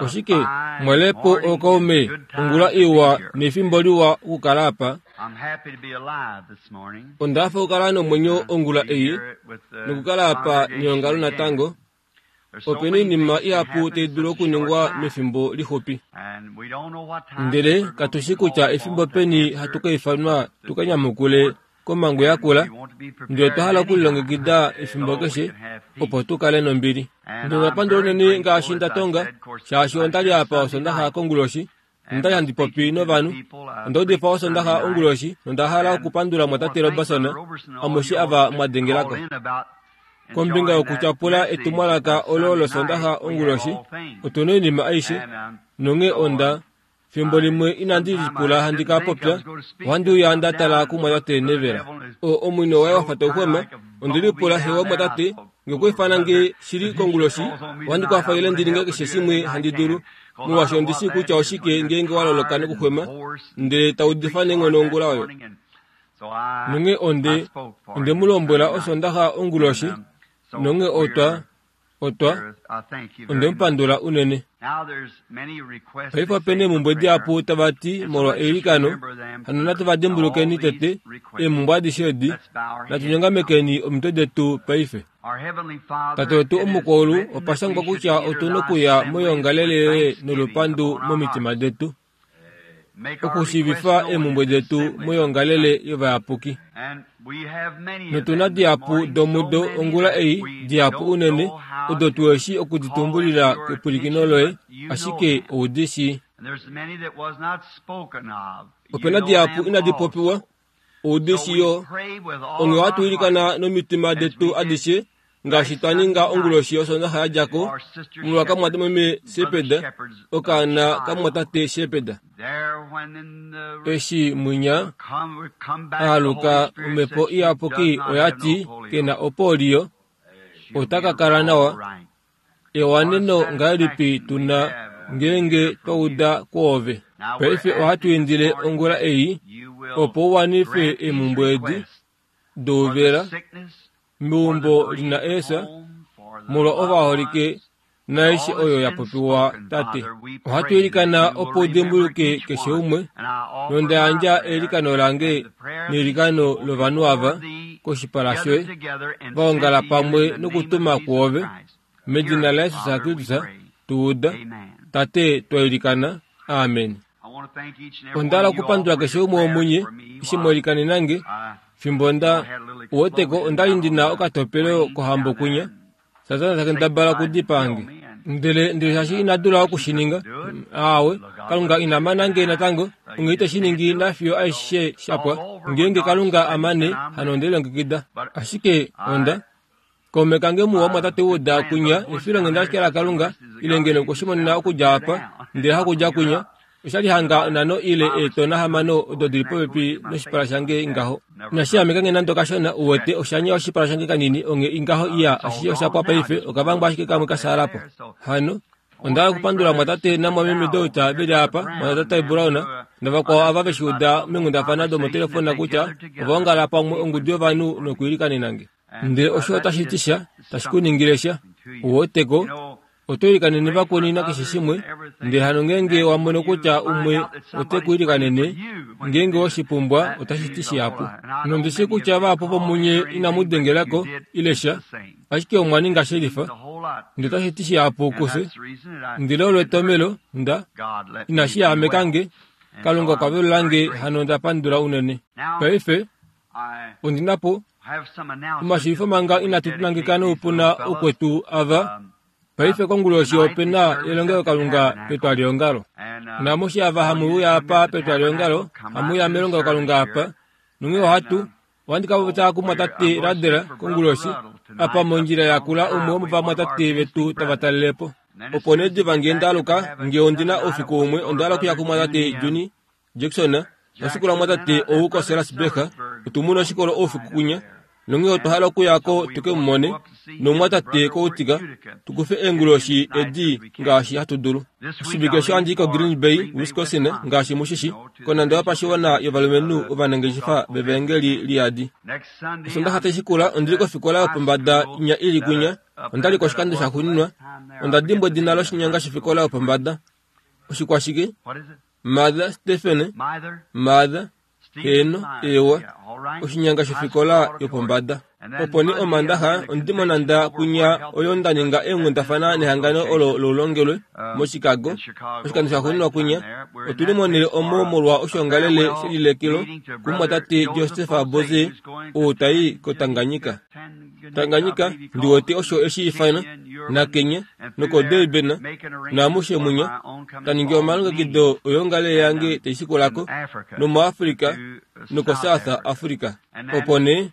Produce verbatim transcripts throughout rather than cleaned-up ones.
Oshike mwelepo okaume ongula iwa nefimbo liwa okukala apa. Ondafa okukala nomwenyo ongula ei nokukala apa neongalo natango. Opena oinima ihapu tai dulu okuningwa mefimbo lixupi. Ndele katushi kutya efimbo peni hatu ka ifanwa tuka nyamukule komangu yakula, ndele otwa hala okulilongekida efimbo keshe opo tukale nombili. Ndinapandula unene ngaashi ndatonga, shaashi ondali apa osondaxa konguloshi, nondali handi popi novanhu. Onda udifa osondaxa onguloshi nonda hala okupandula mwatate Robertson amushe ava mwadengelako. Kombinga yokutyapula etumwalaka olo losondaxa onguloshi, otuna oinima aishe, nonghee onda fimbo limwe inandi lipula handi ka popya, ohandi uya nda tala kumwatate Neville. O omwino waye wafa tauxwema, ondi lipula hewa mwatate, ngekwiifana nge shili konguloshi, ohandi kwafa ile ndi ninge keshe shimwe handi dulu, molwaashi ondi shii kutya oshike ngeenge wa loloka nokuxwema, ndele taudifa neenghono ongula oyo. Nonghee onde, onde mu lombwela osondaxa onguloshi, nonghee otwa, otwa, onde mu pandula unene. Paife opena eemumbwe dihapu tava ti molwa eilikano, hano natu va dimbulukeni tete eemumbwe adishe edi, natu nyongamekeni omitwe detu paife. Tate wetu omukwaulu, opa shangwa kutya otuna okuya moyoongalele yoye nolupandu momitima detu, okushiivifa eemumbwe detu moyoongalele yovayapuki. Notuna dihapu domudo ongula ei, dihapu unene, odo tuheshi okuditumbulila kepwilikino loye, ashike oudi shii. Opena dihapu inadi popiwa, oudi shii yo. Onghee ohatu ilikana nomitima detu adishe, ngaashi twa ninga onguloshi yosondaxa ya djako, molwa kamwatate Shepeda, okaana kamwatate Shepeda. Eshi mwinya aaluka omhepo iyapuki oya ti kena opolio, ota ka kala nawa. Ewaneno ngahelipi tuna ngeenge twa uda kwoove. Paife ohatu indile ongula ei opo u wanife eemumbwe edi douvela meumbo lina eefya molwa ovaholike naaishe oyo ya popiwa tate. Ohatu ilikana opo u dimbuluke keshe umwe, nonda yandja eilikano lange neilikano lovanhu ava koshipala shoye, vaongala pamwe nokutuma kwoove, medina laJesus Kristus tu uda. Tate, twa ilikana. Amen. Onda hala okupandula keshe umwe womunye eshi mwailikanena nge fimbo nda uweteko ondali ndina okatopelo kohambo kunya, Satana ta kendabala okudipaa nge. Ndele ndele shaashi ina dula okushininga, aawe, Kalunga ina mana nge natango, onghee ite shi ningi nafiyo aishe shapwa. Ngeenge Kalunga amane, hano onde lilongekida. Ashike onda kaume kange muwa mwatate uda kunya efilonghenda ashike laKalunga, ile ngeno okweshimonena okudja apa, ndele hakudja kunya. Oshali hanga onhano ile eetona hamano odo dili popepi noshipala shange ngaho. Inashi ameka nge nande okashona, uwete, osha nya oshipala shange kanini, onghee ingaho iya, ashishe oshapwa paife, okavangwa ashike kamwe kashaala po. Hano, onda hala okupandula mwatate namwameme Dauta veli apa, mwatate Brown, navakwao ava veshi uda meenghundafana domotelefona kutya ova ongala pamwe ongudu yovanhu nokuilikanena nge. Ndele osho otashi ti sha, tashi ku ningile sha. Uweteko, oto ilikanene vakweni nakeshe shimwe, ndele hano ngeenge wa mono kutya umwe ote ku ilikanene, ngeenge woshipumbwa otashi ti shihapu. Nondi shii kutya vahapu vomunye inamu dengelako ile sha, ashike omwa ninga shelifa, ndele otashi ti shihapu kufye. Ndele olo etomelo nda inashi yahameka nge, Kalunga okwa velula nge, hano onda pandula unene. Paife ondina po omashiivifo manga inatu nangeka noupuna okwetu ava. Paife konguloshi opena elongelokalunga petwaliongalo. Namushi ava hamu uya apa petwaliongalo, hamu uya melongelokalunga apa, nonghee ohatu ohandi ka popya kumwatate Radela konguloshi apa mondjila yakula umwe womovamwatate vetu tava talele po. Opo nee diva ngee ndaaluka, ngee ondina oufiku umwe, onda hala okuya kumwatate Juni Jackson, noshikolo mwatate ou koSelasburg, otu muna oshikolo oufiku kunya, nonghee otwa hala okuya ko tuke mu mone, nomwatate koutika, tukufe eenguloshi edi ngaashi hatu dulu. Oshivike osho handi i koGreen Bay, Wisconsin, ngaashi mushishi, konanda yopashiwana yovalumenhu ovanangeshefa vevaengeli liyadi. Osondaxa tashi shikula ondili kofikola yopombada inya ili kunya, Onda li koshikando shaxuuninwa, onda dimbwa edina loshinyanga shofikola yopombada. Oshikwashike? Martha Stephen, Martha, heeno, ewa, oshinyanga shofikola yopombada. Opo nee Omandaxa ondimonanda kwinya oyo nda ninga eenghundafana nehangano olo loulongelwe moChicago. Oshikando shaxuuninwa kwinya, otuli monhele omo molwa oshoongalele shelilekelo kumumwatate Joseph Boze oo tai koTanganyika. Tanganyika ndiwete osho eshi ifana naKenya nokoDurban naamushe munya taningi omalongekido oyoongalele yange taishikulako nomoAfrica nokoSouth Africa. Opo nee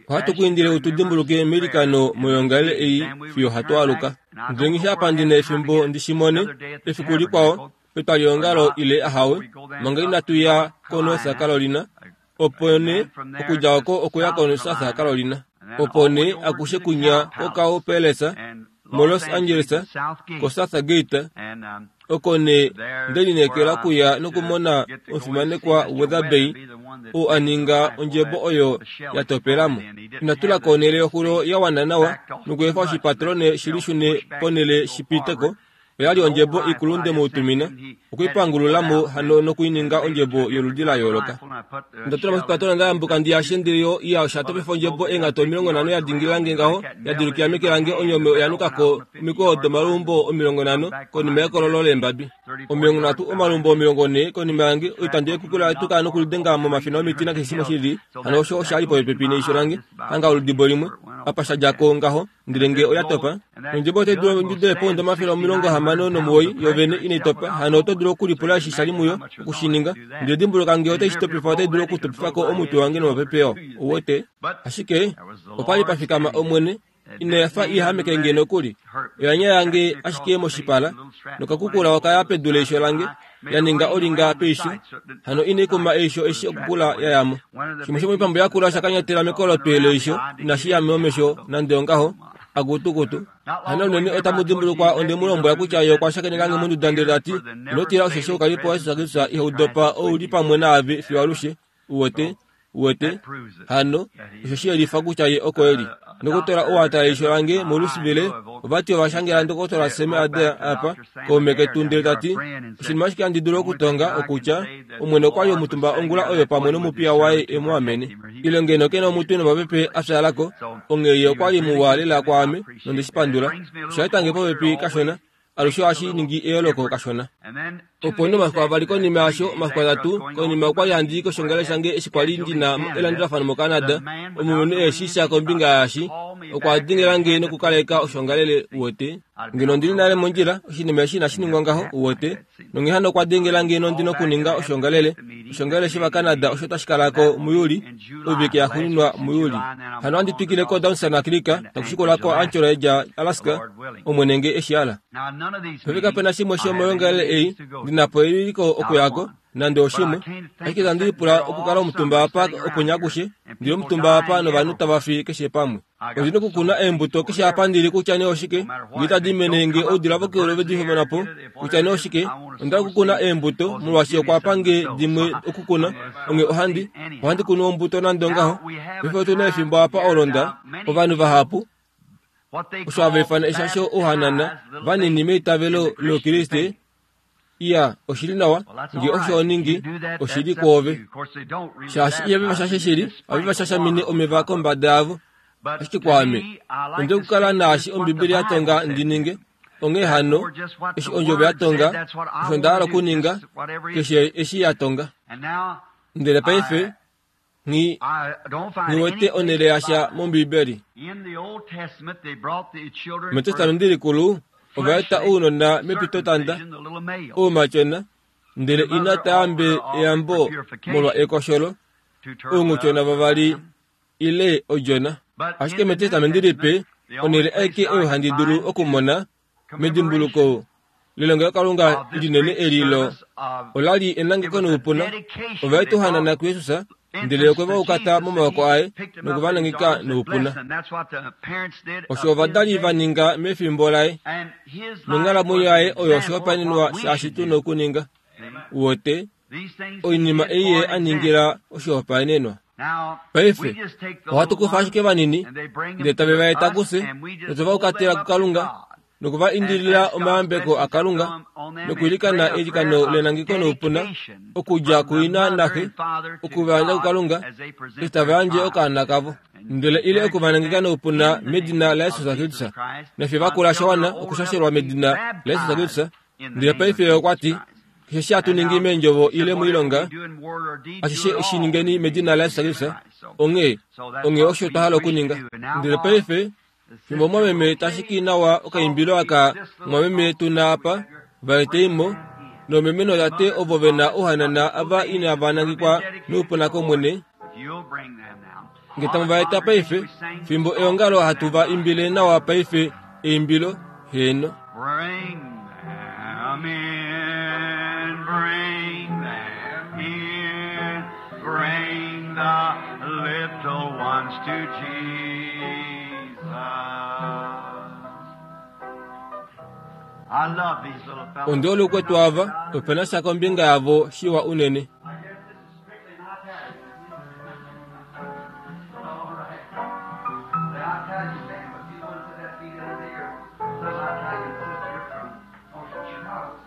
ohatu ku indile utudimbuluke meilikano moyoongalele ei fiyo hatu aluka. Ndele ngisha apa ndina efimbo ndishimone efiku likwao petwalihongalo ile ahawe manga inatu ya koNorth Carolina. Opo nee okudja oko okuya koSouth Carolina. Opo nee akushe kunya koCow Palace moLos Angeles koSouth Gate oko nee ndelineekela okuya nokumona omufimanekwa Weatherby oo a ninga ondjebo oyo ya topelamo. Inatulako onhele yoxulo ya wana nawa nokuefa oshipatrone shilishune ponhele shipiteko. Oyali ondjebo ikulu ndemutumina okuipangululamo hano nokuininga ondjebo yoludi la yooloka. Ndatula moshipatrone ndayambuka ndiyashe ndele yo iya oshatopefa ondjebo eengato omilongo nhano ya dingililange ngaho ya dilukila meke lange onyome oya nukako omikweyo domalumbo omilongo nhano konima yekololo leembabi. Omilongo nhatu omalumbo omilongo nhee konima yange oitando yekukula yatuka nokulidenga momafina omiti nakeshe shimwe shili. Hano osho oshali popepi neisho lange hanga oludibo limwe apa shadjako ngaho ndele nge oya topa. Ondjebo otai dulu ondjudo yeepounda omafele omilongo hamano nomuwoi yovene inai topa. Hano oto dulu okulipula eshi shali muyo okushininga. Ndele dimbuluka nge otai shitopifa otai dulu okutopifako omutwe wange nomapepeo. Ouwete? Ashike opali pafikama Omwene inayafa ihameke nge nokuli. Oyanya yange ashike moshipala nokakukula okaya pedu leisho lange ya ninga olinga peisho. Hano inai kuma eisho eshi okukula yayamo. Shimwe shomoipambu yakula shakanyatela mekolotwe leisho inashi ya momesho nande ongaho. Akutukutu. Hano unene otamu dimbulukwa onde mu lombwela kutya ye okwa shakenekange monduda ndele tati ino tila osheshi oukalipo waJesus Kristus ihau dopa ouli pamwe naave fiyo alushe. Uwete? Uwete? Hano osho shiyelifa kutya ye oko eli. Ndokotola ou a tala eisho lange moLouisville ovati ovashangela ndokotola Sam Adair apa kaume ketu ndele tati oshinima ashike handi dulu okutonga okutya Omwene okwali omutumba ongula oyo pamwe nomupiya waye e mu amene. Ile ngeno kena omutwe nomapepe a fyaalako, onghee ye okwali muwa lela kwaame nonde shi pandula. Osha etange popepi kashona, alushe ohashi ningi eyooloko kashona. Opo nee omafiku avali konima yasho, omafiku atatu konima okwali handi i koshongalele shange eshi kwali ndina elandulafano moCanada. Omulumenhu eshi sha kombinga yaashi okwa dingelange nokukaleka oshongalele uwete. Ngeno ondili nale mondjila, oshinima eshi inashi ningwa ngaho uwete. Nonghee hano okwa dengelange nondi nokuninga oshongalele. Oshongalele shOvacanada osho tashi kalako muJuli, oivike yaxuuninwa muJuli. Hano handi twikile koDawson Creek takushikulako Anchorage, Alaska, Omwene nge eshi ala. Paife kapena shimwe shomoyoongalele ei ndinapo ewiliko okuyako nande oshimwe. Ashike itandi lipula okukala omutumba apa okunya akushe, ndili omutumba apa novanhu tava fi keshe pamwe. Ondi nokukuna eembuto keshe apa ndili kutya nee oshike, nge itadi mene nge oudila vokeulu ove di homona po, kutya nee oshike, onda okukuna eembuto molwaashi okwa pa nge dimwe okukuna, onghee ohandi, ohandi kunu ombuto nande ongaho. Paife otu na efimbo apa olonda, ovanhu vahapu, osho hava ifana eshasho ouhanana vanini meitavelo loukriste. Iya, oshili nawa, nge osho oningi, oshili kwoove. Shaashi ihave va shashe shili, ohave va shashamine omeva kombada yavo. Ashike kwaame, onde okukala naashi Ombibeli ya tonga ndi ninge. Onghee hano, eshi ondjovo ya tonga, osho nda hala okuninga, keshe eshi ya tonga. Ndele paife, nghi nghi wete onhele yasha mOmbibeli. MEtestamenti likulu, ova eta ounona mepitotanda, oumatyona, ndele ina taambe eyambo molwa ekosholo, ounghutyona vavali ile odjona. Ashike mEtestamenti lipe, onhele aike oyo handi dulu okumona medimbuluko lelongelokalunga linene eli lo olali enangeko noupuna. Ova eta ouhanana kuJesus, ndele okwe va ukata momawoko aye noku va nangeka noupuna. Osho ovadali va ninga mefimbo laye, nonghalamwenyo yaye oyo oshihopaenenwa shaashi tu nokuninga. Uwete, oinima ei ye a ningila oshihopaenenwa. Paife ohatu kufa ashike vanini ndele tave va eta kufye notwe va ukatela kuKalunga nokuva indilila omayambeko aKalunga nokuilikana eilikano lenangeko noupuna okudja kuina naxe okuvayandja kuKalunga eshi tava yandje okaana kavo ndele ile okuvanangeka noupuna medina laJesus Kristus nafye vakula shawana okushashelwa medina laJesus Kristus. Ndele paife okwa ti keshe eshi hatu ningi meendjovo ile moilonga ashishe shi ningeni medina laJesus Kristus. Onghee onghee osho twa hala okuninga. Ndele paife fimbo mwameme tashiki nawa okaimbilo aka mwameme tuna apa vaeteimo nomeme notate ovo vena ouhanana ava inava nangekwa noupuna kOmwene nge tamu va eta paife fimbo eongalo hatu va imbile nawa paife eimbilo heeno. Bring them in, bring them in, bring the little ones to Jesus. I love these little fellows. Onde olukwetu ava opena sha kombinga yavo shiwa unene. I guess this is strictly my Italian. All right. The Italian band, but you ones that that the other day, or some Italian sister from oh, from Chicago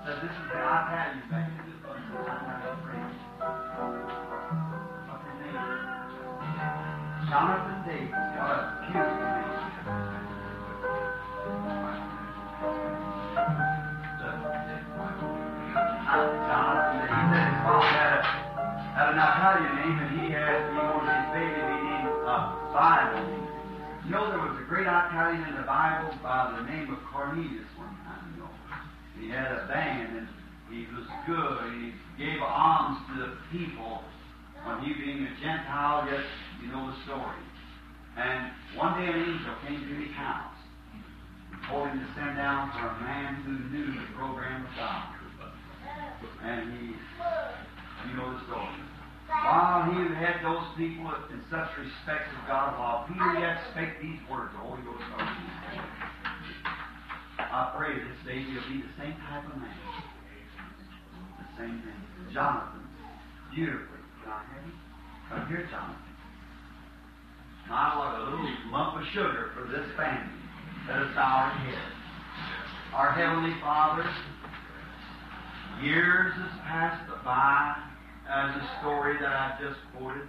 said this is the Italian band. This one says I'm not afraid. What's his name? Jonathan Davis. What a beautiful name. Jonathan, he said his father had, a, had an Italian name, and he had he wanted his baby to be named uh, Bible. You know, there was a great Italian in the Bible by the name of Cornelius one time, you know. He had a band, and he was good, and he gave alms to the people. When he being a Gentile, yet you know the story. And one day an angel came to his house and told him to send down for a man who knew the program of God. And he, you know the story. While he had those people in such respect of God, while Peter yet spake these words, the Holy Ghost spoke to him. I pray this baby will be the same type of man. The same thing. Jonathan, beautifully. Can I have him? Come here, Jonathan. My, what a little lump of sugar for this family. Let us bow our heads. Our Heavenly Father, years has passed by as a story that I just quoted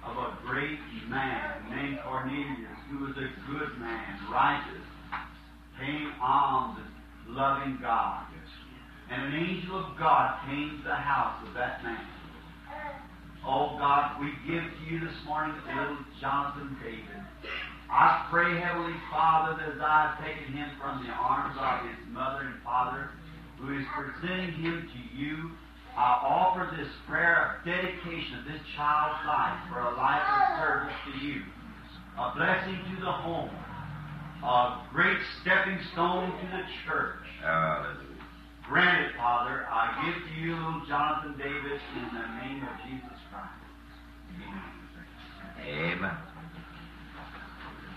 of a great man named Cornelius, who was a good man, righteous, paying alms and loving God. And an angel of God came to the house of that man. Oh God, we give to you this morning little Jonathan David. I pray, Heavenly Father, that as I have taken him from the arms of his mother and father, who is presenting him to you, I offer this prayer of dedication of this child's life for a life of service to you, a blessing to the home, a great stepping stone to the church. Hallelujah. Grant it, Father, I give to you little Jonathan Davis in the name of Jesus Christ. Amen. Amen.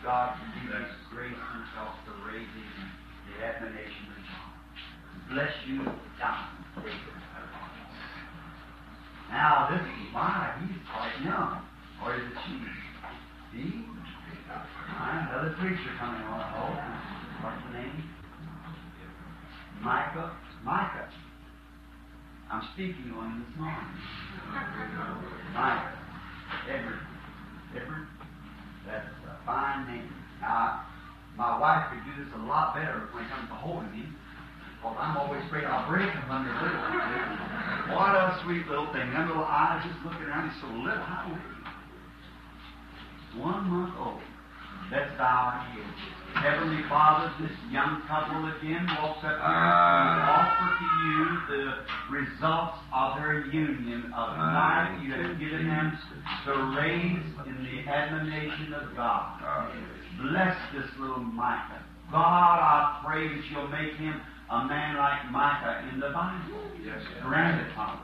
God give us grace and help to raise him in the admonition of John. Bless you, Jonathan Davis. Now, this is why he's quite young. Or is it she? He? All right, another preacher coming on, I hope. What's the name? Micah. Micah. I'm speaking on him this morning. Micah. Edward. Edward. That's a fine name. Now, my wife could do this a lot better when it comes to holding him, because I'm always afraid I'll break him under little. What a sweet little thing. Them little eyes just looking around. He's so little. How old is he? One month old. Let's bow our heads. Heavenly Father, this young couple again walks up here to offer to you the results of their union of life you have given them to raise in the admonition of God. Bless this little Micah. God, I pray that you'll make him a man like Micah in the Bible. Yes. Grant it, Father.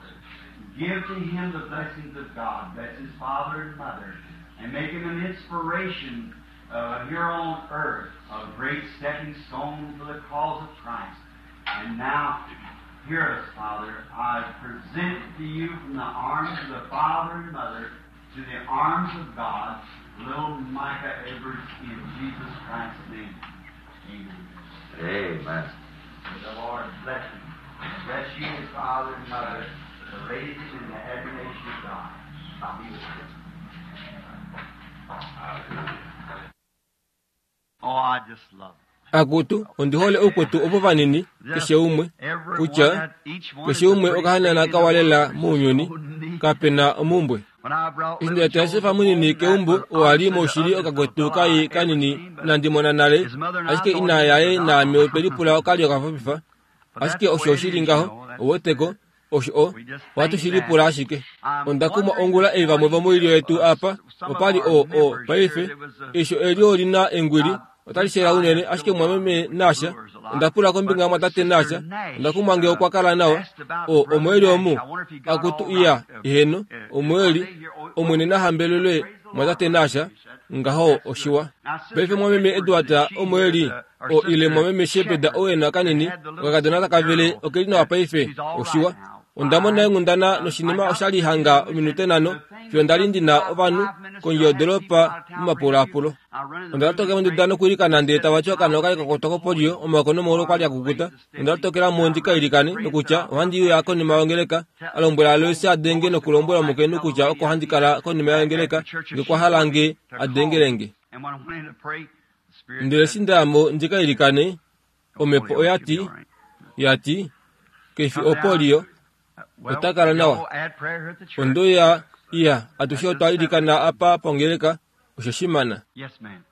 Give to him the blessings of God. Bless his father and mother. And make him an inspiration uh, here on earth, a great stepping stone for the cause of Christ. And now, hear us, Father. I present to you from the arms of the father and mother to the arms of God, little Micah Edwards, in Jesus Christ's name. Amen. Amen. May the Lord bless him. Bless you, his father and mother, to raise him in the admiration of God. I'll be with you. Oh, I just love it. Akutu ondihole ukwetu opo vanini keshe umwe kutya keshe umwe okahanana kawalela muunyuni kapena omumbwe. Eshi ndasefa munini keumbo oali moshili okakwetu kai kanini nandimona nale ashike ina yaye naame otwelipula okali okafafifa ashike osho oshili ngaho oweteko osho o ohatu shilipula ashike. Ondakumwa ongula ei vamwe vomoilyo yetu apa opali o o paife esho eli olina engwili otali shela unene ashike mwameme nasha ondapula kombinga mwatate nasha ondakumwa nge okwa kala nawa o omweli omu akutu iya iheno omweli omwene nahambelelwe mwatate nasha ngaho oshiwa. Paife mwameme Edward omweli o ile mwameme Shepeda oena kanini okakadona takavele okeli nawa paife oshiwa. Ondamona enghundana noshinima oshali hanga ominute nhano fiyo ndali ndina ovanhu kondje yodoropa momapulaapulo. Onda tokela monduda nokuilikana ndele tavati okaana okali kakwatwa kopolio omaoko nomaulu okwali akukuta. Onda tokelamo ndikailikane nokutya ohandi uya konima yongeleka alombwela Aloisi adenge nokulombwela omukainhu kutya oko handi kala konima yongeleka ngekwahala nge adengelenge. Ndele eshi ndayamo ndikailikane omhepo oyati yati keifi opolio otakala nawa. Ondoya iya atushe otwa ilikana apa pongeleka osho shimana. Yes, ma'am.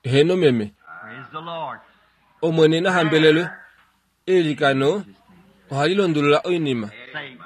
Heno meme. Praise the Lord. Omwene nahambelelwe eilikano ohali londolola oinima.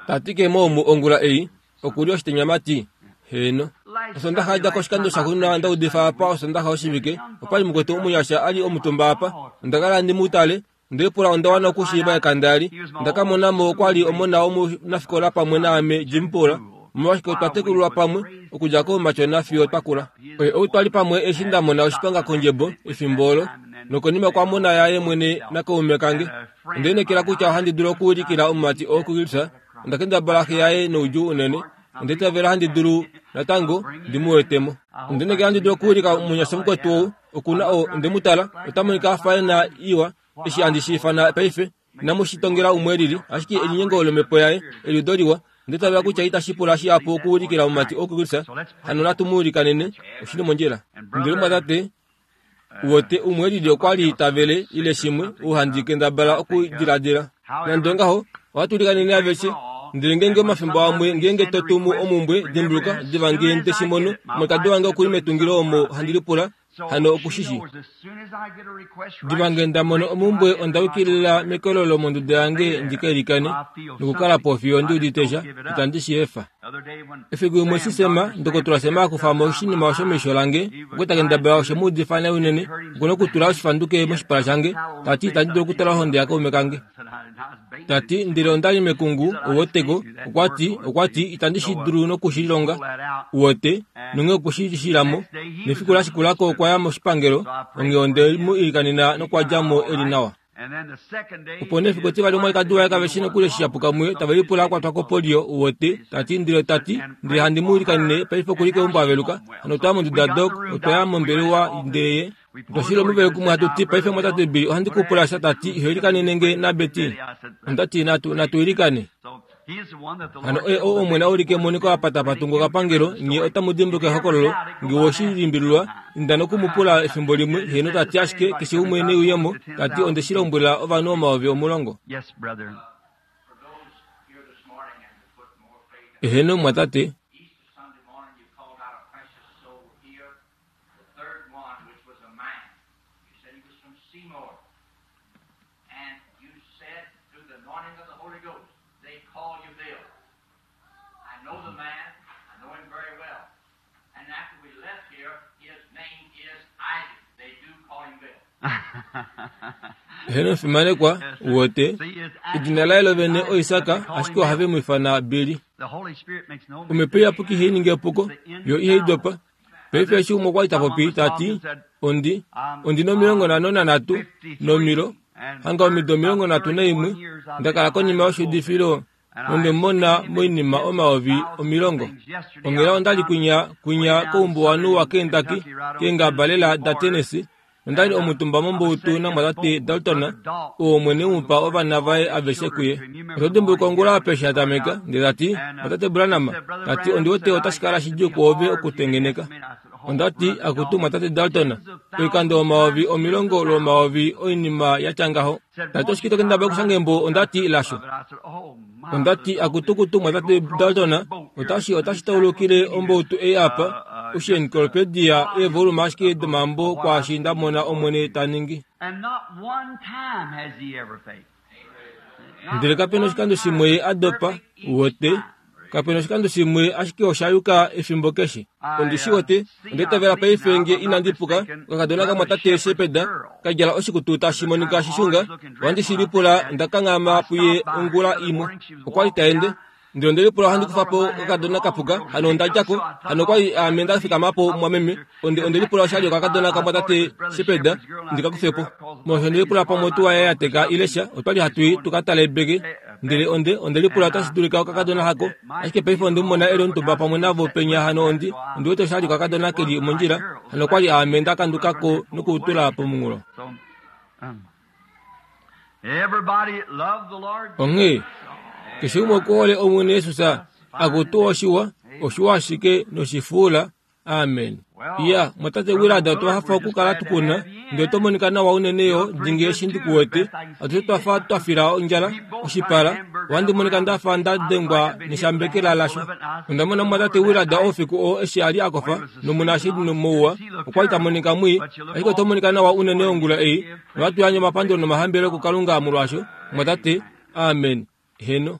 Tatike moomu ongula ei okuli oshitenyamati heno. Osondaxa adja koshikando shaxuna ndaudifa apa osondaxa oshivike opali mukwetu omunyasha ali omutumba apa ondakala ndi mutale ndepula ondawana okushiiva ekanda eli ndakamonamo okwali omona omunafikola pamwe naame Jim Pula omolwashike otwa tekululwa pamwe okudja koumachona fiyo twakula. Oye ou twali pamwe eshi ndamona oshipanga kondjebo efimbo olo nokonima kwamona yaye mwene nakaume kange. Ondeenekela kutya ohandi dulu okuulikila omumati oo kuKilsa ondakendabala xe yaye noudjuu unene ondeitavela handi dulu natango ndimuwetemo. Ondenekela handi dulu okuulika omunyasha mukwetu ou okuna o ondemutala otamonika afa ena iwa eshi handi shiifana paife inamushitongela umwe lili ashike elinyengo lomhepo yaye eliudo liwa ondeitavela kutya itashi pula shihapu okuulikila omumati oo kuKilsa hano natu muulikanene oshili mondjila. Ndele mwatate wote umwe lili okwali tavele ile shimwe ouhandi kendabala okudiladila. Nande ongaho ohatu ulikanene aveshe ndele ngeenge omafimbo amwe ngeenge totumu omumbwe dimbuluka diva ngee ndeshimono omukadi wange okuli metungilo omo handi lipula hano okushishi. Diva ngee ndamono omumbwe ondawikilila mekololo monduda yange ndikailikane nokukala po fiyo ndiudite sha itandi shi efa. Efiku limwe sisema ndokotola Sema akufamo oshinima osho meisho lange okweta kendabala oshe muudifa nai unene okuna okutula oshifanduke moshipala shange tati itandi dulu okutala ohonde yakaume kange. Tati ndele ondali mekungu owoteko okwati okwati itandi shi dulu nokushilonga uwote nonge okushishilamo nefiku lashikulako okwaya moshipangelo onge onde mu ilikanena nokwadjamo eli nawa. Opo nee efiku etivali omwalikadi waye kave shi nokuli eshi shapuka muye tave lipula akwatwa kopolio uwote tati ndele tati ndele handi mu ilikanene paife okuli keumbo aveluka hano otwaya monduda dok otwaya mombelewa ndele ye twashila omuvele kumwe hatuti paife mwatate Billy ohandi kupula sha tati iho ilikanene nge nabeti ondati natu natu ilikane. Hano oye ou omwene aulike emoniko apata patungo kapangelo nye otamu dimbuluka ehokololo nge woshilimbililwa inda nokumupula efimbo limwe heno tati ashike keshe umwe neuyemo tati ondeshilombwela ovanhu omayovi omulongo. Yes, brother. Eheno mwatate. Eheno fimanekwa wote edina laye lovene oIsaka ashike ohave mu ifana Billy. Omhepo iyapuki ihainingi epuko yo ihaidopa. Paife eshi umwe okwali tapopi tati ondi ondina omilongo nhano nanhatu nomilo Hanga omido omilongo nhatu naimwe nda kala konima yoshiudifilo nonde mona moinima omayovi omilongo. Onghela onda li kwinya kwinya koumbuwanhu waKentucky keengaba lela daTennessee nonda li omutumba mombautu namwatate Dalton, oo Omwene mupa ovana vaye aveshe kuye. Oto dimbuluka ongula apa eshi atameka, ndele tati, Mwatate Branham, tati ondi wete otashi kala shidjuu kwoove okutengeneka. Onda ti, akutu Mwatate Dalton, oikando omayovi omilongo lwomayovi oinima ya tya ngaho. Tati oshike to kendabala okushanga embo, onda ti lasho. Onda ti, akutukutu Mwatate Dalton, otashi otashi taulukile ombautu ei apa, oshiencyclopedia eevolume ashike domambo kwaashi nda mona Omwene ta ningi. Ndele kapena oshikando shimwe a dopa, uwete, kapena oshikando shimwe ashike osha yuka efimbo keshe. Ondi shi wete, onda itavela paife nge inandi puka, okakadona kamwatate Shepherd ka djala oshikutu tashi monika shishunga, ohandi shi lipula onda kanghama puye ongula imwe. Okwa li ta ende. Ndele onde lipula ohandi kufa po okakadona kapuka, hano onda dja ko, hano okwa li ame nda fikama po mwameme, onde onde lipula oshali okakadona kamwatate Shepherd ndi ka kufe po. Molwaashi onde lipula pamwe otuwa yaye ya teka ile sha, otwa li hatu i tu ka tale ebeke. Ndele onde onde lipula otashi dulika okakadona hako, ashike paife onde mu mona e li omutumba pamwe navo penya hano ondi ondi wete oshali okakadona ke li mondjila, hano okwa li ame nda kanduka ko nokutula pomunghulo. Onghee keshe umwe okuhole Omwene Jesus, akutu oshiwa, oshiwa ashike noshifuula. Amen. Iya, mwatate Willard, otwa hafa okukala tukuna, ndele oto monika nawa unene yo, dingi eshi ndikuwete. Atushe twafa twa fila ondjala, oshipala, ohandi monika ndafa nda dengwa neshambekela lasho. Onda mona mwatate Willard oufiku oo eshi a li a kofa, nomunashili mouwa, okwa li ta monika mwii, ashike oto monika nawa unene ongula ei, nohatu yandje omapandulo nomahambelelo kuKalunga molwaasho, mwatate. Amen. Heno.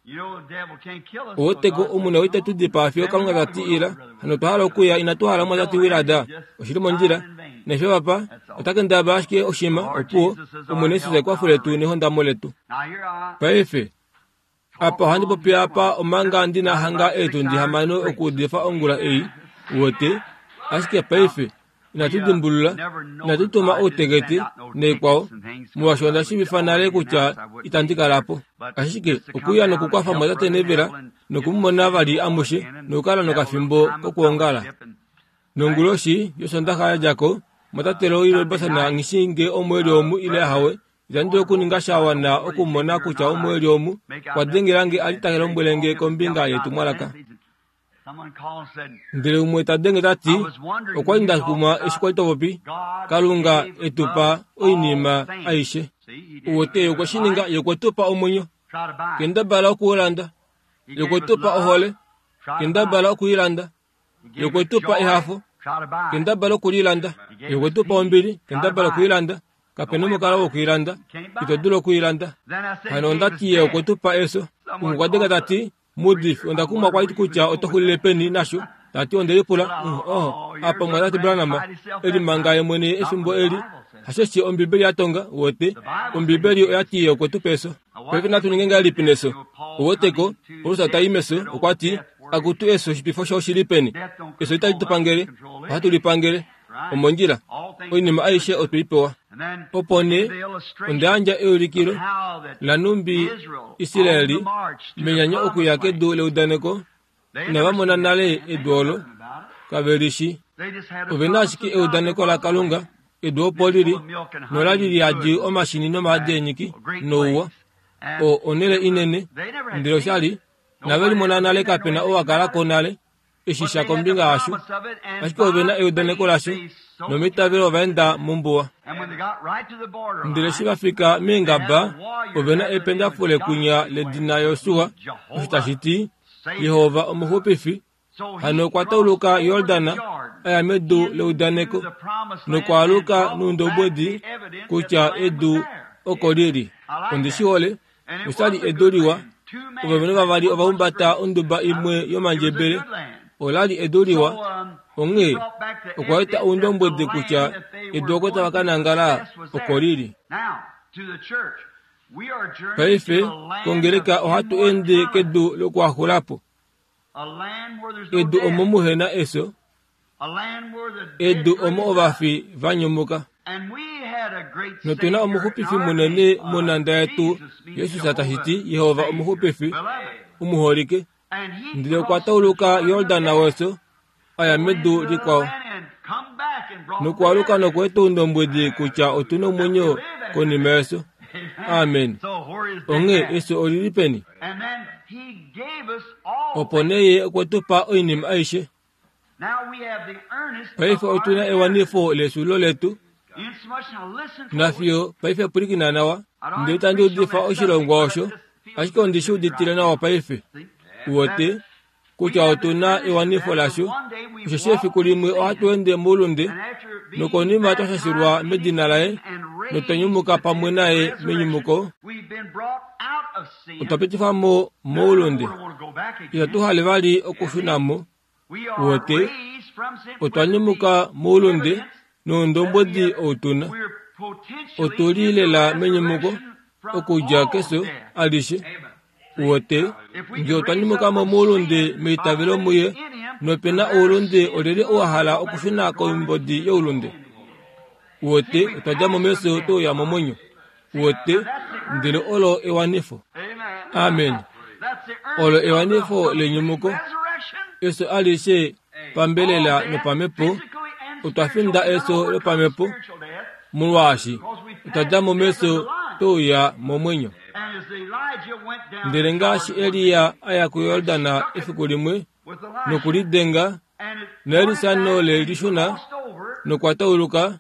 Oweteko omuna oita tu dipaa fiyo Kalunga ta ti ila, hano otwa hala okuya, inatu hala mwatate Willard, oshili mondjila. Nefyo papa, ota kendabala ashike oshima, opuwo, Omwene Jesus ekwafo letu nehondamo letu. Paife, apa ohandi popi apa omanga ndina hanga eetundi hamano okuudifa ongula ei, uwete, ashike paife, inatu dimbulula, inatu tuma outeketi naikwao, molwaashi onda shiivifa nale kutya itandi kala po. Ashike okuya nokukwafa mwatate Neville nokumumona vali amushe nokukala nokafimbo kokwoongala. Nonguloshi yOsondaxa ya dja ko, mwatate Roy Robertson nghi nge omweli omu ile ahawe, itandi dulu okuninga sha wana okumona kutya omweli omu okwa dengela nge a li ta lombwele nge kombinga yetumwalaka. Ndele umwe ta denge ta ti, okwa li nda kumwa eshi kwa li to popi, Kalunga e tu pa oinima aishe. Uwete ye okwe shi ninga, ye okwe tu pa omwenyo, kendabala okuulanda. Ye okwe tu pa ohole, kendabala okuilanda. Ye okwe tu pa ehafo, kendabala okulilanda. Ye okwe tu pa ombili, kendabala okuilanda. Kapena omukalo wokuilanda, ito dulu okuilanda. Hano onda ti ye okwe tu pa efyo. Umwe okwa denga ta ti, Mudifi, onda kumwa kwa li kutya oto xulile peni nasho. Tati onde lipula, oh, apa mwatate Branham, eli manga ye mwene efimbo eli, hasheshi Ombibeli ya tonga, uwete, Ombibeli oya ti ye okwe tu pa efyo. Paife natu ninge ngahelipi nefyo? Uweteko, Paulus ta i mefyo, okwa ti, akutu efyo, oshipifo shayo oshi li peni? Efyo itali tu pangele, ohatu li pangele. Omondjila, oinima aishe otwe i pewa. Opo nee, onda yandja eulikilo lanumbi Israeli menyanyo okuya kedu leudaneko, inava mona nale edu olo, kave li shi. Ove na ashike eudaneko laKalunga, edu opo li li, nola li liyadi omashini nomaadi eenyiki, nouwa, o onhele inene, ndele osha li, inave limona nale kapena ou a kala ko nale, eshi sha kombinga yasho, ashike ove na eudaneko lasho, nomeitavelo ova enda mombuwa. Ndele eshi va fika meengaba, ove na ependafule kwinya ledina Josua, osho tashi ti, Jehova omuxupifi. Hano okwa tauluka Jordan a ya medu leudaneko, nokwaaluka noundobwedi kutya edu oko li li. Ondi shi hole, osha li edu liwa. Ovalumenhu vavali ova humbata onduba imwe yomandjebele. Ola li edu liwa, onghee okwa eta oundombwedi kutya edu oko tava ka nangala oko li li. Paife kongeleka ohatu ende kedu lokuhaxulapo, edu omo muhe na efyo, edu omo ovafi va nyumuka. Notuna omuxupifi munene monanda yetu Jesus tashi ti Yehova omuxupifi omuholike. Ndele okwa tauluka Yordan weso aya medu likwao. Nokwaluka nokweeta oundombwedi kutya otuna omwenyo konima yeso. Amen. Onghee eso olili peni? Opo nee ye okwe tu pa oinima aishe. Paife otuna ewanifo lesulo letu. Nafiyo paife pwilikina nawa. Ndele tandi udifa oshilongwa osho, ashike ondi shi uditile nawa paife. Uwete kutya otuna ewanifo lasho, osheshi efiku limwe ohatu ende moulunde, nokonima twa shashilwa medina laye, notwa nyumuka pamwe naye menyumuko. Otwa pitifwa mo moulunde. Itatu hale vali okushuna mo. Uwete otwa nyumuka moulunde noundombwedi outuna. Otuli lela menyumuko okudja keso alishe. Uwete nge otwa nyumuka mo moulunde meitavelo muye, nopena oulunde olyelye owa hala okushuna koimbodi youlunde. Uwete otwa dja mo meso touya momwenyo. Uwete ndele olo ewanifo. Amen. Olo ewanifo lenyumuko. Eso alishe pambelela nopamhepo. Otwa finda eso lopamhepo molwaashi otwa dja mo meso touya momwenyo. Ndele ngaashi Eliya aya kuYordana efiku limwe nokulidenga naElisa le lishuna nokwa tauluka,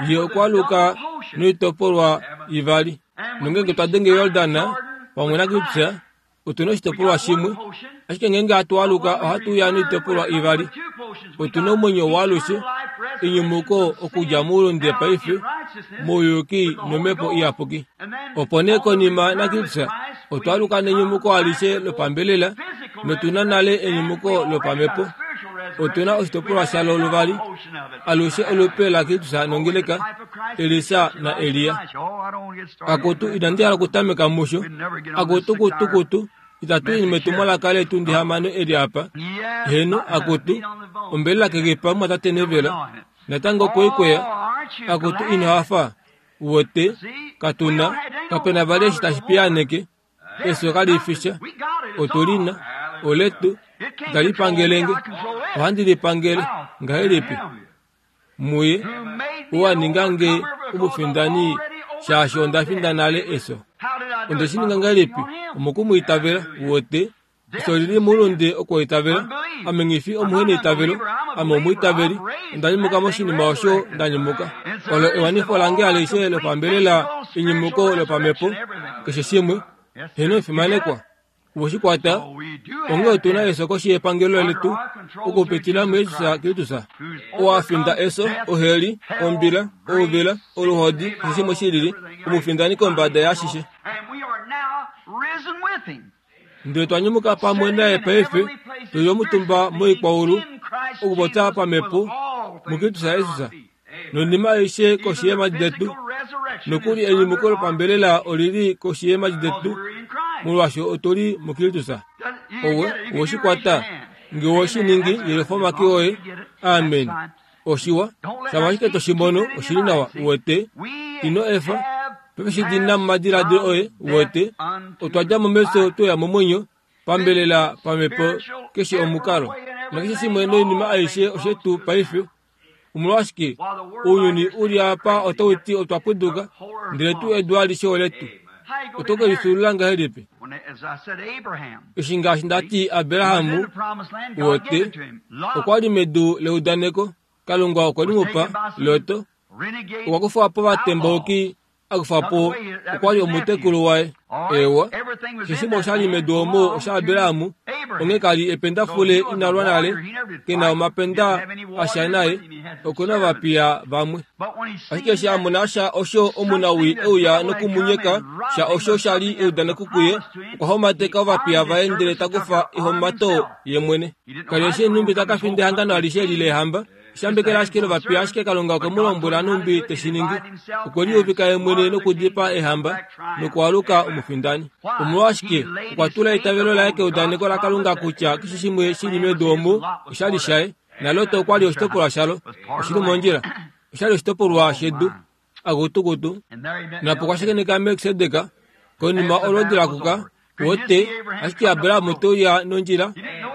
ye okwa luka noitopolwa ivali. Nongenge twa denge Yordana pamwe naKristus, otuna oshitopolwa shimwe, ashike ngenge hatu aluka ohatu uya noitopolwa ivali. Otuna omwenyo waalushe, enyumuko okudja moulunde paife, mouyuki nomhepo iyapuki. Opo nee konima naKristus otwa aluka nenyumuko alishe lopambelela, notuna nale enyumuko lopamhepo. Otuna oshitopolwa shalo luvali, alushe olupe laKristus nongeleka, Elisa na Eliya. Akutu inandi hala okutameka musho. Akutu kutukutu itatu metumwalaka letu ndihamano eli apa. Heno akutu ombelela kekepa mwatate nevela natango koikweya. Akutu ino hafa. Uwete katuna kapena vali eshi tashi piyaaneke. Eso kalifisha. Otulina oletu itali pangelenge. Ohandi lipangele ngahelipi? Muye owaninga nge omufindani shaashi onda finda nale eso. Onde shi ninga ngahelipi? Omokumwiitavela. Uwete eso lili moulunde okwoitavela. Ame nghi omuheneitavelo, ame omwiitaveli. Onda nyumuka moshinima osho nda nyumuka. Olo ewanifo lange alishe lopambelela, enyumuko lopamhepo, keshe shimwe. Heno efimanekwa. Uweshikwata onge otuna eso koshi yepangelo letu okupitila muJesus Kristus. Owafinda eso, oheli, ombila, ouvila, oluhodi, keshe shimwe shilili, omufindani kombada yashishe. Ndele twa nyumuka pamwe naye paife, tuli omutumba moikwaulu okupopya pamhepo muKristus Jesus. Nonima aishe koshi yeemhadi detu, nokuli enyumuko lopambelela olili koshi yeemhadi detu, molwaashi otuli muKristus. Owe oweshikwata nge oweshiningi yelifa omake oye. Amen. Oshiwa shama ashike toshimono oshili nawa. Uwete ino efa paife shidina momadiladilo oye. Uwete otwa dja mo meso toya momwenyo pambelela pamhepo keshe omukalo nakeshe shimwe noinima aishe oshetu paife. Omolwashike ounyuni uli apa otau ti otwa pwiduka, ndele tuu edu alishe oletu. Oto ke lifyuulula ngahelipi? Eshi ngaashi ndati Abrahamu uwete okwa li medu leudaneko, Kalunga okwe li mu pa. Loto okwa kufa po ovatembauki, a kufa po okwa li omutekulu waye. Ewa, keshe shimwe oshali medu omo osha Abrahamu. Onghee kali ependafule inalwa nale, kena omapenda asha naye, okuna ovapiya vamwe. Ashike eshi a mona sha osho omunawii euya nokumunyeka sha osho shali eudaneko kuye, okwa homateka ovapiya vaye ndele ta kufa ehomato ye mwene. Kali eshi nhumbi ta ka finda ehangano alishe eli lehamba. Shambekela ashike lovapiya, ashike Kalunga okwe mu lombwela nhumbi teshi ningi. Okwe liuvika ye mwene nokudipa ehamba nokwaluka omufindani. Omolwashike okwa tula eitavelo laye keudaneko laKalunga kutya keshe shimwe shili medu omo oshali shaye, naLot okwa li oshitopolwa shalo. Oshili mondjila, oshali oshitopolwa shedu. Akutukutu. Napo kwashakeneka Melkisedek konima olwoodi lakuka wote ashike Abraham teuya nondjila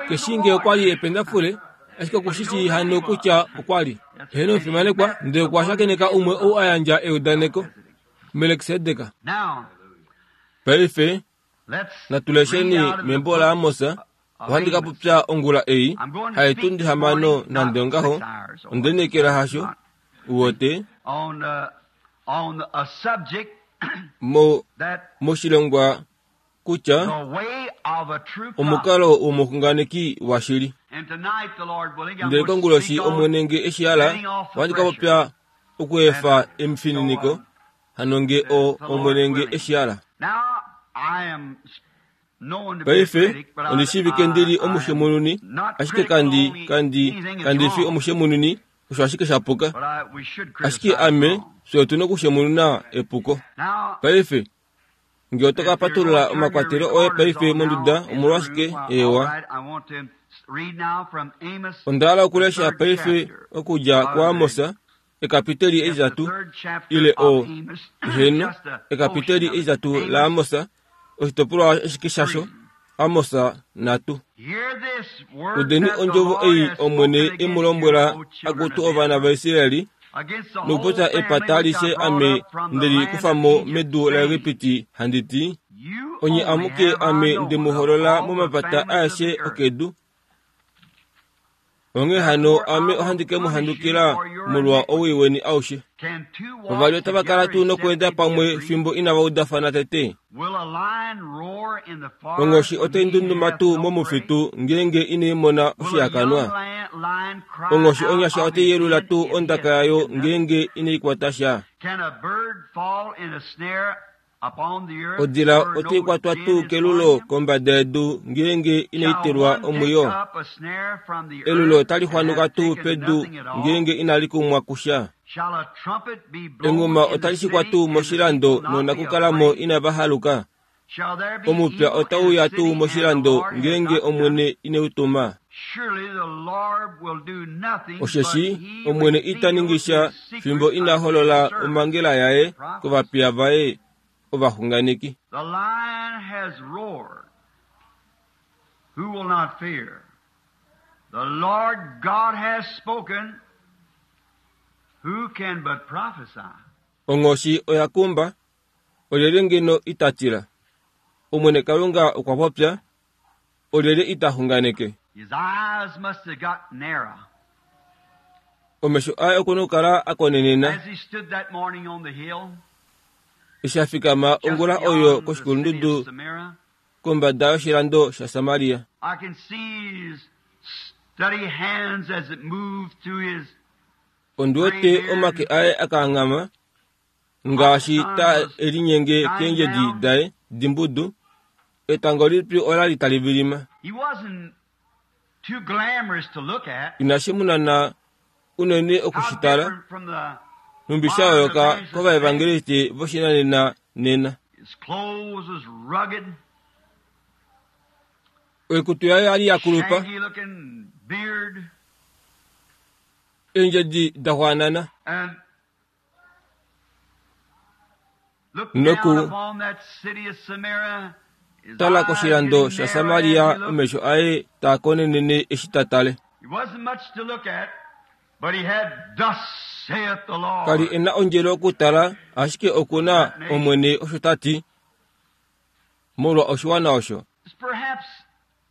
keshinge okwali ependafule ashike okushishi hano kutya okwali heno omufimanekwa ndele okwa shakeneka umwe ou a yandja eudaneko Melkisedek. Paife natulesheni membo laAmos. Ohandi ka popya ongula ei haitundi hamano nande ongaho ondenekela hasho uwote mo moshilongwa kutya omukalo womuxunganeki washili. Ndele konguloshi Omwene nge eshi hala ohandi ka popya okuefa emifininiko hano nge o Omwene nge eshi hala. Paife ondishivike ndili omushemununi ashike kandi kandi kandi fi omushemununi osho ashike shapuka ashike ame fye otuna okushemununa epuko. Paife nge oto ka patulula omakwatelo oye paife monduda omolwashike ewa. Onda hala okulesha paife okudja kuAmos ekapiteli etitatu ile o heno ekapiteli etitatu laAmos oshitopolwa ashike shasho Amos natu. Udeni ondjovo ei Omwene e mu lombwela akutu ovana vaIsraeli nokupopya epata alishe ame ndeli kufa mo medu laEgipiti handi ti onye amuke ame nde mu holola momapata aeshe okedu. Onghee hano ame ohandi ke mu handukila molwa owii weni aushe. Vavali otava kala tuu nokweenda pamwe fimbo inava udafana tete? Onghoshi otai ndunduma tuu momufitu ngeenge inai mona oshihakanwa? Onghoshi onyasha otai yelula tuu ondaka yayo ngeenge inai kwata sha? Odila otai kwatwa tuu kelulo kombada yedu ngeenge inai telwa omwiyo? Elulo otali xwanuka tuu pedu ngeenge inali kumwa kusha? Enghuma otali shikwa tuu moshilando noonakukalamo inava haluka? Omupya otauya tuu moshilando ngeenge Omwene ineu tuma? Osheshi Omwene ita ningi sha fimbo ina holola omhangela yaye kovapiya vaye ovaxunganeki. The lion has roared. Who will not fear? The Lord God has spoken. Who can but prophesy? Onghoshi oya kumba, olyelye ngeno ita tila? Omwene Kalunga okwa popya, olyelye ita xunganeke? His eyes must have got narrow. Omesho aye okuna okukala a konenena. As he stood that morning on the hill, Eshi a fikama just ongula oyo beyond the city of koshikulundudu Samaria, kombada yoshilando shaSamaria. I can see his steady hands as it moved through his Ondi wete omake aye akaanghama ngaashi ta elinyenge keendjedi daye dimbudu. Etango lipyu olali tali vilima. He wasn't too glamorous to look at. Inashi munana unene How okushitala different from the numbi sha yooloka kovaevangeliste voshinanena nena. his clothes was rugged, Oikutu yaye yali ya kulupa, shaggy looking beard, eendjedi da xwaanana. and looked Noku down upon that city of Samaria. His tala eyes koshilando getting sha narrow as Samaria he looked. omesho aye taa konenene eshi ta tale. He wasn't much to look at, but he had thus saith the Kali Lord. ena ondjele okutala ashike okuna Omwene osho ta ti molwa oshiwana osho. It's perhaps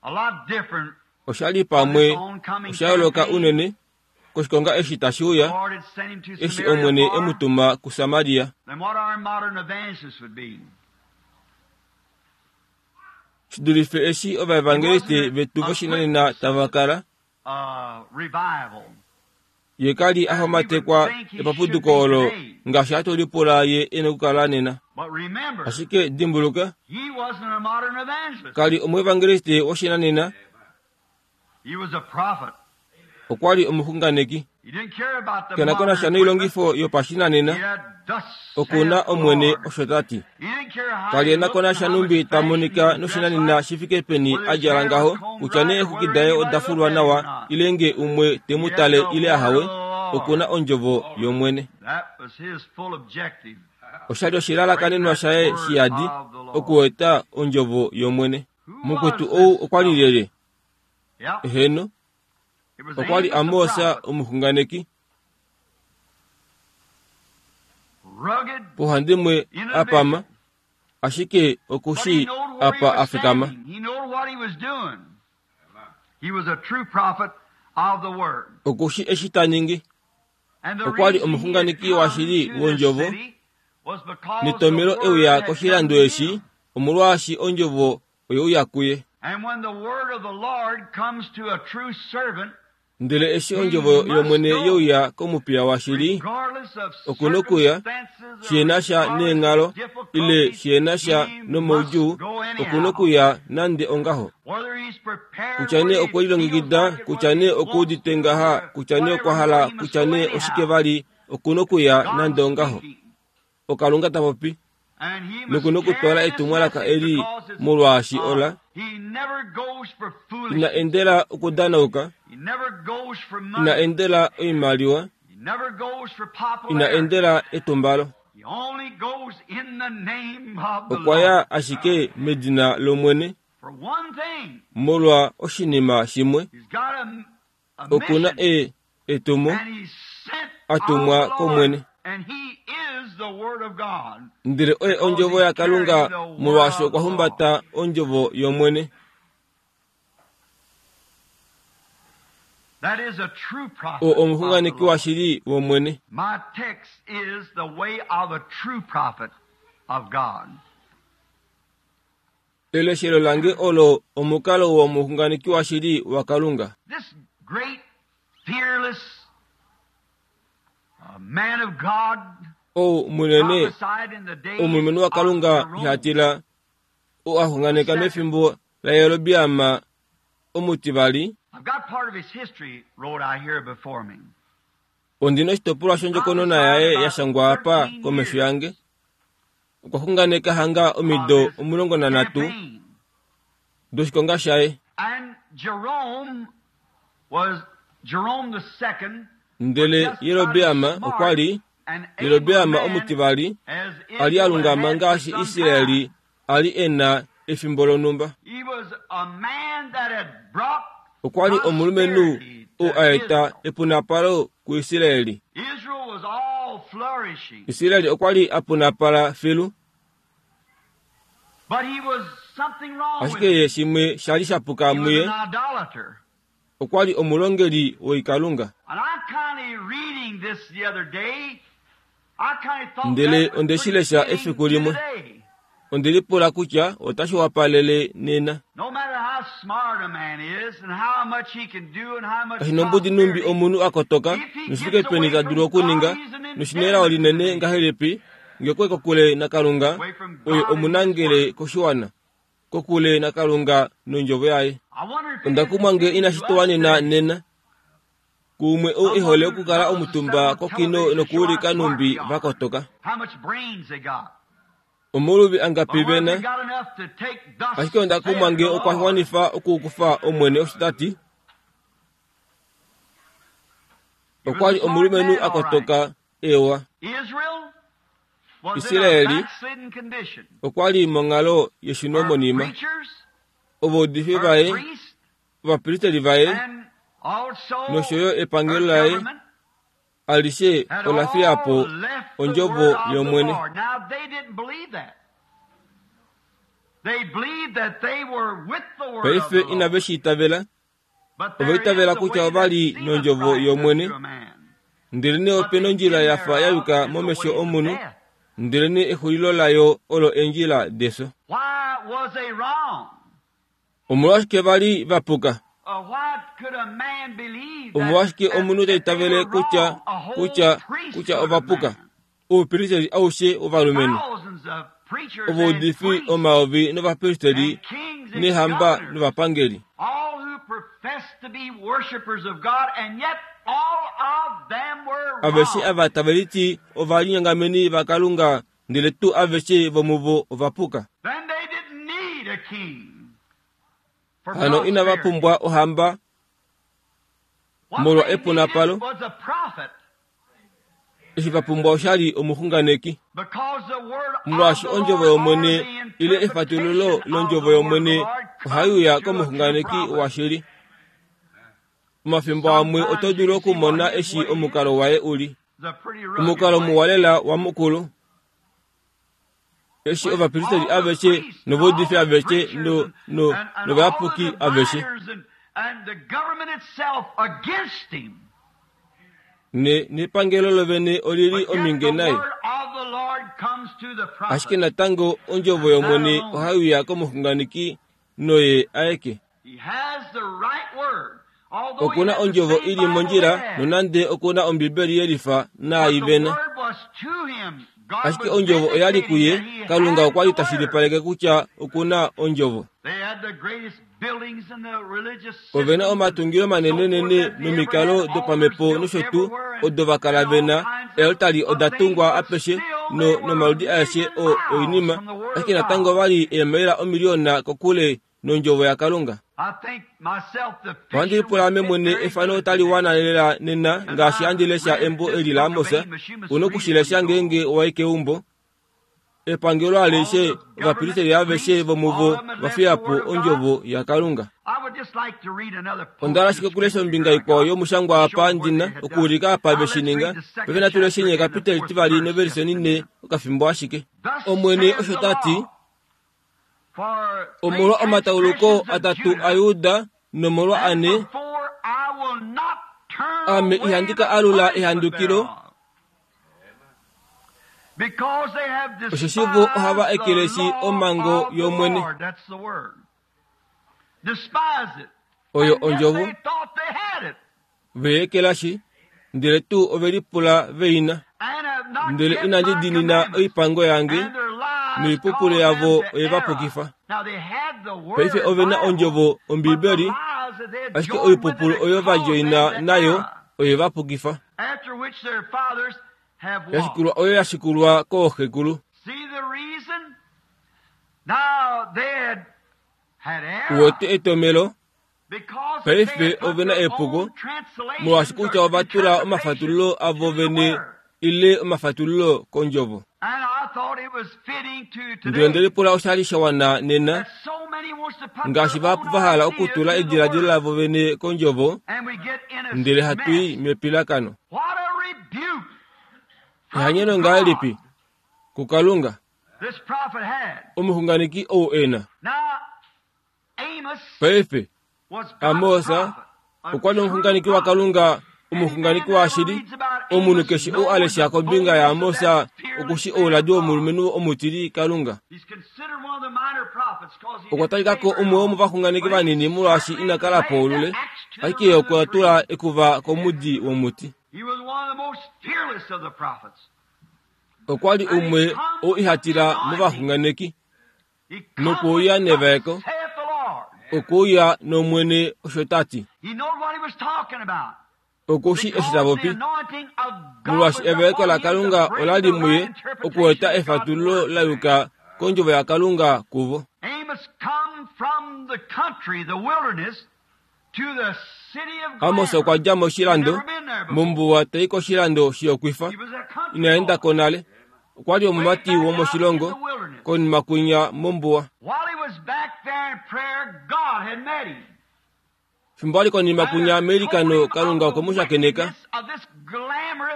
a lot different Oshali from pamwe this oncoming osha yooloka campaign. unene koshikonga eshi tashi The uya Lord had sent him to eshi Samaria Omwene for e mu tuma kuSamaria. than what our modern evangelists would be. Shi dulife eshi He ovaevangeliste wasn't vetu a voshinanena quick tava kala uh, revival ye kali a as we would homatekwa think he should epapuduko be olo today. ngaashi hatu lipula ye ena okukala nena. But remember, Ashike dimbuluka he wasn't a modern evangelist. kali omuevangeliste woshinanena He was a prophet. okwali omuxunganeki. He didn't care about the Kena ko modern nasha equipment. noilongifo He yopashinanena had thus okuna saith the Omwene Lord. osho ta ti. He didn't care how Kali he ena ko looked and nasha how much numbi ta fashion he monika was dressed noshinanena like, shi fike peni whether a his djala hair was ngaho combed kutya right nee or eexwiki whether daye anybody oda looked fulwa at him or nawa not. ile nge umwe te mu He had tale the ile word ahawe of the oku na ondjovo yOmwene. Osha li oshilalakanenwa shaye shiyadi okueta ondjovo yOmwene. Mukwetu ou okwa li lyelye? Eheno, okwa li Amos omuxunganeki. Pohandimwe apama, ashike okushi apa afikama. Okushi eshi ta ningi. Okwa li omuxunganeki washili wondjovo, netomelo euya koshilando eshi, omolwaashi ondjovo oyeuya kuye. Ndele eshi ondjovo yOmwene yeuya komupiya washili, okunokuya, shihena sha neenghalo, ile shihena sha nomaudjuu, okunokuya nande ongaho. Kutya nee okwe lilongekida, kutya nee okuudite ngaha, kutya nee okwa hala, kutya nee oshike vali, okunokuya nande ongaho. Okalunga ta popi. Nokunokutwala etumwalaka eli molwaashi ola ina endela okudanauka, ina endela oimaliwa, ina endela etumbalo. Okwa ya ashike medina lOmwene molwa oshinima shimwe. Okuna e etumo atumwa kOmwene. Ndele oye ondjovo yaKalunga molwaashi okwa humbata ondjovo yOmwene. O omuxunganeki washili wOmwene. Eleshelo lange olo omukalo womuxunganeki washili waKalunga. Ou munene omulumenhu waKalunga ihatila ou a xunganeka mefimbo laJerobeam omutivali. Ondina oshitopolwa shondjokonona yaye ya shangwa apa komesho yange. Okwa xunganeka hanga omido omulongo nanhatu doshikonga shaye. Ndele Jerobeam okwa li Jerobeam omutivali a li a lungama ngaashi Israeli a li e na efimbo lonhumba. Okwa li omulumenhu ou a eta epunapalo kuIsraeli. Israeli okwa li a punapala filu. Ashike ye shimwe sha li sha puka muye. Okwa li omulongeli woikalunga. Ndele onde shi lesha efiku limwe. Onde lipula kutya otashi wapalele nena. Kashinombudi numbi omunhu a kotoka, noshifike peni ta dulu okuninga, noshinelao linene ngahelipi, ngekwe kokule naKalunga, oye omunangele koshiwana, kokule naKalunga nondjovo yaye. Onda kumwa nge inashi tuwanena nena. Kuumwe ou ehole okukala omutumba kokino nokuulika numbi vakotoka. Omuluvi angapi vena, ashike onda kumwa nge okwa wanifa okukufa Omwene osho ta ti. Okwa li omulumenhu a kotoka ewa. Israeli okwa li monghalo yeshunomonima. Ovaudifi vaye, ovapristeli vaye, nosho yo epangelo laye alishe ola fiya po ondjovo yOmwene. Paife inave shi itavela. Ova itavela kutya ova li nondjovo yOmwene. Ndelenee ope nondjila ya fa ya yuka momesho omunhu, ndelenee exulilo layo olo eendjila defyo. Omolwashike va li va puka? Omolwashike omunhu ta itavele kutya kutya kutya ova puka? Oupristeli aushe wovalumenhu, ovaudifi omayovi novapristeli nehamba novapangeli, aveshe ava tave liti ovalinyangameni vaKalunga, ndele tuu aveshe vomuvo ova puka. Hano inava pumbwa ohamba molwa epunapalo. Eshi va pumbwa oshali omuxunganeki. Molwaashi ondjovo yOmwene ile efatululo londjovo yOmwene ohai uya komuxunganeki washili. Omafimbo amwe oto dulu okumona eshi omukalo waye uli. Omukalo muwa lela wamukulu. Eshi ovapristeli aveshe novaudifi aveshe no no novayapuki aveshe ne nepangelo lovene olili ominge naye. Ashike natango ondjovo yOmwene ohai uya komuxunganeki noye aeke. Okuna ondjovo ili mondjila nonande okuna Ombibeli yelifa naai vena. Ashike ondjovo oyali kuye, Kalunga okwa li tashilipaleke kutya okuna ondjovo. Ovena omatungilo manenenene nomikalo dopamhepo nosho tuu odo va kala vena. Eeltali oda tungwa apeshe no nomaludi aeshe o oinima, ashike natango vali eemaila omiliona kokule nondjovo yaKalunga. Ohandi lipula ame mwene efano otali wana lela nena ngaashi handi lesha embo eli laAmos. Una okushilesha ngeenge wai keumbo. Epangelo alishe ovapristeli aveshe vomuvo va fiya po ondjovo yaKalunga. Onda hala ashike okulesha ombinga ikwao yomushangwa apa ndina okuulika apa ve shi ninga. Paife natu lesheni ekapiteli tivali novelise onine okafimbo ashike. Omwene osho ta ti, omolwa omatauluko atatu aJuda nomolwa ane, ame ihandi ka alula ehandukilo, osheshi vo ohava ekeleshi omhango yOmwene. Oyo ondjovo ve ekelashi, ndele tuu ove lipula veina. Ndele inandi diinina oipango yange, noipupulu yavo oye va pukifa. Paife ove na ondjovo Ombibeli, ashike oipupulu oyo va djoina nayo oye va pukifa. Yashikulwa oyo yashikulwa kooxekulu. Uwete etomelo? Paife ove na epuko, molwaashi kutya ova tula omafatululo avo vene ile omafatululo kondjovo. Ndele nde lipula oshali sha wana nena, ngaashi vahapu va hala okutula ediladilo lavo vene kondjovo, ndele hatu i mepilakano. Ehanyeno ngahelipi kuKalunga omuxunganeki ou e na. Paife Amos okwa li omuxunganeki waKalunga, omuxunganeki washili. Omunhu keshe ou a lesha kombinga yaAmos okushi ouladi womulumenhu omutili Kalunga. Okwa talika ko umwe womovaxunganeki vanini molwaashi ina kala po olule, ashike ye okwa tula ekuva komudi womuti. Okwa li umwe ou iha tila movaxunganeki, nokuuya nevaeko, okuuya nOmwene osho ta ti. Okushi eshi ta popi, molwaashi evaeko laKalunga ola li muye okueta efatululo la yuka kondjovo yaKalunga kuvo. Amos okwa dja moshilando, mombuwa tai koshilando shiyokwifa, ina enda ko nale. Okwa li omumati womoshilongo, konima kwinya mombuwa. Fimbo a li konima kwinya meilikano, Kalunga okwe mu shakeneka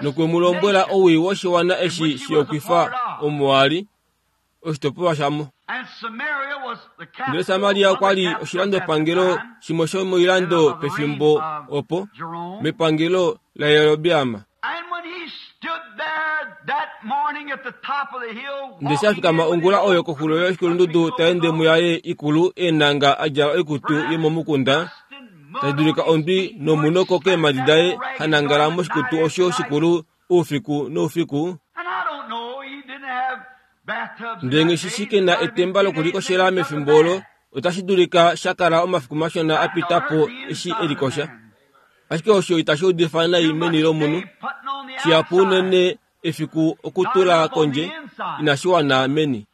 nokwe mu lombwela owii woshiwana eshi shiyokwifa omo a li, oshitopolwa shamo. Ndele Samaria okwa li oshilandopangelo shimwe shomoilando pefimbo opo, mepangelo laJerobeam. Ndele sha fikama ongula oyo koxulo yoshikulundudu ta ende muyaye ikulu eenanga a djala oikutu yomomukunda, ta dulika ondwi nomunoko keemhadi daye ha nangala moshikutu osho shikulu oufiku noufiku. Ndele nghi ke na etemba lokulikoshela mefimbo olo, otashi dulika sha kala omafiku mashona a pita po eshi e likosha. Ashike osho itashi udifa nai meni lomunhu. Shihapu unene efiku okutula kondje inashi wana meni.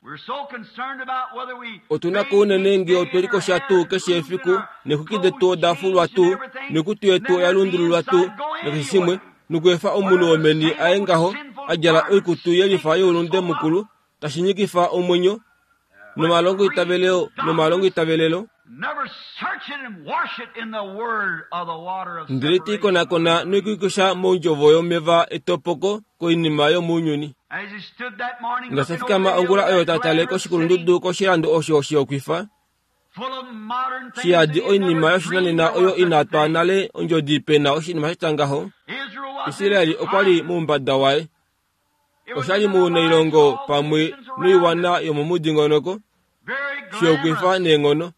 Otuna ko unene ngee otwe likosha tuu keshe efiku, neexwiki detu oda fulwa tuu, noikutu yetu oya lundululwa tuu, nakeshe shimwe, nokuefa omunhu womeni aye ngaho, a djala oikutu yelifa youlunde mukulu tashi nyikifa omwenyo nomalongo itavelelo nomalongo itavelelo ndele te ikonakona noikuikusha mondjovo yomeva etopoko koinima yomounyuni. Ngaashi afikama ongula oyo tatale koshikulundudu koshilando osho shihokwifa shiyadi oinima yoshinanena oyo inatwa nale ondjodi pena oshinima shatya ngaho. Israeli okwa li moumbada waye, oshali munailongo pamwe noiwana yomomudingonoko shihokwifa neenghono.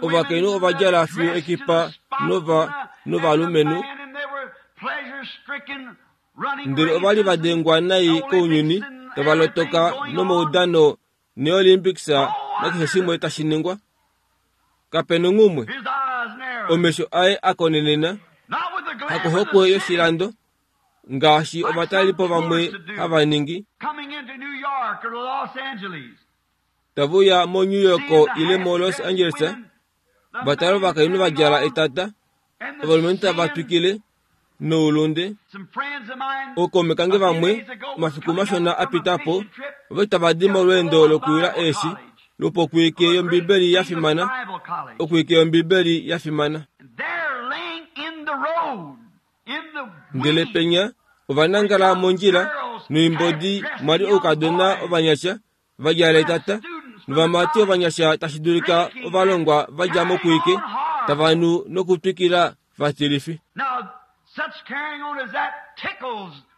Ovakainhu ova djala fiyo ekipa nova novalumenhu, ndele ova li va dengwa nai kounyuni, tava lotoka nomaudano neOlympics nakeshe shimwe tashi ningwa. Kapena ngumwe omesho aye akonenena hakuhokwe yoshilando ngaashi ovatalelipo vamwe hava ningi tavuya mo New York ile mo Los Angeles, vatala ovakainhu va djala etata, ovalumenhu tava twikile noulunde. Ookaume kange vamwe omafiku mashona a pita po ovali tava di molweendo lokuyula eeshi lwopokwiike yOmbibeli ya fimana, okwiike yOmbibeli ya fimana. Ndele penya ovanangala mondjila noimbodi mwali oukadona ovanyasha va djala etata novamati ovanyasha tashi dulika ovalongwa va dja mokwiike tava nu nokutwikila vatilifi.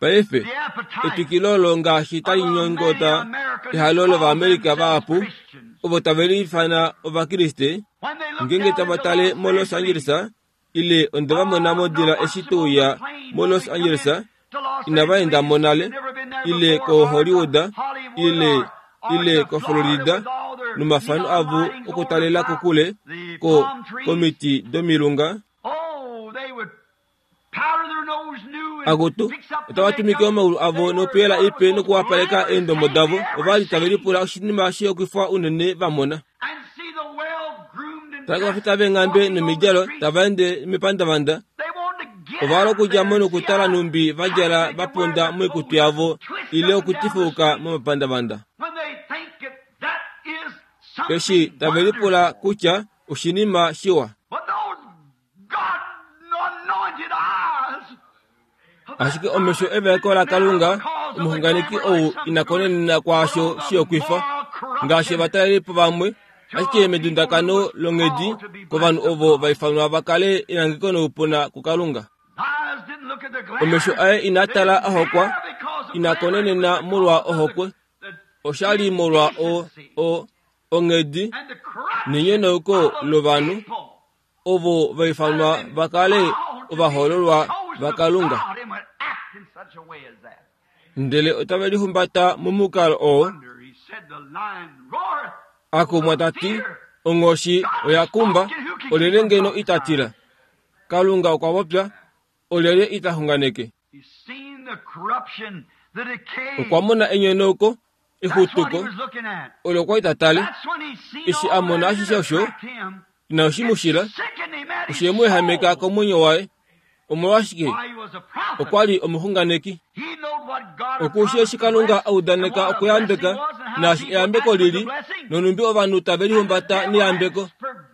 Paife etwikilo olo ngaashi tali nyongota ehalo lOvaamerica vahapu ovo tave liifana Ovakriste ngeenge tava tale mo Los Angeles ile onde va mona modila eshi touya mo Los Angeles inava enda mo nale ile ko Hollywood ile ile ko Florida nomafano avo okutalela kokule ko komiti domilunga. Akutu otava tumike omaulu avo nopuyela ipe nokuwapaleka eendomo davo. Ovali tave lipula oshinima shihokwifa unene va mona. Tala kovafita veenghambe nomidjalo tava ende mepandavanda. Ova okudja mo nokutala numbi va djala va ponda moikutu yavo ile okutifuka momapandavanda. Eshi tave lipula kutya oshinima shiwa. Ashike omesho evaeko laKalunga omuxunganeki ou ina konenena kwaasho shihokwifa ngaashi ovatalelipo vamwe, ashike medundakano longhedi kovanhu ovo va ifanwa va kale enangeko noupuna kuKalunga. Omesho aye ina tala a hokwa, ina konenena molwa ohokwe, oshali molwa o o onghedi nenyonauko lovanhu ovo va ifanwa va kale ovahoololwa vaKalunga. Ndele otave lihumbata momukalo oo. Akumwa tati onghoshi oya kumba, olyelye ngeno ita tila? Kalunga okwa popya, olyelye ita xunganeke? Okwa mona enyonauko, exutuko, olo okwa ita tale. Eshi a mona ashishe osho, inashi mu shila, oshe mu ehameka komwenyo waye. Omolwashike? Okwa li omuxunganeki. Okushi eshi Kalunga a udaneka okuyambeka, naashi eyambeko lili, nonumbi ovanhu tave lihumbata neyambeko.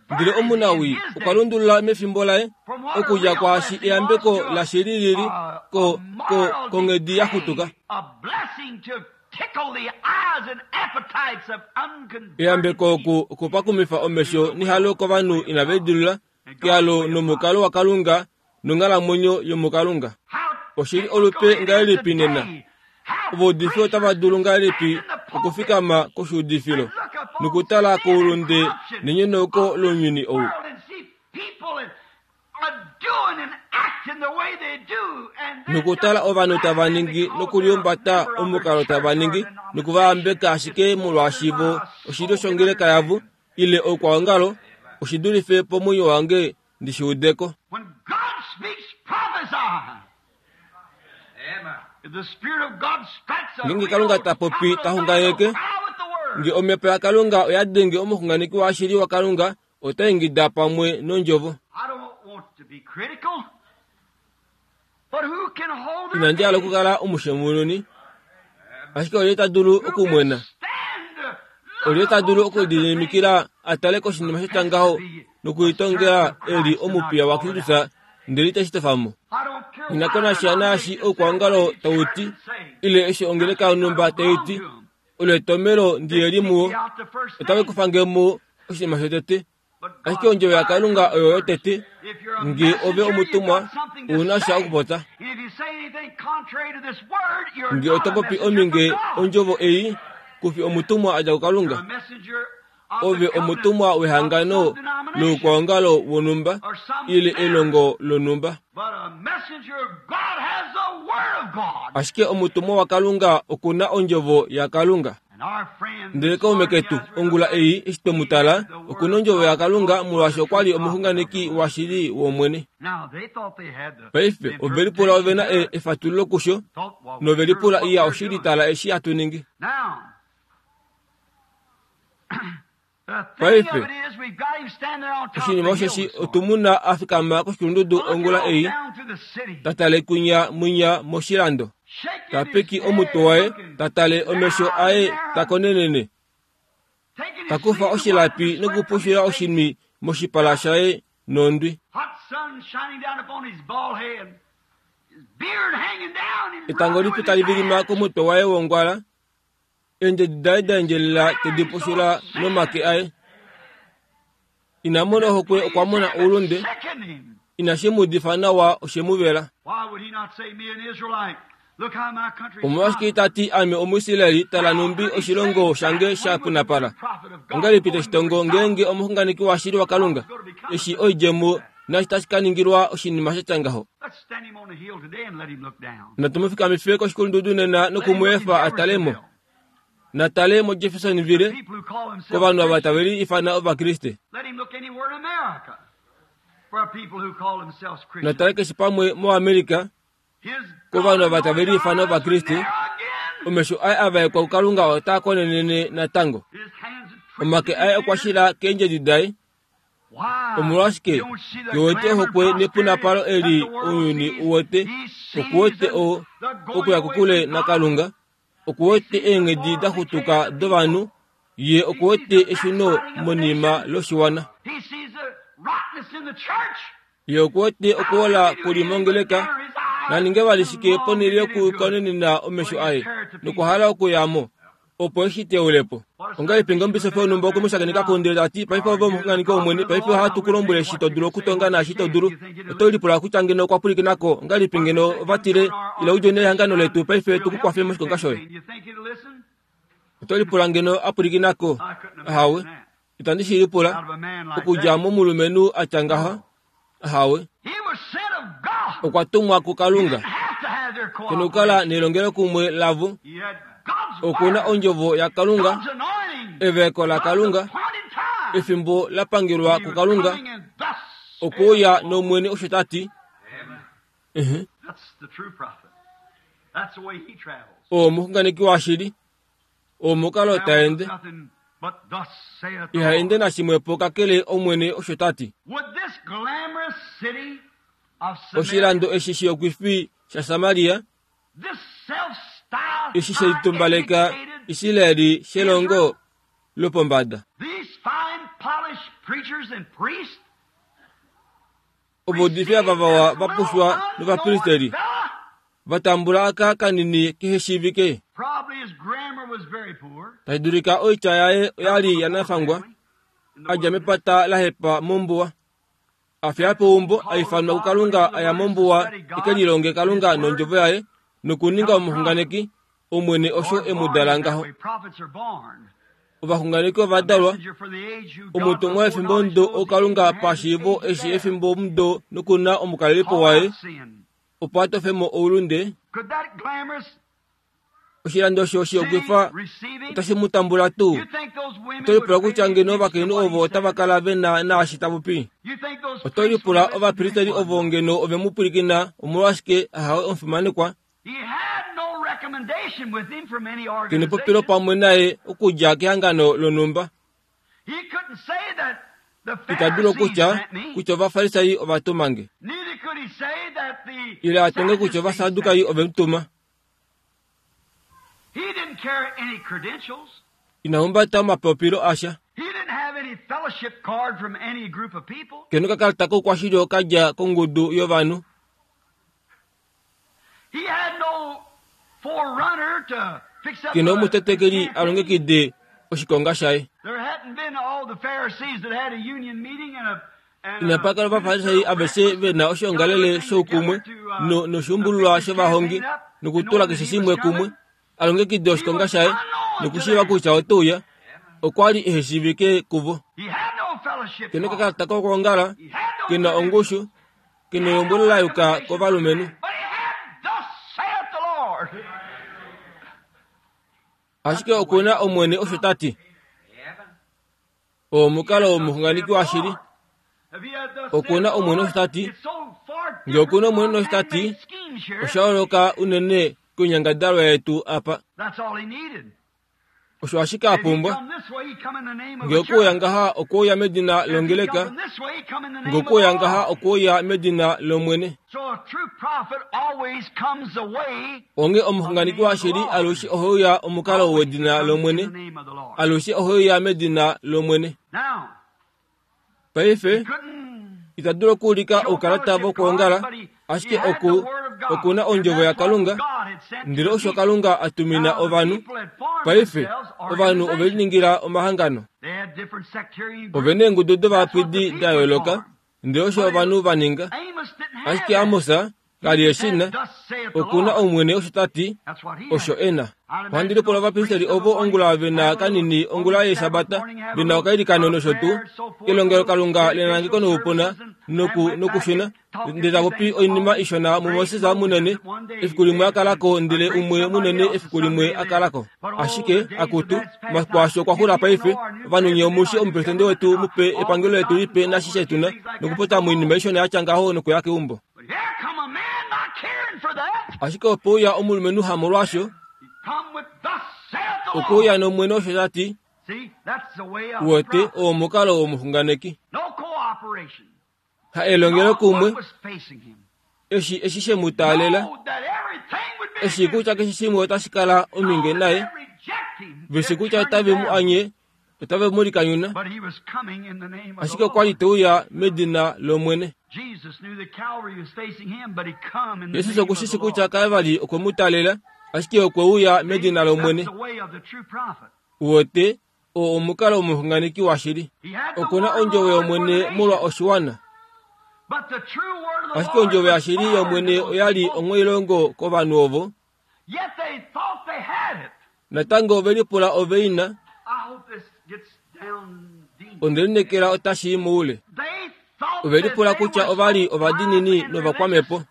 Ndele omunawii okwa lundulula mefimbo laye okudja kwaashi eyambeko lashili lili ko ko konghedi ya xutuka. Eyambeko oku okupakumifa omesho nehalo kovanhu inave lidilula kehalo nomukalo waKalunga nonghalamwenyo yomuKalunga. Oshili olupe ngahelipi nena? Ovaudifi otava dulu ngahelipi okufikama koshuudifilo nokutala koulunde nenyonauko lounyuni ou? Nokutala ovanhu tava ningi nokulihumbata omukalo tava ningi nokuvayambeka ashike molwaashi vo oshilyo shongeleka yavo ile oukwaongalo, oshidulife pomwenyo wange ndi shi udeko. Ngeenge Kalunga ta popi ta xunganeke, nge omhepo yaKalunga oya denge omuxunganeki washili waKalunga, ota ingida pamwe nondjovo. Inandi hala okukala omushemununi, Ashike olye ta dulu okumwena? Olye ta dulu okulididimikila a tale koshinima sha ngaho nokulitongela e li omupiya waKristus ndele iteshi tofa mo? Ina konasha naashi oukwaongalo tau ti, ile eshi ongeleka yonhumba tai ti, olo etomelo ndiyeli muwo, otave kufa nge mo oshinima shotete. Ashike ondjovo yaKalunga oyo yotete, nge ove omutumwa, ouna sha okupopya. Nge oto popi ominge ondjovo ei, kufi omutumwa a dja kuKalunga. Ove omutumwa wehangano loukwaongalo wonhumba ile elongo lonhumba. Ashike omutumwa waKalunga okuna ondjovo yaKalunga. Ndele kaume ketu ongula ei eshi twemu tala, okuna ondjovo yaKalunga molwaashi okwa li omuxunganeki washili wOmwene. Paife ove lipula ove na efatululo kusho, nove lipula iya oshili tala eshi hatu ningi. Paife oshinima osheshi otumuna a fikama koshikulundudu ongula ei, ta tale kwinya mwinya moshilando, ta piki omutwe waye, ta tale omesho aye ta konenene, ta kufa oshilapi nokupushula oshinwi moshipala shaye nondwi. Etango lipi tali vilima komutwe waye wongwala, eendjedi daye da endjelela tedi pushula nomake aye. Ina mona ohokwe okwa mona oulunde, inashi mu udifa nawa oshe mu vela. Omolwashike ita ti ame Omuisraeli tala numbi oshilongo shange sha punapala? Ongahelipi teshi tongo ngeenge omuxunganeki washili waKalunga eshi oidjemo naashi tashi ka ningilwa oshinima sha tya ngaho? Natu mu fikamife koshikulundudu nena noku mu efa a tale mo. Natale moJeffersonville kovanhu ava tave li ifana Ovakriste. Natale keshe pamwe moAmerica kovanhu ava tave li ifana Ovakriste. Omesho aye a vaekwa kuKalunga otaa konenene natango. Omake aye okwa shila keendjedi daye. Omolwashike ke wete ohokwe nepunapalo eli ounyuni uwete, okuwete o okuya kokule naKalunga, okuwete eenghedi da xutuka dovanhu, ye okuwete eshuno monima loshiwana. Ye okuwete okuola kuli mongeleka, naninge vali shike ponhele yokukonenena omesho aye nokuhala okuyamo opo eshi teulepo. Ongahelipi nge omubisofi wonhumba okwe mu shakeneka ndele ta ti, paife ove omuxunganeki wOmwene, paife ohatu ku lombwele eshi to dulu okutonga naashi to dulu. Oto lipula kutya ngeno okwa pwilikinako, ongahelipi ngeno ova tile, ila udje nehangano letu paife tu ku kwafe moshikonga shoye. Oto lipula ngeno a pwilikinako? Ahawe, itandi shi lipula okudja momulumenhu a tya ngaha. Ahawe, okwa tumwa kuKalunga. Kena okukala nelongelokumwe lavo. Okuna ondjovo yaKalunga, evaeko laKalunga, efimbo la pangelwa kuKalunga, okuuya nOmwene osho ta ti. Oo omuxunganeki washili, omukalo ta ende. Iha ende nashimwepo kakele Omwene osho ta ti. Oshilando eshi shiyokwifi shaSamaria, eshi shelitumbaleka Israeli shelongo lopombada. Ovaudifi ava vawa va pushwa novapristeri vatambula aka kanini kehe shiivike. Tashi dulika oitya yaye oyali yanafangwa, a dja mepata la hepa mombuwa. A fiya peumbo a ifanwa kuKalunga aya mombuwa eke lilonge Kalunga nondjovo yaye nokuninga omuxunganeki. Omwene osho e mu dala ngaho. Ovaxunganeki ova dalwa, omutumwa wefimbo mudo oKalunga pashiivo eshi efimbo mudo nokuna omukalelipo waye opo a tofe mo oulunde. Oshilando osho shiyokwifa otashi mu tambula tuu? Oto lipula kutya ngeno ovakainhu ovo otava kala ve na naashi ta popi? Oto lipula ovapristeri ovo ngeno ove mu pwilikina omolwashike ahawe omufimanekwa? Kena epopilo pamwe naye okudja kehangano lonhumba. Ita dulu okutya kutya Ovafarisai ova tuma nge, ile a tonge kutya Ovasadukai ove mu tuma. Ina humbata omapopilo asha. Kena okakalata koukwashili kadja kongudu yovanhu. Kena omutetekeli a longekide oshikonga shaye. Inapa kala ovafarisai aveshe vena oshiongalele shoukumwe no noshuumbululwa shovahongi nokutula keshe shimwe kumwe a longekide oshikonga shaye nokushiiva kutya oteuya. Okwa li ehe shiivike kuvo. Kena okakalata kokwoongala, kena ongushu, kena elombwelo la yuka kovalumenhu. Ashike okuna Omwene osho ta ti. Oo omukalo womuxunganeki washili. Okuna Omwene osho ta ti. Ngee okuna Omwene osho ta ti, osha yooloka unene koinyangadalwa yetu apa. Osho ashike a pumbwa. Ngee okuuya ngaha okweuya medina longeleka, ngee okuuya ngaha okweuya medina lOmwene. Onghee omuxunganeki washili alushe oheuya omukalo wedina lOmwene, alushe oheuya medina lOmwene. Paife ita dulu okuulika oukalata vokwoongala, ashike oku okuna ondjovo yaKalunga, ndele osho Kalunga a tumina ovanhu. Paife ovanhu ove liningila omahangano, ove na eengudu dovapwidi da yooloka, ndele osho ovanhu va ninga. Ashike Amos ka li eshi na. Okuna Omwene osho ta ti, osho e na. Ohandi lipula ovapristeli ovo ongula ve na kanini ongula yEshabata, ve na okailikano nosho tuu, elongelokalunga lenangeko noupuna noku nokushuna, ndele ta popi oinima ishona muMoses munene efiku limwe a kalako ndele umwe munene efiku limwe a kalako. Ashike akutu, omafiku asho okwa xula paife. Ovanhu nye omushi omupresidente wetu mupe, epangelo letu lipe nashishe tuna, nokupota moinima ishona yatya ngaho nokuya keumbo. Ashike opo uya omulumenhu hamolwaasho, okuuya nOmwene osho ta ti, uwete oo omukalo womuxunganeki. Ha elongelo kumwe, eshi eshi she mu taalela, eshi kutya keshe shimwe otashi kala ominge naye, veshi kutya otave mu anye, otave mu likanyuna, ashike okwa li te uya medina lOmwene. Jesus okushishi kutya Kalvari okwe mu taalela, ashike okwe uya medina lOmwene. Uwete oo omukalo womuxunganeki washili. Okuna ondjovo yOmwene molwa oshiwana. Ashike ondjovo yashili yOmwene oya li onghwailongo kovanhu ovo. Natango ove lipula ove ina. Onde lineekela otashi i moule. Ove lipula kutya ova li ovadiinini novakwamhepo,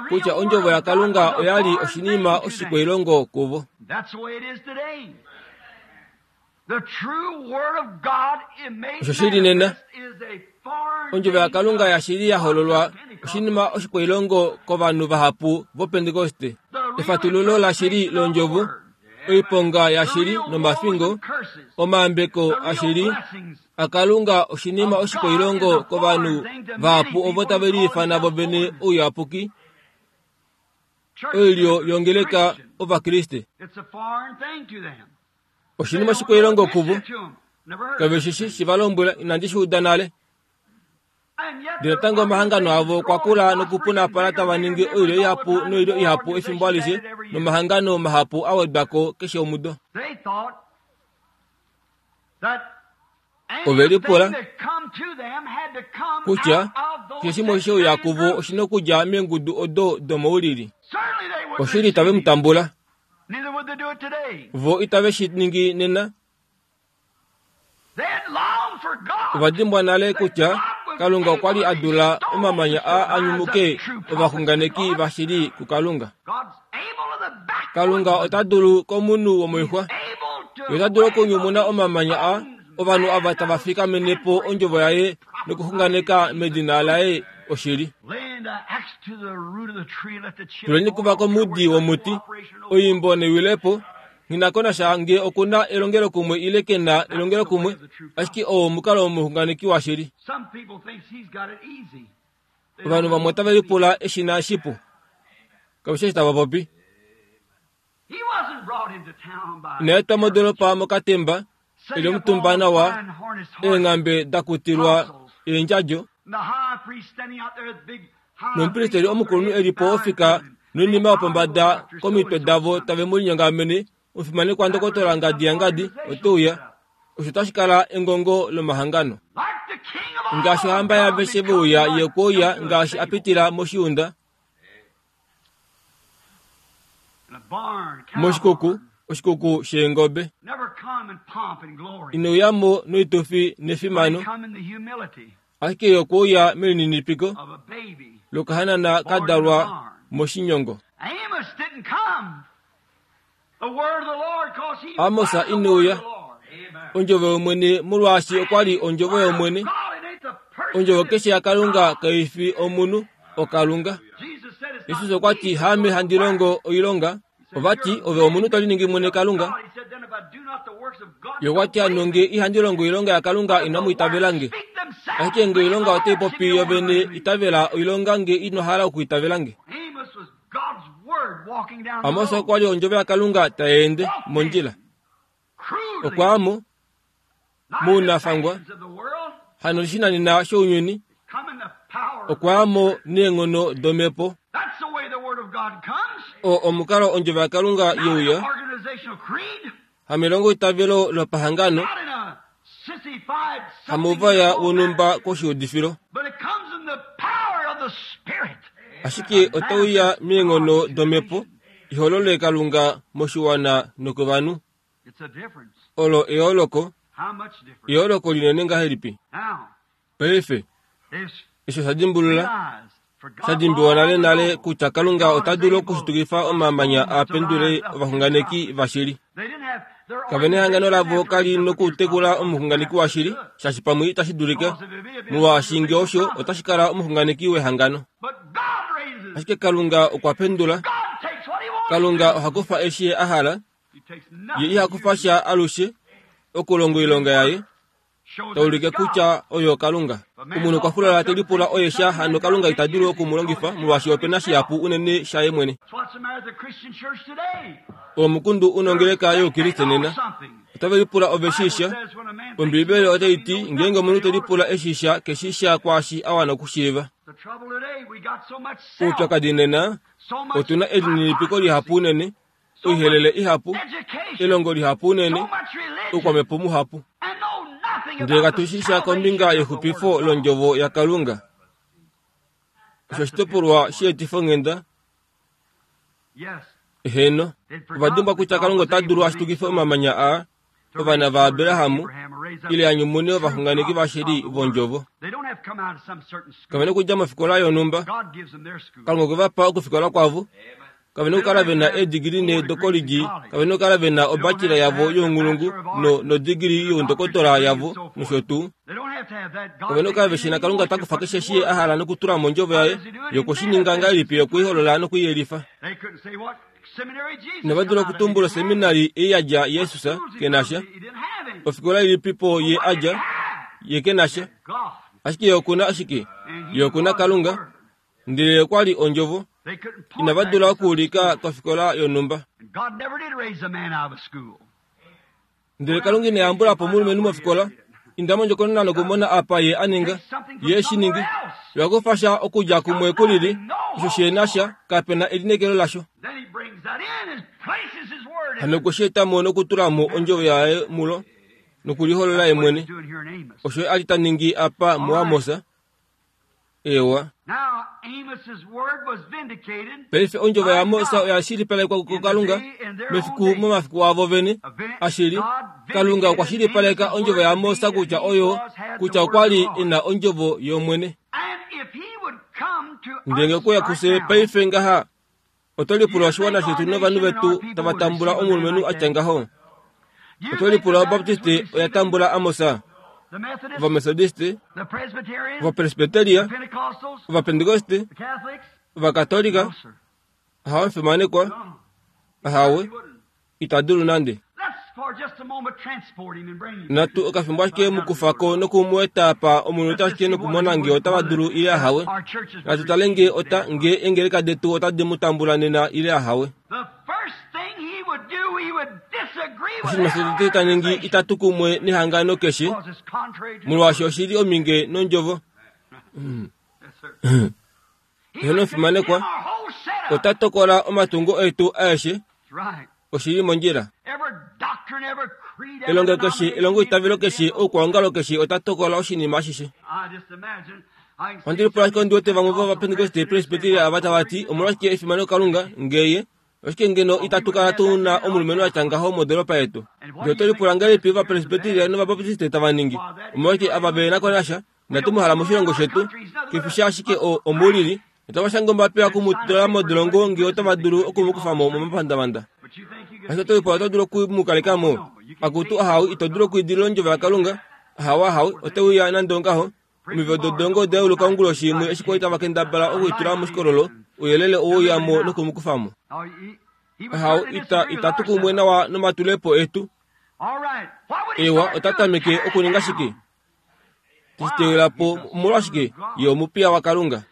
kutya ondjovo yaKalunga oya li oshinima oshikwailongo kuvo. Osho shili nena. Ondjovo yaKalunga yashili ya hololwa oshinima oshikwailongo kovanhu vahapu voPentekoste. Efatululo lashili londjovo, oiponga yashili nomafingo, omaambeko ashili aKalunga oshinima oshikwailongo kovanhu vahapu ovo tave liifana vovene ouyapuki, oilyo yongeleka Ovakriste. Oshinima oshikwailongo kuvo. Kave shi shi va lombwela, inandi shi uda nale. Ndele natango omahangano avo okwa kula nokupunapala tava ningi oilyo ihapu noilyo ihapu efimbo alishe, nomahangano mahapu a wedwa ko keshe omudo. Ove lipula kutya keshe shimwe sheuya kuvo oshina okudja meengudu odo domoulili. Oshili itave mu tambula. Vo itave shi ningi nena. Ova dimbwa nale kutya Kalunga okwa li a dula omamanya a anyumuke ovaxunganeki vashili kuKalunga. Kalunga ota dulu komunhu womoixwa. Ye ota dulu okunyumuna omamanya a ovanhu ava tava fikamene po ondjovo yaye nokuxunganeka medina laye oshili. Tuleni kuva komudi womuti, oimbo newilepo, nghi nge okuna elongelokumwe ile ke na elongelokumwe, ashike oo omukalo womuxunganeki washili. Ovanhu vamwe otave lipula eshi na shipu. Kave shi tava popi. Ina etwa modolopa mokatemba eli omutumba nawa eenghambe dakutilwa eendjadjo nomupristeli omukulunhu eli po ofika noinima yopombada komitwe davo tave mu linyongamene omufimanekwa ndokotola ngadi yangadi oteuya osho tashi kala engongo lomahangano ngaashi ohamba yaveshe veuya ye kwouya ngaashi apitila moshiunda moshikuku oshikuku sheengobe inouyamo noitufi nefimano ashike ye okwouya melininipiko lokahanana kadalwa moshinyongo. Amos inouya ondjovo yomwene molwaashi okwali ondjovo yomwene. Ondjovo keshe yaKalunga kaifi omunhu oKalunga. Jesus okwa ti haame handi longo oilonga ovati ove omunhu to liningi mwene Kalunga. Ye okwa ti hano nge ihandi longo oilonga yaKalunga inamu itavela nge. Ashike nge oilonga otai popi yovene itavela oilonga nge ino hala okuitavela nge. Amos okwa li ondjovo yaKalunga tai ende mondjila. Okwaamo mounafangwa hano shinanena shounyuni okwaamo neenghono domhepo. O omukalo ondjovo yaKalunga yeuya hamelongo itavelo lopahangano hamouvaya wonhumba koshiudifilo ashike otauya meenghono domhepo iholole Kalunga moshiwana nokovanhu. Olo eyooloko eyooloko linene ngahelipi. Paife osho sha dimbulula sha dimbiwa nale nale kutya Kalunga ota dulu okushitukifa omamanya a pendule ovaxunganeki vashili. Kave nehangano lavo kali nokutekula omuxunganeki washili shaashi pamwe itashi dulika molwaashi nge osho otashi kala omuxunganeki wehangano. Ashike Kalunga okwa pendula. Kalunga oha kufa eshi a hala ye iha kufa sha alushe okulonga oilonga yaye taulike kutya oyo Kalunga. Omunhu okwa fulala te lipula oye sha hano Kalunga ita dulu okumulongifa molwaashi opena shihapu unene shaye mwene. Omukundu unongeleka youkriste nena otave lipula ove shisha. Ombibeli otai ti ngeenge omunhu te lipula eshisha keshisha kwaashi a wana okushiiva. Oupyakadi nena otuna elininipiko lihapu unene, oihelele ihapu, elongo lihapu unene, oukwamhepo muhapu. Ndele katushisha kombinga yexupifo londjovo yaKalunga. Osho oshitopolwa sheetifonghenda. Eheno, ovadimbwa kutya Kalunga ota dulu ashitukife omamanya aa ovana vaAbrahamu ile a nyumune ovaxunganeki vashili vondjovo. Kave nokudja mofikola yonhumba. Kalunga okwe va pa okufikola kwavo. Kave nokukala ve na eedigili ne dokolidji, kave nokukala ve na obachelor yavo younghulungu no nodigili youndokotola yavo nosho tuu. Kave nokukala ve shina Kalunga ta kufa keshe eshi a hala nokutula mondjovo yaye yokushininga ngahelipi yokuiholola nokuiyelifa. Inava dula okutumbula oseminari ei ya dja Jesus kenasha, ofikola ilipipo ye a dja ye kenasha, ashike ye okuna ashike ye okuna Kalunga, ndele okwa li ondjovo. Inava dula okuulika kofikola yonhumba. Ndele Kalunga ina yambula po omulumenhu mofikola. Inda mondjokonona nokumona apa ye a ninga ye shi ningi. Oya sha okudja kumwe kulili osho shena sha kapena elineekelo lasho. Hano okwe shi eta mo nokutula mo ondjovo yaye mulo nokuliholola ye mwene. Osho a li ta ningi apa muAmos. Ewa. Paife ondjovo yaAmos oya shilipalekwa kuKalunga mefiku momafiku avo vene. Ashili, Kalunga okwa shilipaleka ondjovo yaAmos kutya oyo kutya okwa li ena ondjovo yOmwene. Ndele okuya kufye paife ngaha oto lipula oshiwana shetu novanhu vetu tava tambula omulumenhu atya ngaho. Oto lipula Obaptiste oya tambula Amos, Ovamethodiste, Ovapresbyteria, Ovapentekoste, Ovakatolika. Ahawe mfimanekwa, ahawe ita dulu nande. Natu okafimbo ashike mukufako nokumueta apa omunhu ashike nokumona nge otava dulu ile ahawe. Natu tale nge ota nge engeleka detu otadi mu tambula nena ile ahawe. Oshinima shotete ta ningi itatu kumwe nehangano keshe, molwaashi oshili ominge nondjovo. Eheno omufimanekwa, ota tokola omatungo etu aeshe, oshili mondjila. Elongo keshe, elongo itavelo keshe, oukwaongalo keshe ota tokola oshinima ashishe. Ohandi lipula ashike ondi wete vamwe vOvapentekoste Presbyteria ava tava ti, omolwashike efimano Kalunga ngeye, oshike ngeno itatu kala tu na omulumenhu a tya ngaho modoolopa yetu. Ndele oto lipula ngahelipi Ovapresbyteria nOvabaptiste tava ningi? Omolwashike ava ve na ko nasha? Inatu mu hala moshilongo shetu. Kefi ashike omuulili. Otava shange ombapila oku mu tula modolongo ngee otava dulu oku mu kufa mo momapandavanda. Ashike oto lipula oto dulu oku mu kaleka mo? Akutu ahau, ito dulu okwiidilila ondjovo yaKalunga. Ahau ahau, ote uya nande ongaho. Omivelo dodolongo oda yeuluka onguloshi imwe eshi kwali tava kendabala okwiitula moshikololo, ouyelele owe uya mo noku mu kufa mo. Ahau, ita, itatu kumwe nawa nomatulepo etu. Ewa, ota tameke okuninga shike? Teshitewela po omolwashike? Ye omupiya waKalunga.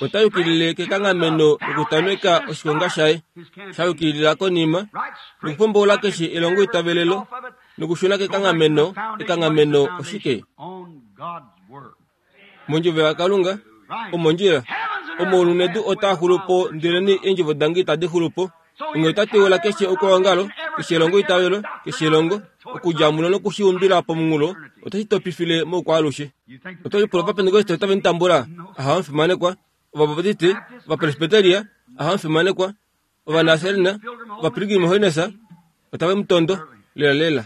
Ota yukilile kekanghameno lokutameka oshikonga shaye, sha yukilila konima, nokupomboula keshe elongo itavelelo, nokushuna kekanghameno. Ekanghameno oshike? Mondjovo yaKalunga, omondjila. Omaulu nedu otaa xulu po, ndeleni eendjovo dange itadi xulu po. Onghee ota teula keshe okwaongalo, keshe elongo itavelo, keshe elongo, okudja mulo nokushiumbila pomunghulo, otashi topifile moukwaalushe. Oto lipula Ovapentekoste otave mu tambula? Ahawe omufimanekwa. Ovabaptiste, Ovapresbyteria, ahawe omufimanekwa. Ovanaserena, Ovapilgrim Holiness, otave mu tondo. Lela lela.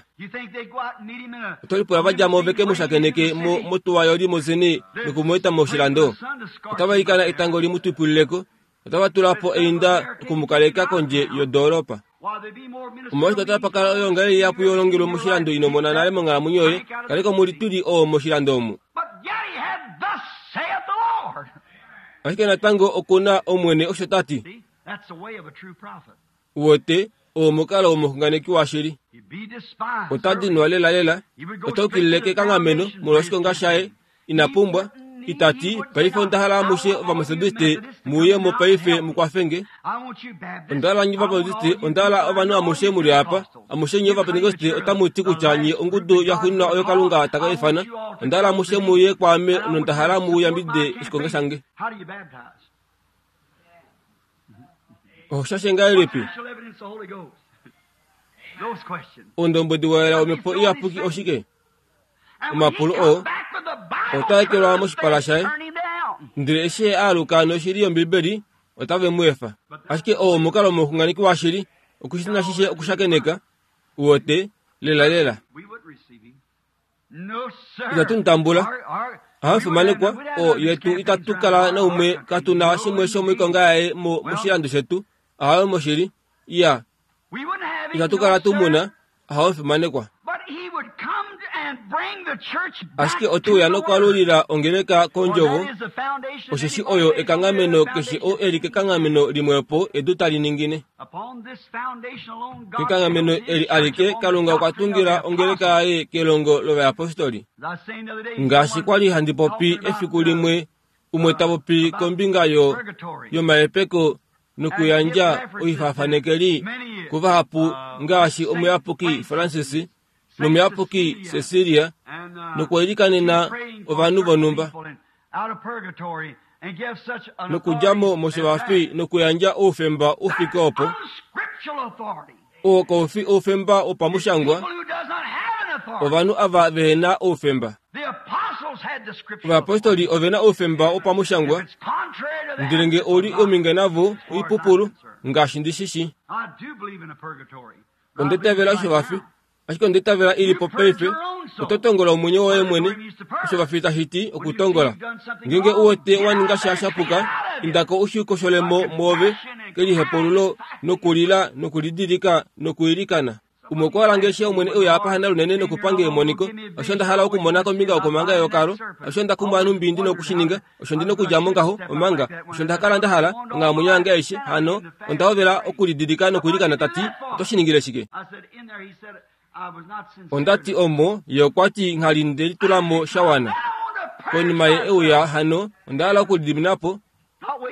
Oto lipula va dja mo veke mu shakeneke mo motuwa yolimosini noku mu eta moshilando. Otava ilikana etango li mu twipulileko. Otava tula po einda oku mu kaleka kondje yodoolopa. Omolwashike otapa pakala oyoongalele ihapu yolongelwe moshilando ino mona nale monghalamwenyo yoye? Kaleka omulituli oo moshilando omu. Ashike natango oku na Omwene osho ta ti. Uwete, oo omukalo womuxunganeki washili. Ota dinwa lela lela, ota yukilile kekanghameno molwoshikonga shaye. Ina pumbwa, ita ti, paife onda hala amushe Ovametodiste mu uye mo paife mu kwafenge. Onda hala nye Ovabaptiste, onda hala ovanhu amushe mu li apa. Amushe nye Ovapentekoste otamu ti kutya nye ongudu yaxuuninwa oyo Kalunga ta ka ifana. Onda hala amushe mu uye kwaame nonda hala mu yambidide oshikonga shange. Oho shashe ngahelipi? Oundombwedi wa yela womhepo iyapuki oshike? Omapulo oo otaa ekelwa moshipala shaye, ndele eshi ye aaluka noshili yOmbibeli, otave mu efa. Ashike oo omukalo womuxunganeki washili, okushina shishe okushakeneka, uwete, lela lela. Itatu mu tambula. Ohamufimanekwa, o yetu itatu kala naumwe katu na shimwe shomoikonga yaye mo moshilando shetu. Ahawe moshili. Iya. Itatu kala tu muna. Ohamufimanekwa. Ashike ote uya nokwaalulila ongeleka kondjovo, osheshi oyo ekanghameno keshe oo eli kekanghameno limwepo edu tali ningine. Kekanghameno eli alike Kalunga okwa tungila ongeleka yaye kelongo lovayapostoli. Ngaashi kwali handi popi efiku limwe, umwe ta popi kombinga yo yomahepeko nokuyandja oifafanekeli kuvahapu ngaashi omuyapuki Francis nomuyapuki Cecilia, nokuilikanena ovanhu vonhumba, nokudja mo moshivafi nokuyandja oufemba u fike opo. Oo kau fi oufemba wopamushangwa, ovanhu ava vehe na oufemba. Ovayapostoli ove na oufemba wopamushangwa, ndele nge ou li ominge navo oipupulu, ngaashi ndi shi shii. Onda itavela oshivafi, ashike onda itavela i li po paife. Oto tongola omwenyo woye mwene. Oshivafi tashi ti okutongola. Ngeenge u wete wa ninga sha shapuka, indako u shi kosholemo mwoove kelihepululo nokulila nokulidilika nokuilikana. Umwe okwa hala nge Omwene e uya apa hana lunene nokupange emoniko. Osho nda hala okumona kombinga yokomanga yeyokalo. Osho nda kumwa numbi ndi nokushininga. Osho ndi nokudja mo ngaho, omanga. Osho nda kala nda hala, onghalamwenyo yange aishe. Hano, onda hovela okulidilika nokuilikana ta ti, oto shi ningile shike? Onda ti omo, ye okwa ti nghali nde litula mo sha wana. Konima ye e uya hano, onda hala okulidimina po.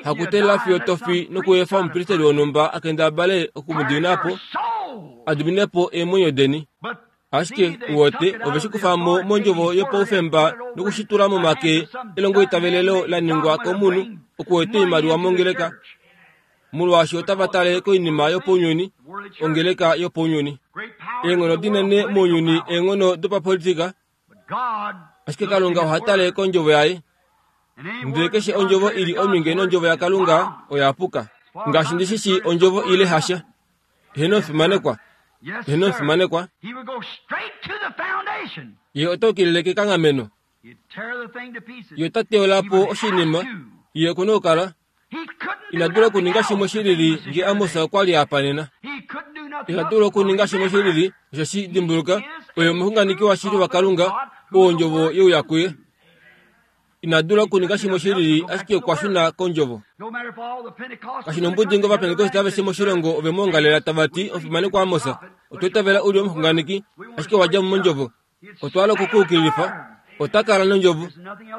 Hakuteelela fiyo tofi nokuefa omupristeli wonhumba a kendabale oku mu dimina po. a dimine po eemwenyo deni. Ashike uwote ove shi kufa mo mondjovo yopaufemba nokushitula momake elongoitavelelo la ningwa komunhu okuwete oimaliwa mongeleka, molwaashi otava tale koinima yopounyuni, ongeleka yopounyuni. Eenghono dinene mounyuni eenghono dopapolitika, ashike Kalunga oha tale kondjovo yaye. Ndele keshe ondjovo ili ominge nondjovo yaKalunga oya puka. Ngaashi ndi shi shii ondjovo ile hasha. Heno fimanekwa. Heno fimanekwa. Ye ota ukilile kekanghameno. Ye ota teyola po oshinima. Ye oku na okukala. Ina dula okuninga shimwe shilili nge Amos okwa li apa nena. Ina dula okuninga shimwe shilili osho shi dimbuluka oye omuxunganeki washili waKalunga oo ondjovo yeuya kuye. Ina dula okuninga shimwe shilili ashike okwa shuna kondjovo. Kashi nombudi ngee Ovapentekoste aveshe moshilongo ove mu ongalela tava ti omufimanekwa Amos, otwa itavela u li omuxunganeki, ashike owa dja mo mondjovo. Otwa hala okukuukililifa. Ota kala nondjovo.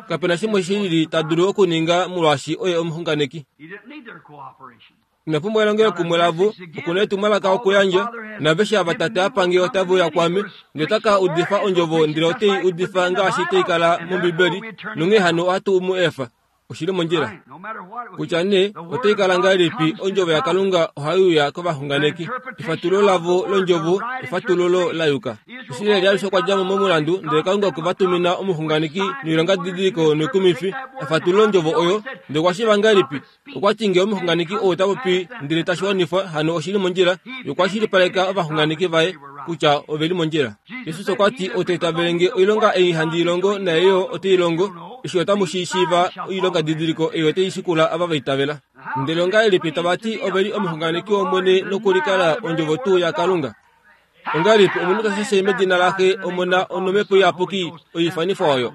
Kapena shimwe shilili ta dulu okuninga molwaashi oye omuxunganeki. Ina pumbwa elongelokumwe lavo, okuna etumwalaka okuyandja, naaveshe ava Tate a pange otave uya kwaame, ndele ota ka udifa ondjovo ndele otei udifa ngaashi tai kala mOmbibeli, nonghee hano ohatu mu efa. Oshili mondjila. Kutya nee otai kala ngahelipi, ondjovo yaKalunga ohai uya kovaxunganeki. Efatululo lavo londjovo efatululo la yuka. Israel alushe okwa dja mo momulandu, ndele Kalunga okwe va tumina omuxunganeki noilongadidiliko noikumifi a fatulule ondjovo oyo. Ndele okwa shiiva ngahelipi? Okwa ti ngee omuxunganeki ou ota popi ndele tashi wanifwa, hano oshili mondjila. Ye okwa shilipaleka ovaxunganeki vaye kutya ove li mondjila. Jesus okwa ti, ou ta itavele nge oilonga ei handi i longo naye yo ote i longo, eshi otamu shi shiiva oilonga didiliko ei otai shikula ava va itavela. Ndele ongahelipi tava ti ove li omuxunganeki wOmwene nokulikala ondjovo tuu yaKalunga? Ongahelipi omunhu ta shashe medina laXe, Omona nomhepo iyapuki oifanifwa oyo,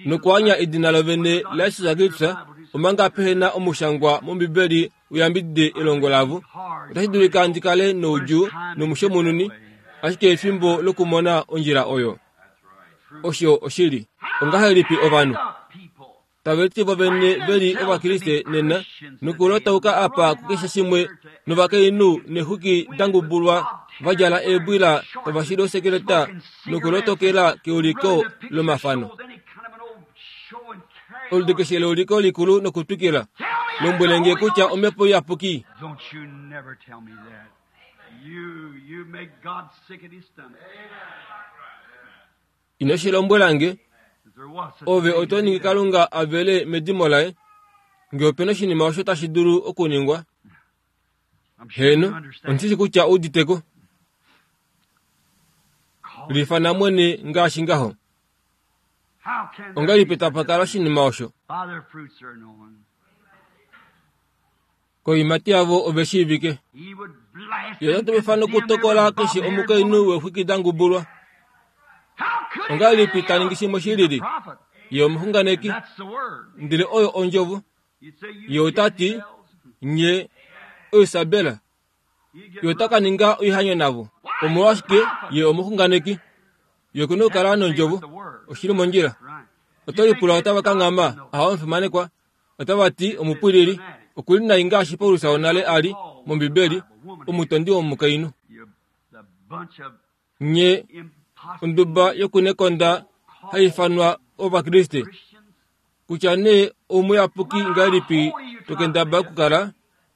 nokuanya edina lovene laJesus Kristus omanga pehe na omushangwa mOmbibeli uyambidide elongo lavo? Otashi dulika ndi kale noudjuu nomushomununi, ashike efimbo lokumona ondjila oyo. Osho oshili. Ongahelipi ovanhu tave liti vovene ve li Ovakriste nena nokulotauka apa kukeshe shimwe novakainhu neexwiki dangubulwa va djala eebwila tava shili osekeleta nokulotokela keuliko lomafano. Oludi keshe leuliko likulu nokutwikila. Lombwele nge kutya omhepo iyapuki. Don't you never tell me that. You, you make God sick at his stomach. Ino shi lombwela nge. If there was such a Ove thing oto to be ningi done. Kalunga a vele medimo laye. Ngee opena oshinima osho tashi dulu okuningwa. I'm sure you Heno, understand. ondishi kutya ouditeko. Call it. Lifana mwene ngaashi ngaho. How can there Ongahelipi be such tapa a kala thing? oshinima osho? By their fruits are known. Koiimati yavo ove shiivike. He would blast Ye and ota mefano condemn okutokola every keshe bob-haired omukainhu woman. weexwiki dangubulwa. How could he Ongahelipi be ta ningi shimwe He's a shilili? prophet. Ye omuxunganeki, And that's the word. ndele oyo ondjovo. You'd say, you Ye ota ti, Jezebels. nye Oisabela, You get ye ota ka ninga oihanyo navo. Omolwashike ye omuxunganeki? Ye okuna okukala nondjovo. Oshili mondjila. right. Oto lipula otava ka ngama, aha omufimanekwa. Otava ti omupwilili, okuli nai ngaashi Paulus wonale a li mOmbibeli, omutondi womukainhu. You, the bunch of Nye impossible onduba yokunekonda hai ifanwa Ovakriste, Christians. kutya nee oumuyapuki ngahelipi tokendaba okukala,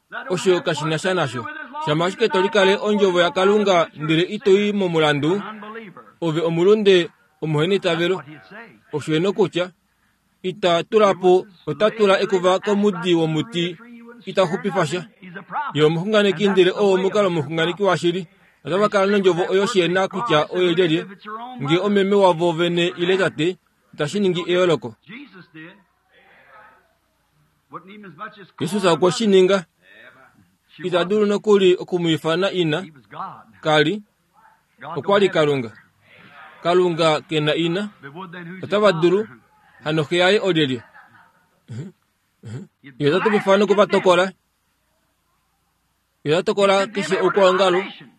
That don't osho have kashi na sha one thing to nasho. do with as long Shama as you ashike to deny likale God's ondjovo word, yaKalunga ndele ito i momulandu, an unbeliever. ove omulunde That's omuhenitavelo. what he'd say. Osho eno kutya ita tula po ota tula ekuva komudi womuti ita xupifa sha. He's a prophet. Ye omuxunganeki And ndele that's the oo way omukalo of a true omuxunganeki prophet. washili. Otava kala nondjovo oyo shiena kutya oyo lyelye, ngee omeme wavo vene ile tate, itashi ningi eyooloko. Jesus did. Wouldn't even as much as call Jesus her okwe shi mother. ninga. She Ita wasn't. dulu nokuli okumwiifana ina, He was God. kali, God okwa don't li have a Kalunga. mother. Kalunga ke na ina, But would then who's his otava dulu, father? hano xe yaye olyelye. He'd Ye ota blast mefano and condemn. okuvatokola. Ye ota He'd tokola condemn keshe every oukwaongalo, denomination.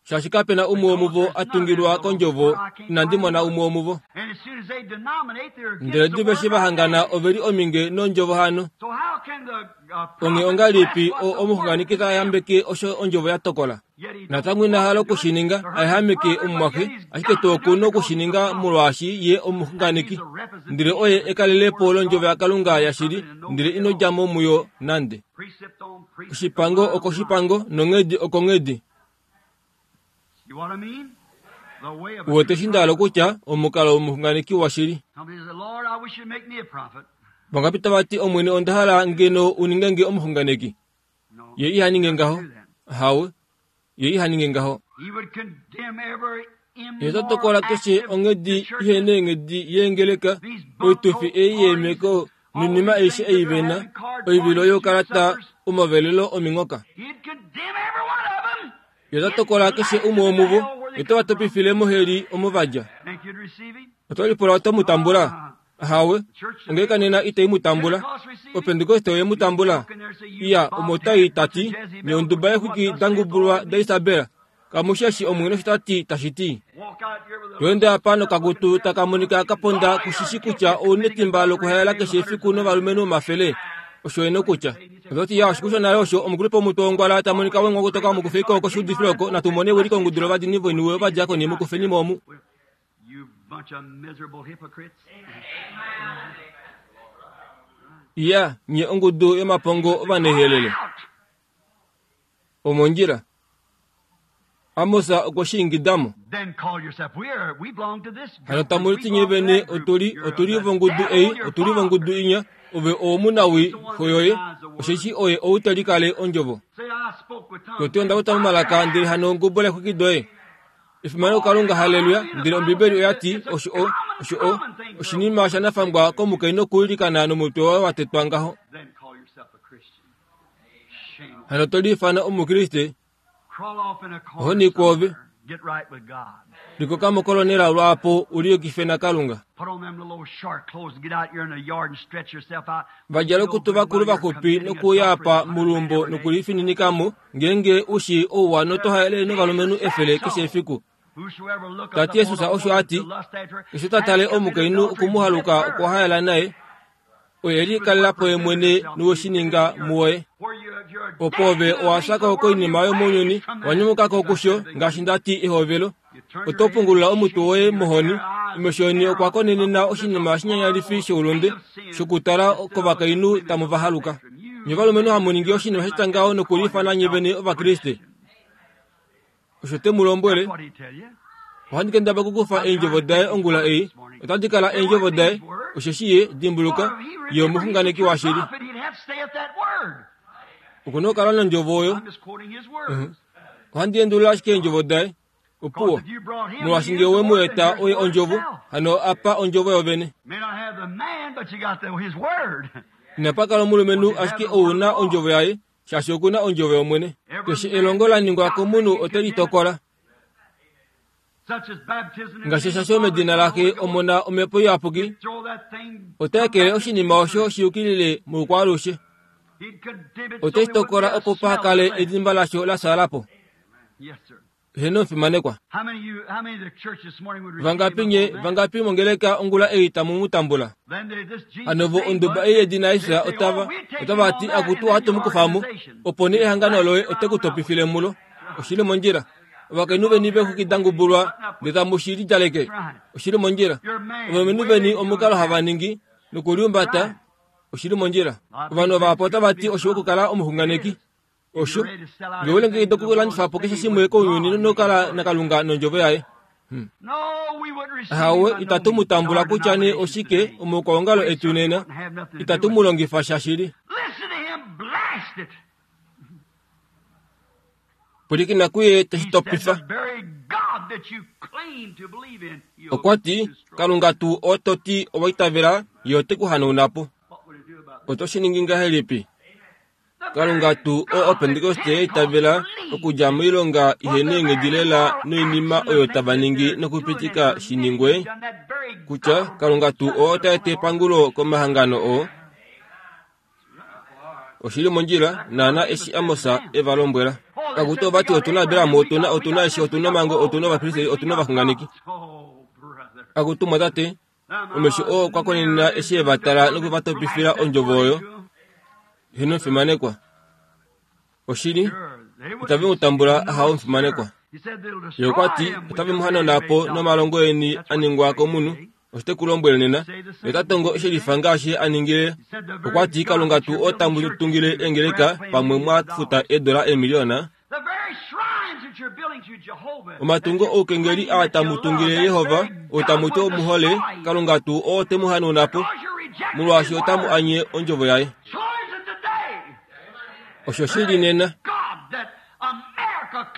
shaashi kapena umwe Because womuvo there's a none tungilwa in the kondjovo, where I can't inandi find mona one. umwe womuvo. And as soon as they denominate, they're Ndele against the diva eshi word va right hangana then. ove li ominge nondjovo hano. So how Onge ongalipi omuxunganeki ta yambeke osho ondjovo ya tokola. Natango ina hala okushininga ayehameke omumwaxe, ashike tuu okuna okushininga molwaashi ye omuxunganeki. Ndele oye ekalelepo londjovo yaKalunga yashili, ndele ino dja mo muyo nande. Oshipango okoshipango nonghedi okonghedi. Uwete eshi nda hala okutya omukalo womuxunganeki washili. Vangapi tava ti Omwene onda hala ngeno u ninge nge omuxunganeki? Ye iha ninge ngaho. Hawe, ye iha ninge ngaho. Ye ota tokola keshe onghedi ihe neenghedi yeengeleka, oitufi ei yeemeko noinima aishe ei ve na, oivilo youkalata omavelelo ominghoka. Ye ota tokola keshe umwe womuvo, ye otava topifile moheli omo va dja. Oto lipula oto mu tambula? Hawe, ongeleka nena itai mu tambula. Opentekoste oye mu tambula. Iya, omo tai tati, nye onduba yeexwiki da ngubulwa daIsabel. Kamushi eshi Omwene osho ta ti tashi ti. To ende apa nokakutu taka monika ka ponda kushishi kutya ou netimba lokuhaela keshe efiku novalumenhu omafele. Osho e nokutya. Ototi ya oshiku shonale osho omukulupe womutwe wongwala ta monika wengwa kutoka mukufeiko koshiudifilo oko natu mone ewiliko ongudu lovadini voiniwe ovadiakoni mukufeni mo omu. Iya, nye ongudu yomapongo ovanehelele. Omondjila. Amos okwe shi ingidamo. Hano tamu liti nye vene otuli otuli vongudu ei otuli vongudu inya ove owomunawi xoyoye osheshi oye ou te likale ondjovo. Toti onda uta momalaka ndele hano ngubula exwiki doye. Efimano kuKalunga, haleluya! Ndele Ombibeli oya ti osho o osho o oshinima shanafangwa komukainhu okuilikana nomutwe waye wa tetwa ngaho. Hano to liifana Omukriste? Ohoni kwoove. Likoka mokolonela lwaapo u liyukife naKalunga. Vadjala okutu vakulu vaxupi nokuuya apa moluumbo nokulifininikamo ngeenge u shii ouwa noto haele novalumenhu efele keshe efiku. Tati Jesus osho a ti, keshe ta tale omukainhu okumuhaluka okwa haela naye, oye likalela po ye mwene noweshininga muwoye. Opo ove owa fya ko koinima yomounyuni, wa nyumuka ko kusho ngaashi nda ti ehovelo. Oto pungulula omutwe woye mohoni, omesho eni okwa konenena oshinima shinyanyalifi shoulunde, shokutala kovakainhu tamu va haluka. Nye ovalumenhu hamu ningi oshinima sha ngaho nokuliifana nye vene Ovakriste. Osho te mu lombwele. Ohandi kendabala okukufa eendjovo daye ongula ei, otadi kala eendjovo daye, osheshi ye, dimbuluka, ye omuxunganeki washili. Oku na okukala nondjovo oyo. Ohandi endulula ashike eendjovo daye. Opuwo, molwaashi ngee owe mu eta oye ondjovo, hano apa ondjovo yovene. Inapa kala omulumenhu ashike ou na ondjovo yaye, shaashi oku na ondjovo yOmwene. Keshe elongo la ningwa komunhu ote li tokola. Ngaashi eshasho medina laXe Omona Omhepo Iyapuki, ota ekele oshinima osho shiyukilile moukwaalushe. Ote shi tokola opo paha kale edimba lasho la fyaala po. Heeno omufimanekwa. Vangapi nye vangapi mongeleka ongula ei tamu mu tambula? Hano vo onduba ei yedina Jesus otava otava ti akutu ohatu mu kufa mo, opo nee ehangano loye ote ku topifile mulo. Oshili mondjila. Ovakainhu veni veexwiki da ngubulwa ndele tamu shi lidjaleke. Oshili mondjila. Ovalumenhu veni omukalo hava ningi nokuliumbata. Oshili mondjila. Ovanhu vahapu otava ti oshiwa okukala omuxunganeki. Osho ngee we longekida okulandifa po keshe shimwe kounyuni nokukala naKalunga nondjovo yaye. Hmm. Ahawe, itatu mu tambula kutya nee oshike omaukwaongalo etu nena. Itatu mu longifa sha shili. Pwilikina kuye teshi topifa. Okwa ti, Kalunga tuu oo to ti owa itavela, ye ote ku hanauna po. Oto shi ningi ngahelipi? Kalunga tuu oo Opentekoste ya itavela okudja moilonga ihe neenghedi lela noinima oyo tava ningi nokupitika shi ningwe, kutya Kalunga tuu oo ota eta epangulo komahangano oo. Oshili mondjila naana eshi Amos e va lombwela. Akutu ova ti otu na Abraham, otu na otu na eshi, otu na omhango, otu na ovapristeli, otu na ovaxunganeki. Akutu mwatate, omesho oo okwa konenena eshi e va tala noku va topifila ondjovo oyo. Heno mfimanekwa. Oshili otave mu tambula ahawo mfimanekwa. Ye okwa ti otave mu hanauna po nomalongo eni a ningwa komunhu. Osho te ku lombwele nena, ye ota tongo shelifa ngaashi a ningile. Okwa ti Kalunga tuu otamu tungile eengeleka pamwe mwa futa eedola eemiliyona. Omatungo oukengeli aa tamu tungile Yehova, oo tamu ti omuhole, Kalunga tuu oo te mu hanauna po, molwaashi otamu anye ondjovo yaye. Osho shili nena.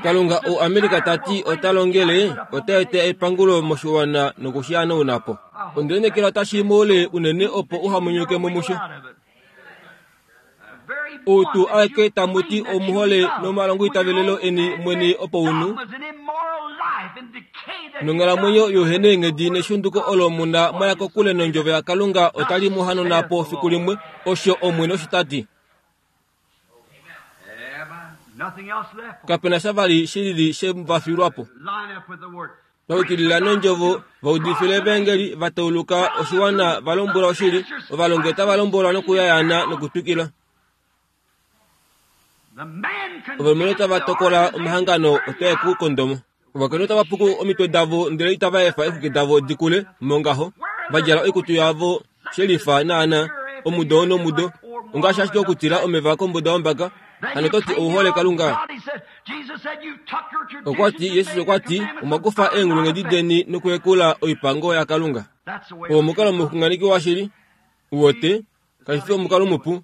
Kalunga ou Amerika ta ti ota longele, ota eta epangulo moshiwana nokushi hanauna po. Onde otashi moule unene opo uhamunyuke mo musho. Ou tuu aeke tamu ti omuhole nomalongo itavelelo eni mwene opo unu nonghalamwenyo youhena eenghedi neshunduko olo muna mwaya kokule nondjovo yaKalunga otali mu hanauna po fiku limwe, osho Omwene osho ta ti. Kapena sha vali shilili she va filwa po. Vaukilila nondjovo, vaudifile evangeli, va tauluka oshiwana, va lombwela oshili, ovalongi otava lombwelwa nokuyayana nokutwikila. Ovalumenhu otava tokola omahangano otae ku kondomo. Ovakainhu otava puku omitwe davo ndele itava efa eexwiki davo di kule mongaho, va djala oikutu yavo shelifa naana omudo nomudo, ongaashi ashike okutila omeva kombuda yombaka. Hano to ti ouhole Kalunga. Okwa ti Jesus okwa ti omwa kufa eenghulunghedi deni nokuhekula oipango yaKalunga. Oo omukalo omuxunganeki washili. Uwote kashi fi omukalo mupu.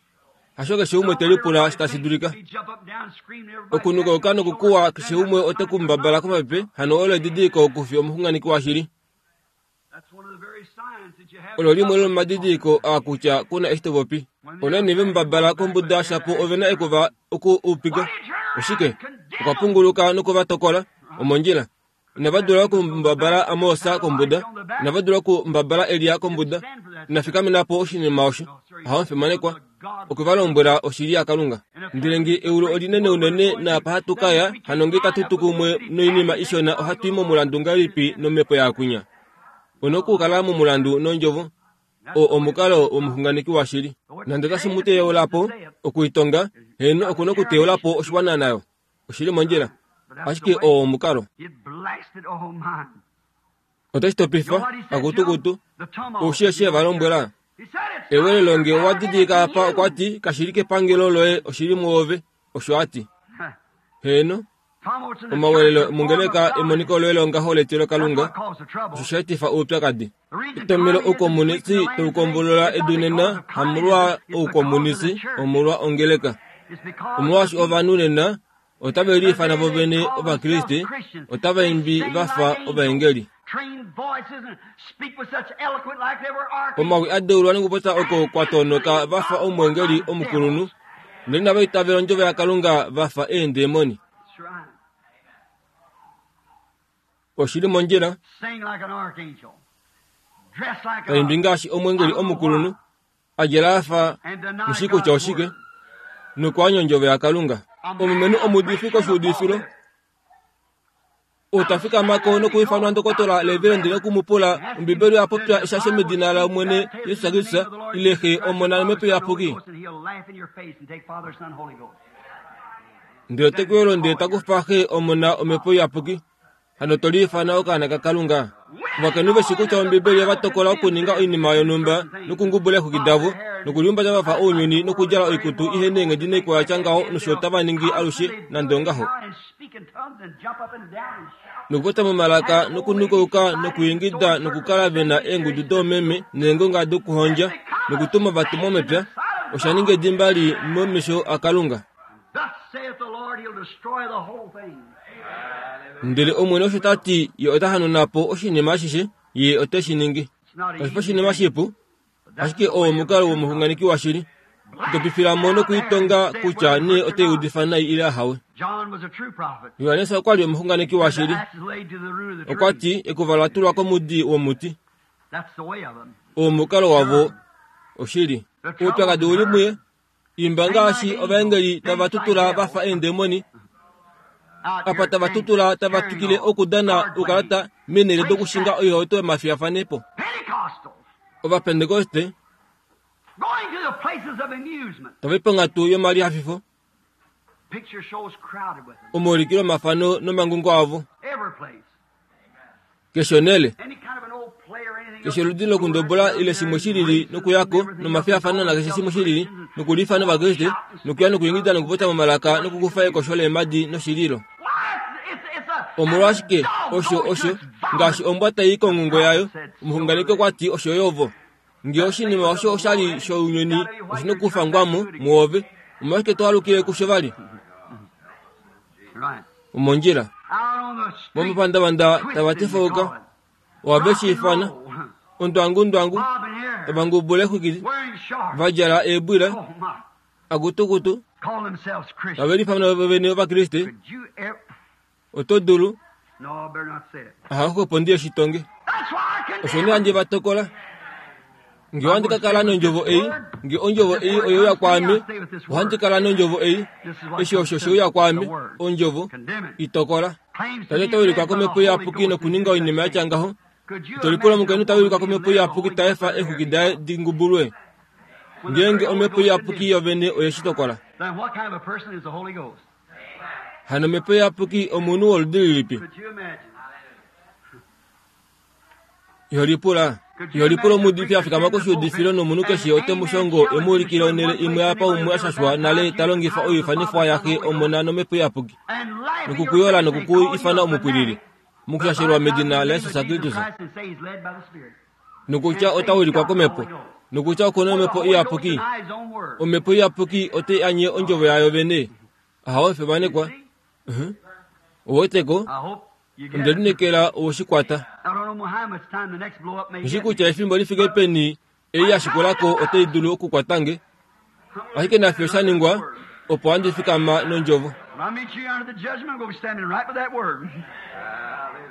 Hasho keshe umwe te lipula tashi dulika. Okunukauka nokukuwa keshe umwe ote ku mbabala komapepe, hano olo edidiliko okufi omuxunganeki washili. Olo limwe lomadidiliko aa kutya kuna eshi to popi. Onani ve mbabala kombuda shapo ove na ekuva oku upika. Oshike? Okwa punguluka nokuva tokola omondjila. Inava dula okumbabala Amosa kombuda, inava dula okumbabala Elia kombuda. Inafikamena po oshinima osho. Aho mfimanekwa. Okwe va lombwela oshili yaKalunga. Ndele nge eulu olinene unene naapa hatu kaya, hano nge katu tu kumwe noinima ishona ohatu i momulandu ngahelipi nomhepo yaakwinya. Ono okukala momulandu nondjovo. O omukalo womuxunganeki washili. Nande otashi mu teyola po okuitonga, heno okuna okuteyola po oshiwana nayo. Oshili mondjila. Ashike oo omukalo. Otashi topifa akutukutu. Oushi eshi va lombwela. Ewelelo nge owa didilika apa okwa ti kashili kepangelo loye oshili mwoove, osho a ti. Heno omawelelo mongeleka emoniko loye longaho letilo Kalunga, osho sha etifa oupyakadi. Etomelo oukomunisi taukombolola edu nena hamolwa oukomunisi, omolwa ongeleka. Omolwaashi ovanhu nena otave liifana vo vene Ovakriste, otava imbi va fa ovaengeli. Omawi a deulwa nokupopya oko kwa tonoka va fa omweengeli omukulunhu, ndele inava itavela ondjovo yaKalunga va fa eendemoni. Oshili mondjila. Taimbi ngaashi omweengeli omukulunhu, a djala a fa mushi kutya oshike, nokwaanya ondjovo yaKalunga. Omulumenhu omuudifi koshuudifilo utafikamako nokuifanwa ndokotola Reverend nokumupula Ombibeli oya popya eshasho medina laOmwene Jesus Kristus ile Xe Omona nOmhepo Iyapuki. Ndele te ku ndele takufa Xe Omona Omhepo Iyapuki. Hano to liifana okaana kaKalunga. Ovakainhu veshi kutya Ombibeli ova tokola okuninga oinima yonhumba nokungubula eexwiki davo nokulihumbata va fa ounyuni nokudjala oikutu ihe neenghedi naikwao ya tya ngaho nosho otava ningi alushe nande ongaho. Nokupopya momalaka nokunukauka nokuingida nokukala ve na eengudu doomeme neengonga dokuhondja nokutuma ovatumwa mepya, osha ninga edimba li momesho aKalunga. Ndele Omwene osho ta ti ye ota hanauna po oshinima ashishe, ye ote shi ningi. Kashi fi oshinima shipu, ashike oo omukalo womuxunganeki washili. Topifila mo nokuitonga kutya nee ote udifa nai ile ahawe. Johannes okwa li omuxunganeki washili. Okwa ti ekuva la tulwa komudi womuti. Oo omukalo wavo oshili. Oupyakadi uli muye. Imba ngaashi ovaengeli tava tutula va fa eendemoni. Apa tava tutula tava twikile okudana oukalata meenhele dokushinga oihauto yomafiyafanepo. Ovapentekoste Tava ponghatu yomalihafifo omaulikilo omafano nomangungo avo keshe onhele keshe oludi lokundobola ile shimwe shilili nokuyako nomafiyafano nakeshe shimwe shilili nokuliifana ovakriste nokuya nokuingida nokupopya momalaka nokukufa ekosho leemadi noshililo omolwashike osho osho ngaashi ombwa tai kongungo yayo omuxunganeki okwati osho yovo ngee oshinima osho oshali shounyuni oshina okufangwamo muove omolwashike twalukile kusho vali omondjila momapandavanda tava tifauka ohave shiifana ondwangundwangu tavangubula exwikili vadjala eebwila akutukutu tave lifana vene ovakriste oto dulu ahaxwepo ndiye shitonge osho nee handi vatokola nge ohandi kakala nondjovo ei nge ondjovo ei oyeuya kwaame ohandi kala nondjovo ei eshi osho sheuya kwaame ondjovo itokola tate tawilikwa komhepo iyapuki nokuninga oinima yatya ngaho tolipula omukainhu tawilikwa komhepo iyapuki taefa exwiki daye dingubulwe ngeenge omhepo iyapuki yovene oyeshitokola hano omhepo iyapuki omunhu woludi lilipi iholipula iholipula omuudifi afikama koshiudifilo nomunhu keshe ote mushongo emuulikile onhele imwe apa umwe ashashwa nale talongifa oifanifwa yaxe omona nomhepo iyapuki nokukuyola nokuku ifana omupwilili mukushashelwa medina laYesus Kristus nokutya otaulikwa komhepo nokutya okuna omhepo iyapuki omhepo iyapuki ote anye ondjovo yayo vene ahawe femanekwa oweteko ondelinekela owoshikwata oshikutya efimbo lifike peni ei yashikulako otai dulu okukwatange ashike nafyo oshaningwa opo handi fikama nondjovo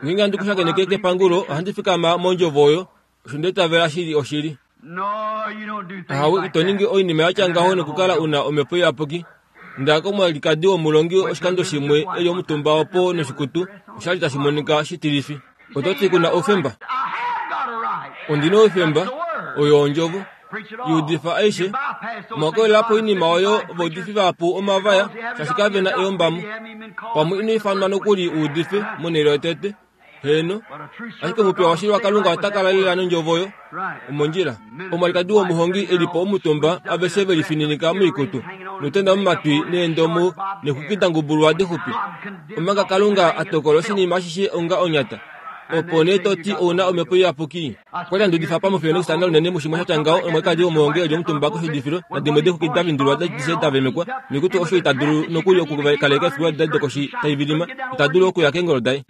ngeenge handi kushakeneke kepangulo ohandi fikama mondjovo oyo osho ndetavela shili oshili ahawe ito ningi oinima yatya ngaho nokukala una omhepo iyapuki ndaka omwalikadi womulongi oshikando shimwe eli omutumba opo noshikutu oshali tashi monika shitilifi ototi kuna oufemba ondina oufemba oyo ondjovo iudifa aishe mwakolela oinima oyo vaudifi vahapu omavaya shaashi kavena eyombamo pamwe ino ifanwa nokuli uudife monhele yotete heno ashike omupiya washili wakalunga otakala lela nondjovo oyo omondjila omwalikadi womuhongi elipo omutumba aveshe velifininika moikutu notenda momatwi neendomo nexwiki dangubulwa dixupi omanga kalunga atokola oshinima ashishe onga onyata opo nee toti ouna omhepo iyapuki okwali andudifa pamufyo nokisana lunene mushimwe shatya ngaho omwalikadi womuhongi eli omutumba koshiudifilo nadimwe dexwiki davindulwa dishe davemekwa noikutu osho itadulu nokuli okukaleka efiku dadokoshi taivilima itadulu okuya keengolo daye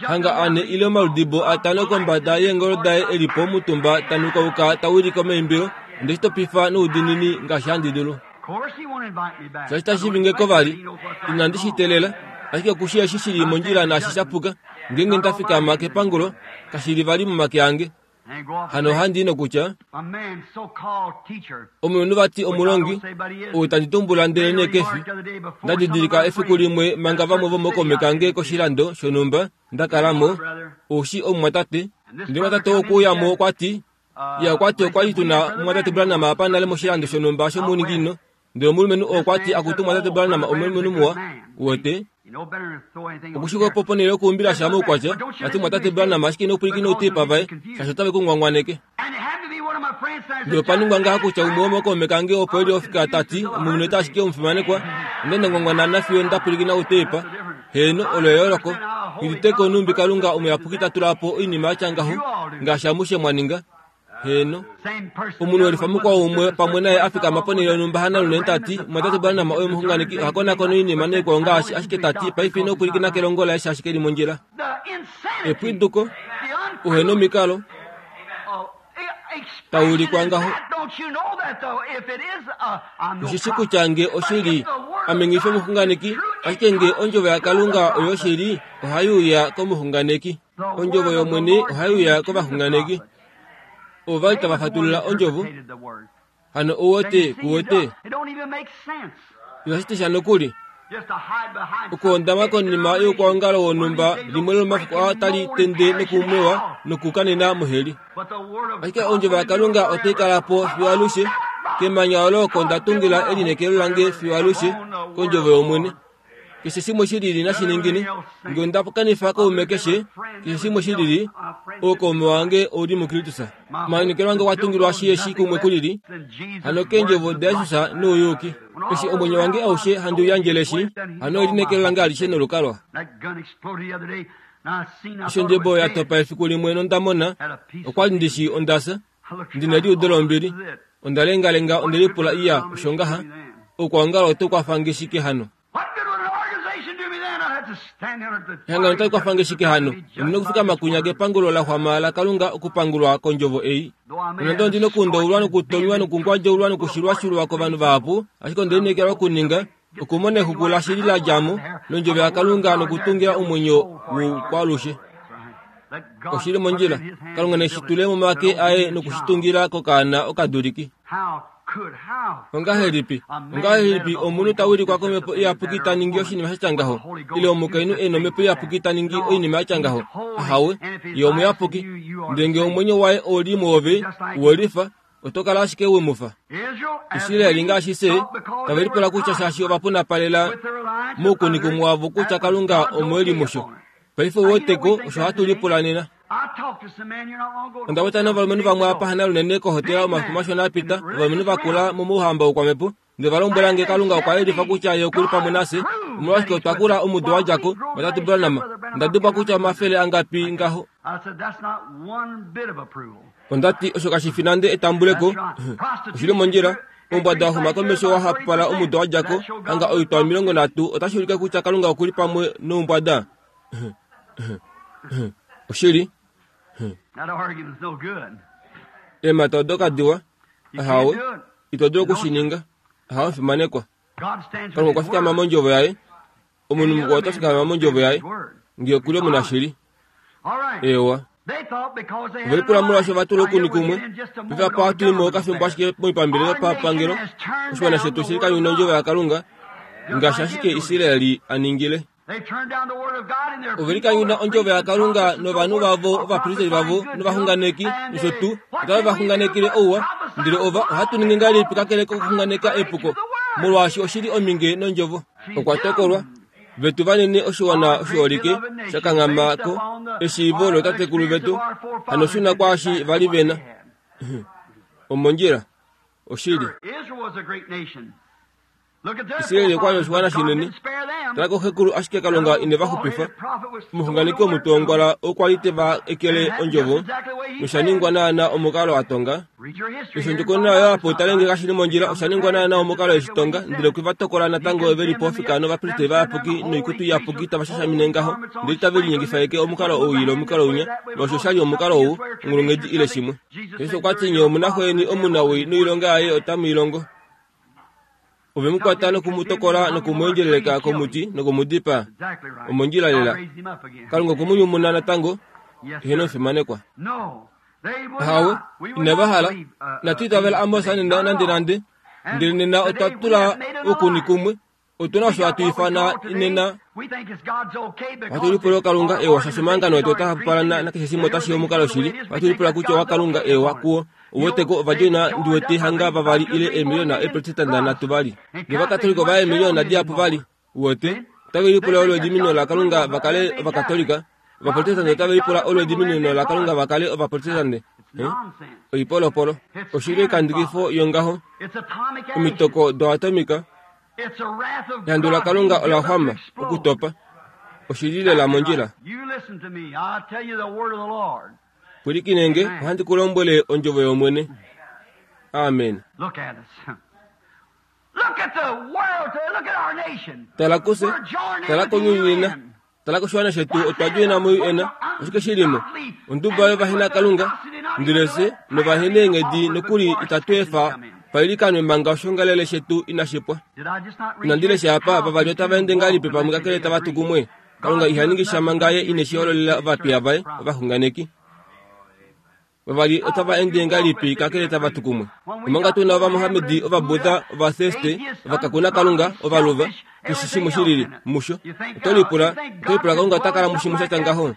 hanga ane ile omaludibo atano kombada yeengolo daye elipo omutumba tanukauka tawilike omaimbilo ondeshitopifa noudinini ngaashi handi dulu shaashi tashivingeko vali inandi shitelela ashike okushi eshi shili mondjila naashi shapuka ngeenge ndafikama kepangulo kashili vali momake ange hano handi nokutya omunhu vati omulongi ou tandi tumbula ndele nee kefi ndadidilika efiku limwe manga vamwe vomokome kange koshilando shonhumba ndakalamo oushi omumwatate ndele mwatate okuyamo okwati ya okwati okwali tuna mwatate Branham apa nale moshilando shonhumba shomuninginino ndele omulumenhu okwati akutu mwatate Branham omulumenhu muwa uwete okushika opo ponhele yokuumbila sha moukwatya ati mwatate Branham ashike inopwilikina outipa vaye shaashi otave kungwangwaneke ndele opaningwa ngaha kutya umwe womokaume kange opo eli ofika tati omunhu ota ashike omufimanekwa onde ndangwangwana nafiyo ndapwilikina outepa heeno olo eyooloko ngiditeko numbi kalunga omuyapuki tatula po oinima yatya ngaho ngaashi amushe mwaninga heeno omunhu welifa mukwao umwe pamwe naye afikama ponhele yonhumba hanalunene tati mwatate Branham oyo omuxunganeki ohakonakona oinima naikwao ngaashi ashike tati paife ino pwilikina kelongo laye shaashi keli mondjila epwiduko uhena omikalo taulikwa ngaho oshishi kutya nge oshili ame ngifi omuxunganeki ashike nge ondjovo yakalunga oyo shili ohaiuya komuxunganeki ondjovo yomwene ohaiuya kovaxunganeki ovali tava fatulula ondjovo hano ouwete kuwete ihashiti sha nokuli Okuhondama konima youkwaongalo wonhumba limwe lomomafiku aa tali tende nokumwewa nokukanena moheli. Ashike ondjovo yaKalunga otai kala po fiyo alushe. Kemanya olo oko nda tungila elineekelo lange fiyo alushe, kondjovo yOmwene. Keshe shimwe shilili nashiningine, nge onda kanifa kaume keshe, keshe shimwe shilili, oukaume wange ouli muKristus. Omalineekelo ange okwa tungilwa shiyeshi kumwe kulili, hano keendjovo daJesus nouyuki. Eshi omwenyo wange aushe handi u yandjeleshi, hano elineekelo lange alishe nolukalwa. Eshi ondjebo ya topa efiku limwe nonda mona, okwa li ndishi ondasa, ndina eliudo lombili, onda lengalenga onde lipula iya osho ngaha, oukwaongalo oto kwafa nge shike hano? Ehangano otali kwafa nge shike hano? Ondi na okufikama kunya kepangulo la xwama laKalunga okupangulwa kondjovo ei. Nonande ondi nokuundaulwa nokutonywa nokungwadjaulwa nokushilwashilwa kovanhu vahapu, ashike onde lineekelwa okuninga okumona exuku lashili la dja mo londjovo yaKalunga nokutungila omwenyo woukwalushe. Oshili mondjila, Kalunga neshi tule momake aye nokushitungila kokaana okaduliki. Ongahelipi, ongahelipi omunhu ta wilikwa komhepo iyapuki ta ningi oshinima sha ngaho, ile omukainhu e nomhepo iyapuki ta ningi oinima ya tya ngaho? Ahawe, ye omuyapuki. Ndele ngee omwenyo waye oli mwoove, welifa, oto kala ashike we mu fa. Israeli ngaashi se, tave lipula kutya shaashi ovapunapalela moukunikumwe wavo kutya Kalunga omo e li musho. Paife ouweteko osho hatu lipula nena. Onda weta novalumenhu vamwe apa hanalunene kohotela omafiku mashona apita, ovalumenhu vakula momouhamba woukwamhepo, ndele va lombwela nge Kalunga okwa yelifa kutya ye okuli pamwe nafye. Omolwashike otwa kula omudo wa dja ko, vatatu Branham. Onda dubwa kutya omafele angapi ngaho. Onda ti osho kashi fi nande etambuleko. Oshili mondjila. Oumbwada wa xuma komesho wa hapupala omudo wa dja ko, hanga oitwa omilongo nhatu otashi ulike kutya Kalunga okuli pamwe noumbwada. Oshili. Eemhata odo kadiwa. Ahawe, ito dulu okushininga. Ahawe omufimanekwa. Kalunga okwa fikama mondjovo yaye. Omunhu mukwao ota fikama mondjovo yaye, ngee okuli omunashili. Eewa. Ovelipula molwaashi ova tula okuni kumwe. Paife apa ohatu i mo okafimbo ashike moipambele yopapangelo. Oshiwana shetu oshili kanyuna ondjovo yaKalunga, ngaashi ashike Israeli a ningile. Ovelikanyuna ondjovo yaKalunga novanhu vavo, ovapristeli vavo novaxunganeki nosho tuu, otave va xunganekele ouwa, ndele ova ohatu ningi ngahelipi kakele kokuxunganeka epuko, molwaashi oshili ominge nondjovo. Okwa tokolwa vetu vanene oshiwana oshiholike shakanghama ko eshiivo lootatekulu vetu, hano shuna kwaashi vali vena. Omondjila oshili. Israeli okwa li oshiwana shinene. Tala koxekulu ashike Kalunga ine va xupifa. Omuxunganeki womutongwala okwa li te va ekele ondjovo, nosha ningwa naana omukalo a tonga. Osho ondjokonona oyo apo tale nge kashi li mondjila, osha ningwa naana omukalo eshi tonga, ndele okwe va tokola natango ve li pofika novapristeli vayapuki noikutu iyapuki tava shashamine ngaho, ndele itave linyengifa eke omukalo ou ile omukalo unya, molwaashi osha li omukalo ou, onghulunghedi ile shimwe. Jesus okwa ti nye omunaxo yeni omunawii noilonga yaye otamu i longo. Ove mu kwata nokumutokola nokumuendjeleleka komuti nokumudipaa. Omondjila lela. Kalunga okwe mu nyumuna natango, eheno omufimanekwa. Ahawe, inava hala. Inatu itavela Amos nena nande nande, ndele nena otwa tula okuni kumwe. Otuna osho hatu ifana nena. Ohatu lipula Kalunga ewa shaashi omahangano etu otaa hapupala nakeshe shimwe otashi omukalo shili. Ohatu lipula kutya owaKalunga ewa kuo. Ouweteko ovadjoina ndiwete hanga vavali ile eemiliona eeprotestanta nhatu vali. Novakatolika ova eemiliona dihapu vali. Uwete, otave lipula olo ediminino laKalunga va kale Ovakatolika. Ovaprotestante otave lipula olo ediminino laKalunga va kale Ovaprotestante. Oipolopolo. Oshili oikandukifo yongaho. Omitoko doatomika. Ehandu laKalunga ola xwama okutopa. Oshili lela mondjila. Pwilikinenge, ohandi ku lombwele ondjovo yOmwene. Amen. Tala kufye, tala kounyuni nena, tala koshiwana shetu otwa djoina mo-U N, oshike shi li mo? Onduba yovahenakalunga, ndele fye novaheneenghedi nokuli itatu efa pailikanwe manga oshiongalele shetu inashi pwa. Inandi lesha apa, vavali otava ende ngahelipi pamwe kakele tava tu kumwe? Kalunga iha ningi sha manga ye ineshi hololela ovapiya vaye, ovaxunganeki. Vavali otava ende ngahelipi kakele tava tu kumwe? Omanga tu na Ovamohamedi, Ovabuddha, Ovatheiste, Ovakakuna Kalunga, Ovaluva, keshe shimwe shilili musho. Oto lipula, oto lipula Kalunga ota kala mushimwe sha tya ngaho.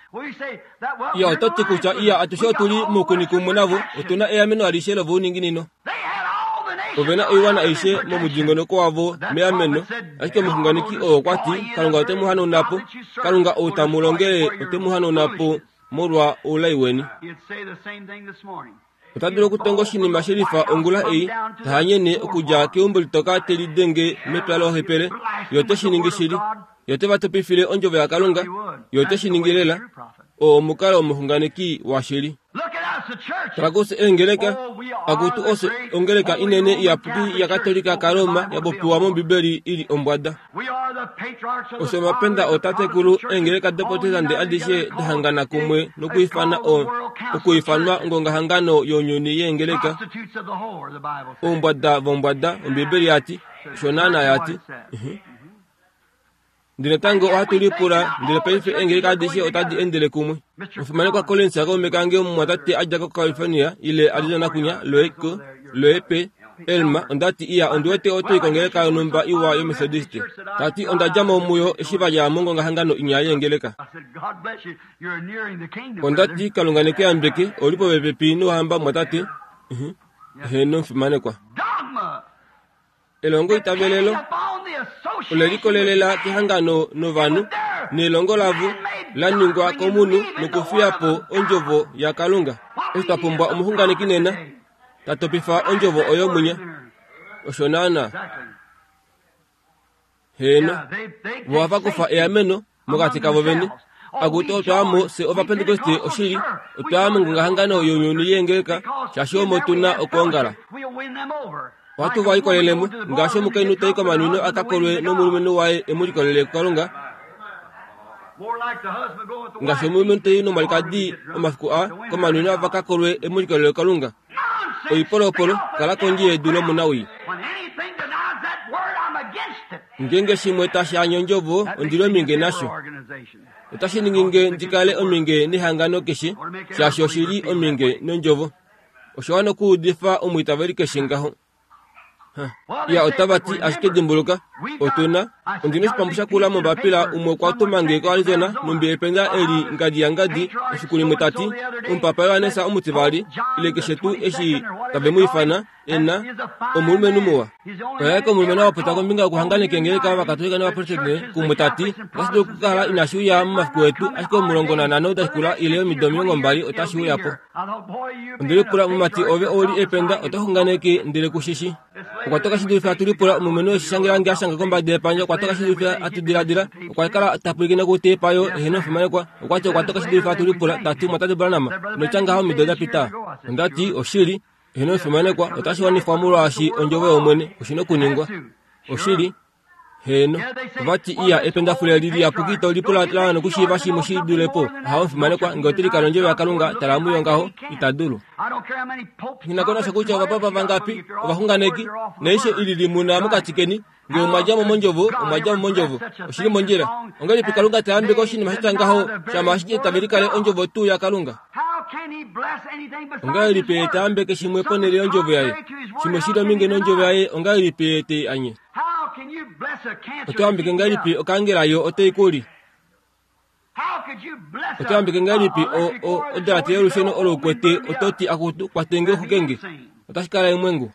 Iya, oto ti kutya iya atushe otu li moukuni kumwe navo, otu na eameno alishe lovouninginino. Ove na oiwana aishe momudingonoko wavo meameno, ashike omuxunganeki oo okwa ti Kalunga ote mu hanauna po, Kalunga ou tamu longele ote mu hanauna po molwa oulai weni. Ota dulu okutonga oshinima shelifa ongula ei, tahanyene okudja keumbo litoka te lidenge mepya lohepele, ye ote shi ningi shili. Ye ote va topifile ondjovo yaKalunga, ye ote shi ningi lela. Oo omukalo womuxunganeki washili. Tala kufye eengeleka, akutu ofye ongeleka inene iyapuki yaKatolika kaRoma ya popiwa mOmbibeli i li ombwada. Ofye omapenda ootatekulu eengeleka doProtestante adishe dahangana kumwe nokwiifana o okuifanwa ongongahangano younyuni yeengeleka. Oumbwada vombwada, Ombibeli yati, osho naana yati. Ndele natango ohatu lipula, ndele paife eengeleka adishe otadi endele kumwe. Omufimanekwa Collins kaume kange omumwatate a dja koCalifornia ile Arizona kunya Loeko, Loepe, Elma, onda ti iya ondi wete oto i kongeleka yonhumba iwa yoMethodist. Ta ti onda dja mo muyo eshi va dja mongongahangano inya yeengeleka. Onda ti Kalunga ne ku yambeke, ou li popepi nouhamba mumwatate. Heeno omufimanekwa. Elongo itavelelo ole likolelela kehangano novanhu nelongo lavo la ningwa komunhu nokufiya po ondjovo yaKalunga. Eshi twa pumbwa omuxunganeki nena ta topifa ondjovo oyo munya. Osho naana. Heeno, vo ohava kufa eameno mokati kavo vene. Akutu otwa fye Ovapentekoste oshili, otwa mongongahangano younyuni yeengeleka, shaashi omo tu na okwoongala. Ohatu va likolelemo, ngaashi omukainhu tai komanwino a ka kolwe nomulumenhu waye e mu likolele kuKalunga, ngaashi omulumenhu tai nomwalikadi omafiku a komanwino ava ka kolwe e mu likolele kuKalunga. Oipolopolo, kala kondje yedu lomunawii. Ngeenge shimwe tashi anye ondjovo, ondi li ominge nasho. Otashi ningi nge ndi kale ominge nehangano keshe, shaashi oshi li ominge nondjovo. Osho wana okuudifa omwiitaveli keshe ngaho. Iya, otava ti ashike dimbuluka, otu na ondi na oshipambu shakula mombapila umwe okwa tuma nge koArizona numbi ependa eli ngadi yangadi efiku limwe ta ti omupapa Johannes omutivali ile keshe tuu eshi tave mu ifana ena omulumenhu muwa. Oya eka omulumenhu a popya kombinga yokuhanganeka eengeleka Ovakatolika nOvaprotestante kumwe ta ti otashi dulu okukala inashi uya momafiku etu ashike omulongo nanhano dashikula ile omido omilongo mbali otashi uya po. Onde lipula mumati ove ou li ependa oto xunganeke ndele kushishi. Okwa toka shi dulife hatu lipula omulumenhu eshi shangelange a shanga kombada yepandja okwa toka shi dulife hatu diladila okwa kala ta pwilikine kotepa yo eheno omufimanekwa okwa ti okwa toka shi dulife hatu lipula ta ti mwatate Branham notya ngaho omido da pita. Onda ti oshili eheno omufimanekwa otashi wanifwa molwaashi ondjovo yOmwene oshi na okuningwa. Oshili heeno ovati iya ependafule li liyapuki ito lipula la nokushiiva shimwe shi dule po. Aha omufimanekwa ngee ote likala ondjovo yaKalunga tala muyo ngaho ita dulu. Nghi na ko nasha kutya ovapapa vangapi ovaxunganeki naishe ili limuna mokati keni ngee omwa dja mo mondjovo omwa dja mo mondjovo oshili mondjila. Ongahelipi Kalunga ta yambeke oshinima sha tya ngaho shama ashike tave likale ondjovo tuu yaKalunga? Ongahelipi ye ta yambeke shimwe ponhele yondjovo yaye? Shimwe shi li ominge nondjovo yaye ongahelipi ye te anye? Oto yambeke ngahelipi okaangela yo otai ku li? Oto yambeke ngahelipi odalate yolusheno olo ukwete oto ti akutu kwatenge oxukenge? Otashi kala emwengu.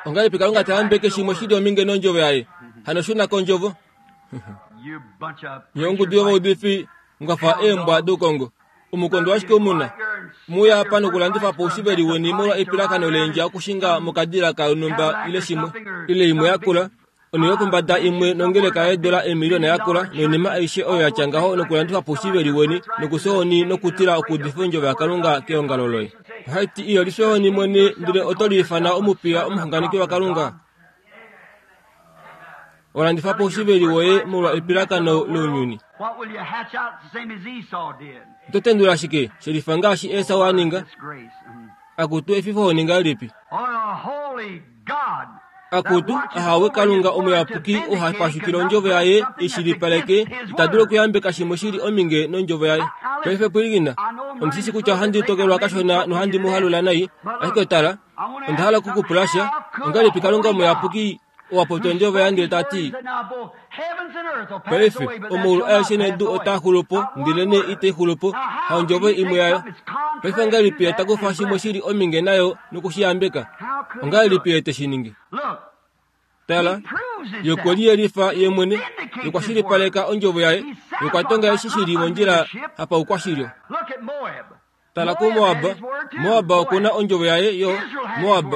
Ongahelipi Kalunga ta yambeke shimwe shi li ominge nondjovo yaye? Hano shuna kondjovo. Nye ongudu yovaudifi mwafa eembwa doukongo. Omukondo ashike omuna. Muya apa nokulandifa po oushiveli weni molwa epilakano leendja okushinga mokadila kanhumba ile shimwe ile imwe yakula onho yopombada imwe nongeleka yeedola eemiliyona yakula noinima aishe oyo yatya ngaho nokulandifa po oushiveli weni nokushohoni nokutila okuudifa ondjovo yaKalunga keongalo loye. Ohaiti iyo lishohoni mwene ndele oto liifana omupiya omuxunganeki waKalunga. Olandifa po oushiveli woye molwa epilakano lounyuni. Oto tendula shike shelifa ngaashi Esau a ninga? Akutu efifohoni ngahelipi? Akutu ahawe Kalunga omuyapuki ohapashukile ondjovo yaye ishilipaleke itadulu okuyambeka shimwe shili ominge nondjovo yaye. Paife pwilikina, omusisi kutya ohandi tokelwa kashona nohandi muhalula nai, ashike tala, onda hala okukupula sha, ongahelipi Kalunga omuyapuki owapopya ondjovo yaye ndele tati, paife omaulu aeshe nedu otaa xulupo ndele nee itai xulupo, haondjovo imwe yayo. Paife ongahelipi ye takufa shimwe shili ominge nayo nokushiyambeka? Ongahelipi ye teshi ningi? Tala, ye okwe liyelifa ye mwene, ye okwa shilipaleka ondjovo yaye, ye okwa tonga eshi shili mondjila hapaukwashilyo. Tala kuMoab, Moab okuna ondjovo yaye yo, Moab.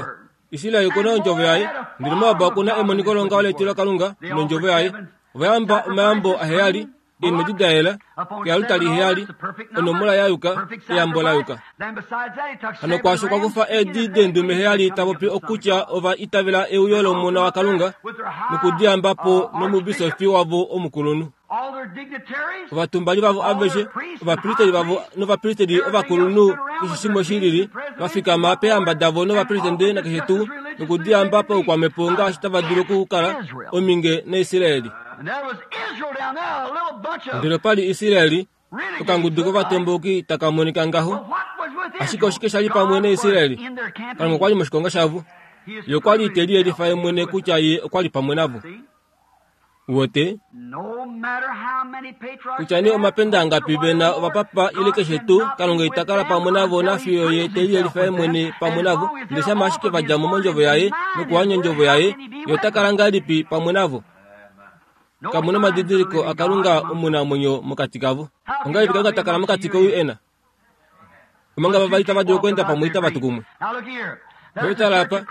Israel okuna ondjovo yaye, ndele Moab okuna emoniko longaho letilo Kalunga nondjovo yaye. Ovayamba omayambo aheyali, eemwedi da yela, kealutali heyali, onomola ya yuka, eyambo la yuka. Hano kwaasho okwa kufa eedi deendume heyali tapopi okutya ova itavela euyo lOmona waKalunga nokudiyamba po nomubisofi wavo omukulunhu. Ovatumbali vavo aveshe, ovapristeli vavo novapristeli ovakulunhu keshe shimwe shilili, vafikama peehamba davo novapresidente nakeshe tuu, nokudiyamba paukwamhepo ngaashi tava dulu okukala ominge naIsraeli. Ndele opali Israeli, okangudu kovatomboki taka monika ngaho. Ashike oshike sha li pamwe naIsraeli? Kalunga okwa li moshikonga shavo. Ye okwa li te liyelifa ye mwene kutya ye okwa li pamwe navo. Wote kutya nee omapenda angapi vena ovapapa ile keshe tuu, Kalunga ita kala pamwe navo nafiyo ye te liyelifa ye mwene pamwe navo, ndele shama ashike va dja mo mondjovo yaye nokuhanya ondjovo yaye, ye ota kala ngahelipi pamwe navo? Kamuna omadidiliko aKalunga omunamwenyo mokati kavo. Ongahelipi Kalunga ta kala mokati kouyu ena? Omanga vavali tava dulu okweenda pamwe itava tu kumwe. Tala apa,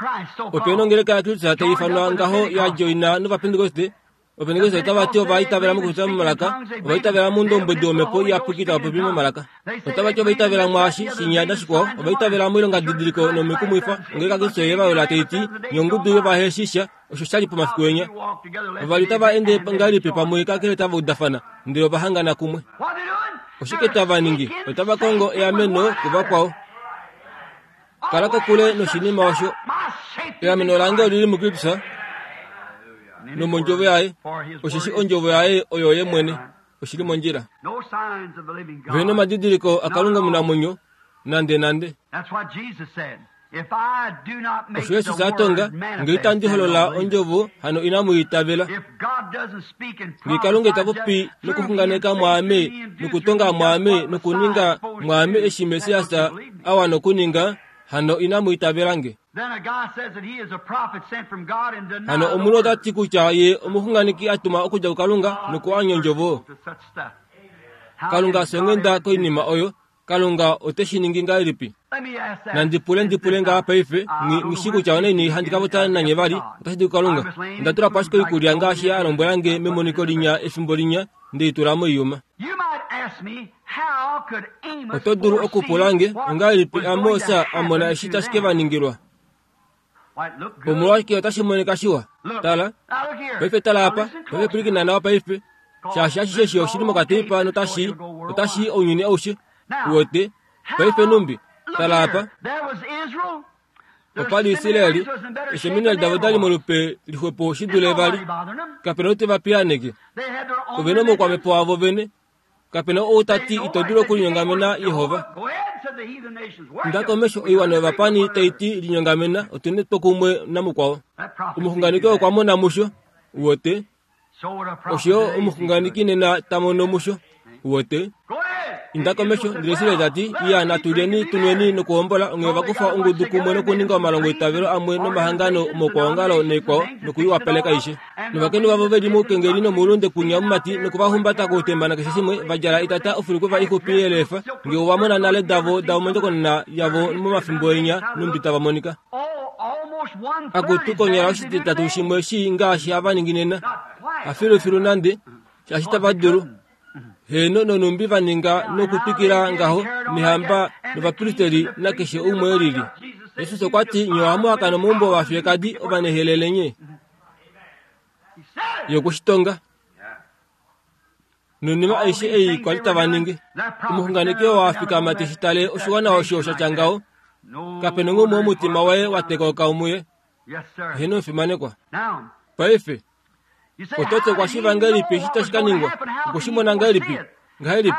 opena ongeleka yaKristus tai ifanwa ngaho ya joina nOvapentekoste. Ovapentekoste otava ti ova itavela mokupopya momalaka, ova itavela moundombwedi womhepo iyapuki tava popi momalaka. Otava ti ova itavela mwaashi shinya nashikwao, ova itavela moilongadidiliko nomikumwifa. Ongeleka yaKristus ye va yola tai ti, nye ongudu yovaheshisha, osho sha li pomafiku enya. Ovali tava ende ngahelipi pamwe kakele tava udafana, ndele ova hangana kumwe. Oshike tava ningi? Otava kongo eameno kuvakwao. Kala kokule noshinima osho. Eameno lange olili muKristus nomondjovo yaye, osheshi ondjovo yaye oyo ye mwene, oshili mondjila. Vena omadidiliko aKalunga omunamwenyo nande nande. Osho Jesus a tonga, ngee itandi holola ondjovo, hano inamu itavela. Ngee Kalunga ita popi nokuxunganeka mwaame, nokutonga mwaame, nokuninga mwaame eshi Messias a wana okuninga, hano inamu itavela nge. Hano omunhu ota ti kutya ye omuxunganeki a tuma okudja kuKalunga nokuanya ondjovo. Kalunga songhenda koinima oyo. Kalunga ote shi ningi ngahelipi? Nandi pule ndi pule ngaha paife, ngishi kutya onaini handi ka popya nanye vali, otashi di kuKalunga. Onda tula po ashike oikulya ngaashi a lombwela nge memoniko linya efimbo linya, nde i tula moiyuma. Oto dulu okupula nge, ongahelipi Amos a mona eshi tashi ke va ningilwa? Omolwashike otashi monika shiwa? Tala, paife tala apa, paife pwilikina nawa paife, shaashi ashishe eshi oshili mokateipa notashi, otashi ounyuni aushe. Wote, paife numbi, tala apa. Opali Israeli, eseminari davo dali molupe lixwepo shi dule vali. Kapena ou te va piyaaneke. Ove na omaukwamhepo wavo vene. Kapena ou ta ti ito dulu okulinyongamena Yehova. Inda komesho oiwana yovapani tai ti linyongamena, otu na etwokumwe namukwao. Omuxunganeki okwa mona musho. Wote, osho yo omuxunganeki nena ta mono musho. Wote, inda komesho ndele Israeli ta ti, iya natulyeni tunweni nokuhombola, onghee vakufa ongudu kumwe nokuninga omalongo eitavelo amwe nomahangano omaukwaongalo naikwao nokuiwapaleka aishe. Novakainhu vavo veli moukengeli nomoulunde kunya mumati nokuvahumbata koutemba nakeshe shimwe, va djala itata ofulikwefa ixupi yelefa, ngee ova mona nale davo davo mondjokonona yavo momafimbo enya numbi tava monika. Akutu konyala oshititatu shimwe shii ngaashi hava ningi nena. Hafilufilu nande, shaashi tava dulu. Heno nonumbi va ninga nokutwikila ngaho nehamba novapristeli nakeshe umwe elili. Jesus okwa ti, nye ohamu hakana omaumbo ovafiyekadi ovanehelele nye. Ye okweshitonga. Noinima aishe ei kwali tava ningi. Omuxunganeki oo a fikama te shi tale oshiwana osho sha tya ngaho. Kapena ngumwe omutima waye wa tekauka muye. Heno fimanekwa. Paife otote kwa shivangelipi shitashi kaningwa okushimona ngahelipi ngahelipi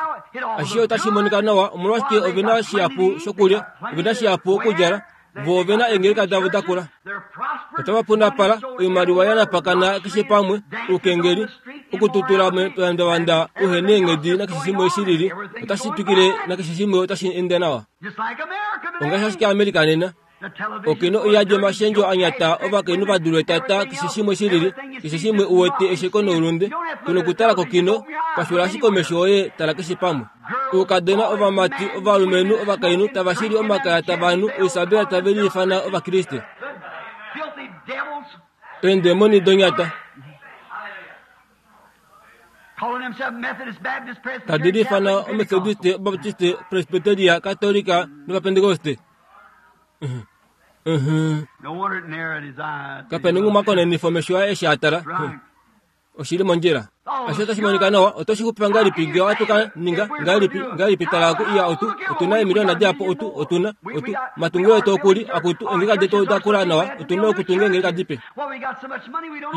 ashihe otashi monika nawa omolwashike ovena shihapu shokulya ovena shihapu okudjala vo ovena eengeleka davo dakula otava punapala oimaliwa yanapakana keshe pamwe oukengeli okututula mepandavanda uhena eenghedi nakeshe shimwe shilili otashi twikile nakeshe shimwe otashi ende nawa ongaashi ashike Amerika nena okino oyadi omashendjo anyata ovakainhu vadulwe tata keshe shimwe shilili keshe shimwe uwete esheko noulunde tonokutala kokino kwashula ashike omesho oye tala keshe pamwe oukadona ovamati ovalumenhu ovakainhu tava shili omakaya tavanhu oisabela tave liifana ovakriste eendemoni donyata tadi liifana omethodiste obaptiste presbyteria katolika novapentekoste kapena omumakonenifo omesho aye eshi atala oshili mondjila asho otashi monika nawa otoshi xupifa ngahelipi ngee ohatu ninga ngahelipi ngahelipi tala ku iya otu otuna eemiliona dihapu otu otuna otu matungilo etu okuli akutu eengeleka detu odakula nawa otuna okutunga eengeleka dipe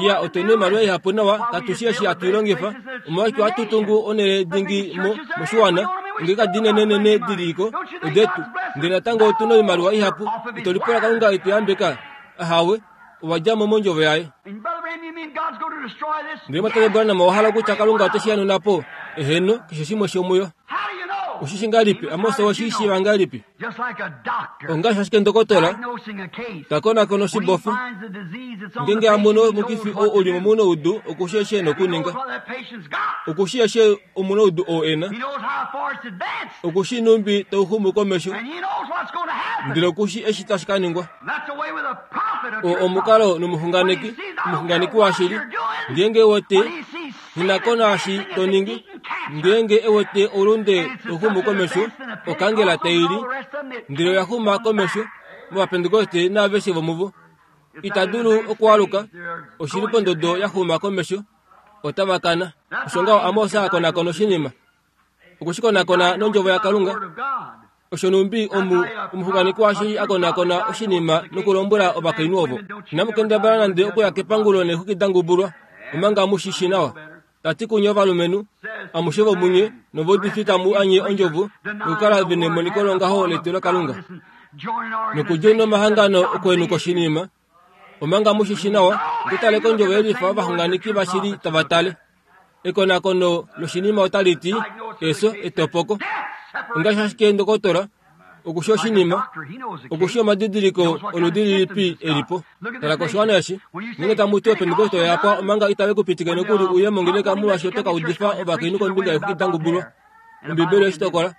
iya otuna oimaliwa ihapu nawa katushi eshi hatu ilongifa omolwashike ohatu tungu onhele dingi mo moshiwana eengeleka dinenenene diliko odetu ndele natango otuna oimaliwa ihapu itolipula Kalunga etuyambeka ahawe owadjamo mondjovo yaye ndele Mwatate Branham owahala kutya Kalunga oteshi hanauna po eheno keshe shimwe shomuyo oshishi ngahelipi Amos oweshiishiiva ngahelipi ongaashi ashike ndokotola takonakona oshibofa ngenge amono omukifi oo uli momunoudu okushi eshi ena okuninga okushi eshi omunoudu oo ena okushi numbi tauxumu komesho ndele okushi eshi tashi kaningwa o omukalo nomuxunganeki omuxunganeki washili ngenge wete hinakona ashi toningi ngenge ewete oulunde tauxumu komesho okangela taili ndele oyaxuma komesho movapentekoste naaveshe vomuvo itadulu okualuka oshili pondodo yaxuma komesho otavakana osho ngaho Amos akonakona oshinima okushikonakona nondjovo yaKalunga osho numbi omu omuxunganeki washili akonakona oshinima nokulombwela ovakainhu ovo inamukendabala nande okuya kepangulo neexwiki dangubulwa omanga mushishi nawa tati kunye ovalumenhu amushe vomunye novaudifi tamu anye ondjovo nokukala vena emoniko longaho letilo Kalunga nokudjoina omahangano okwenuka oshinima omanga mushishi nawa okutale kondjovo yelifa ovaxunganeki vashili tava tale ekonakono loshinima otali ti eso etopoko ongaashi ashike ndokotola okushi oshinima okushi omadidiliko oludi lilipi elipo tala koshiwana eshi ngenge tamu ti opentekoste oyapwa omanga itave kupitike nokuli uye mongeleka molwaashi oto kaudifa ovakainhu kombinga yeexwiki dangubulwa Ombibeli oshitokola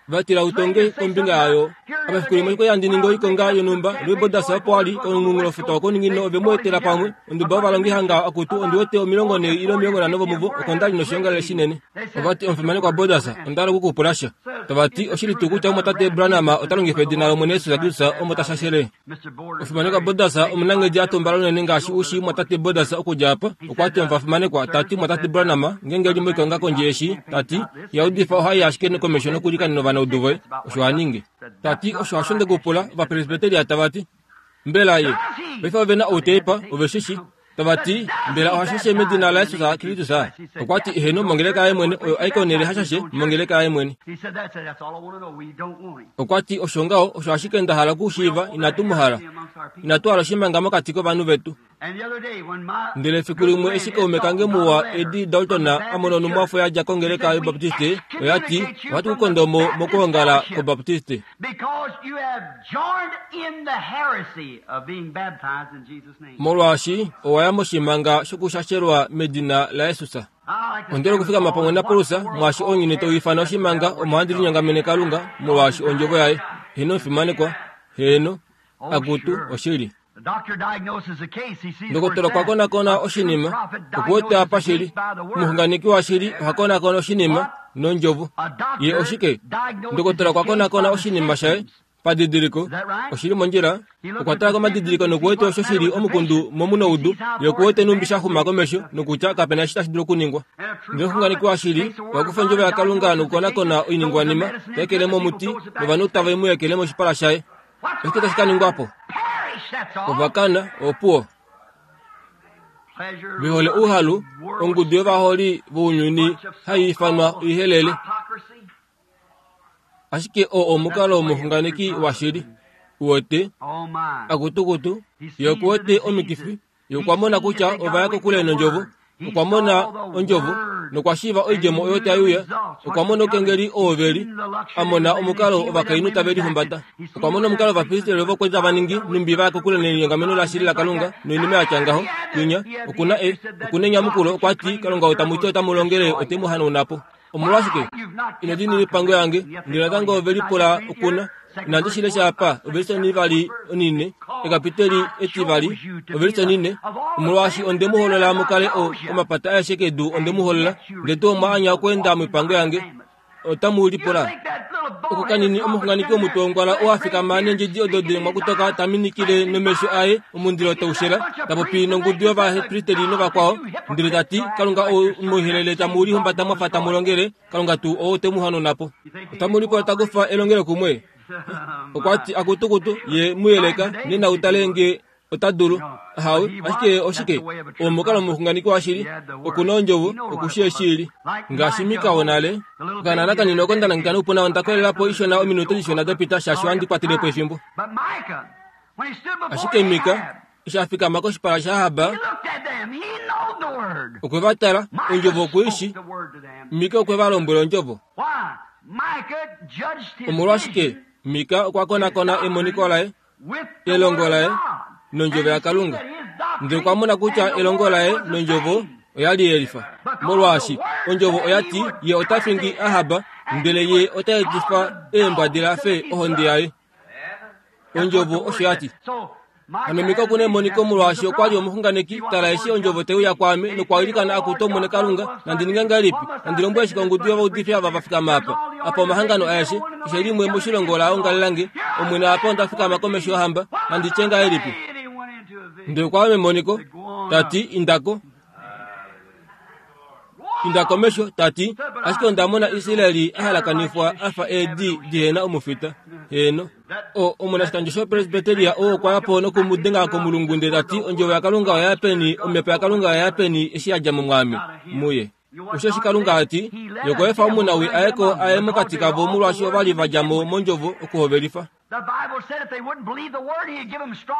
vatila utonge kombinga yayo apafiku limwe okwali handi ningi oikonga yonhumba Louis opo ali komunghulofuta wokouningino ove mu etela pamwe onduba yovalongi hanga akutu ondiwete omilongo nhee ile omilongo nhano vomuvo oko ndali noshiongalele shinene ovati omufimanekwa Bodas onda hala okukupula sha tavati oshili tuu kutya omwatate Branham ota longifa edina lOmwene Jesus Kristus omo tashashele omufimanekwa Bodas omunanghedi atumbala unene ngaashi ushi mwatate Bodas okudja apa okwati omufimanekwa tati mwatate Branham ngenge eli moikonga kondje eshi tati yaudifa ohai ashike komesho nokulikanena ovanaudu voye osho aninge tati osho hasho ndekupula ovapresbiteria tavati mbela ye paife ovena outeipa oveshishi tavati mbela ohashashe medina laJesus Kristus okwati eheno mongeleka yaye mwene oyo aikonele hashashe mongeleka yaye mwene okwati osho ngaho osho ashike nda hala okushiiva inatu mu hala inatu hala oshimanga mokati kovanhu vetu ndele efiku limwe eshi kaume kange muwa Eddie Dalton amona onhumwafo yadja kongeleka yobaptiste oyati ohatu kukonda mo mokuongala kobaptiste molwaashi owaya moshimanga shokushashelwa medina laJesus ondele okufikama pamwe naPaulus mwaashi ounyuni tau ifana oshimanga omo handi linyongamene Kalunga molwaashi ondjovo yaye heno fimanekwa heno akutu oshili ndokotola okwa konakona oshinima okuwete apa shili omuxunganeki washili oha konakona oshinima nondjovo ye oshike ndokotola okwa konakona oshinima shaye padidiliko oshili mondjila okwa tala komadidiliko nokuwete osho shili omukundu momunoudu ye okuwete numbi shaxuma komesho nokutya kapena eshi tashi dulu okuningwa ndele omuxunganeki washili okwa kufa ondjovo yaKalunga nokukonakona oiningwanima taekele momuti novanhu tave mu ekele moshipala shaye oshike tashi kaningwapo Ovakana opuwo vehole ouhalu ongudu yovaholi vounyuni hai ifanwa oihelele. Ashike oo omukalo womuxunganeki washili. Uwete akutukutu ye okuwete omikifi, ye okwa mona kutya ova ya kokule nondjovo, okwa mona ondjovo nokwa shiiva oidjemo oyo tai uya, okwa mona oukengeli oo veli, a mona omukalo ovakainhu tave lihumbata, okwa mona omukalo ovapristeli ovo kwali tava ningi numbi va ya kokule nelinyongameno lashili laKalunga noinima ya tya ngaho. Kwinya okuna e okuna enyamukulo, okwa ti Kalunga ou tamu ti otamu longele ote mu hanauna po. Omolwashike ino diinina oipango yange? Ndele natango ove lipula okuna. Inandi shi lesha apa, ovelise onivali onine, ekapiteli etivali, ovelise onine. Omolwaashi onde mu holola mu kale o omapata aeshe kedu onde mu holola, ndele tuu omwa anya okweenda moipango yange. Otamu lipula oko kanini omuxunganeki womutwe wongwala oo a fikama neendjedi odo dilemwa kutoka ta minikile nomesho aye omundilo taushela, ta popi nongudu yovapristeli novakwao, ndele ta ti Kalunga ou moihelele tamu lihumbata mwafa tamu longele, Kalunga tuu oo te mu hanauna po. Otamu lipula ta kufa elongelo kumwe. Okwa ti akutukutu ye mu yeleka nena utale nge ota dulu. Ahawe, ashike oshike? Omukalo womuxunganeki washili okuna ondjovo, okushi eshili. Ngaashi Mika wonale, okanana kanini oko nda nangeka noupuna onda kolela po ishona ominute dishona dapita shaashi ohandi kwatele po efimbo. Ashike Mika eshi a fikama koshipala shaAhab, okwe va tala, ondjovo okwe i shi. Mika okwe va lombwela ondjovo. Omolwashike Mika okwa konakona emoniko laye, elongo laye nondjovo yaKalunga, ndele okwa mona kutya elongo laye nondjovo oya li yelifa. Molwaashi ondjovo oya ti ye ota fingi Ahab, ndele ye ota etifa eembwa fe ohonde yaye. Ondjovo osho ya ti. Hano Mika okuna emoniko molwaashi okwa li omuxunganeki. Tala eshi ondjovo te uya kwaame nokwa ilikana akutu Omwene Kalunga, nandi ninge ngahelipi? Nandi lombwele shike ongudu yovaudifi ava va fikama apa? Apa omahangano aeshe, keshe limwe moshilongo la ongalelange. Omwene apa onda fikama komesho yohamba, nandi tye ngahelipi? Ndele okwa ya memoniko, ta ti indako. Inda komesho, ta ti ashike onda mona Israeli a halakanifwa a fa eedi dihena omufita. Heeno. O omunashikandjo shopresbiteria oo okwa ya po noku mu denga komulungu ndele ta ti ondjovo yaKalunga oya ya peni, omhepo yaKalunga oya ya peni eshi ya dja mo mwaame muye. Osheshi Kalunga a ti, ye okwa efa omunawi aye ko aye mokati kavo molwaashi ova li va dja mo mondjovo okuhovelifa.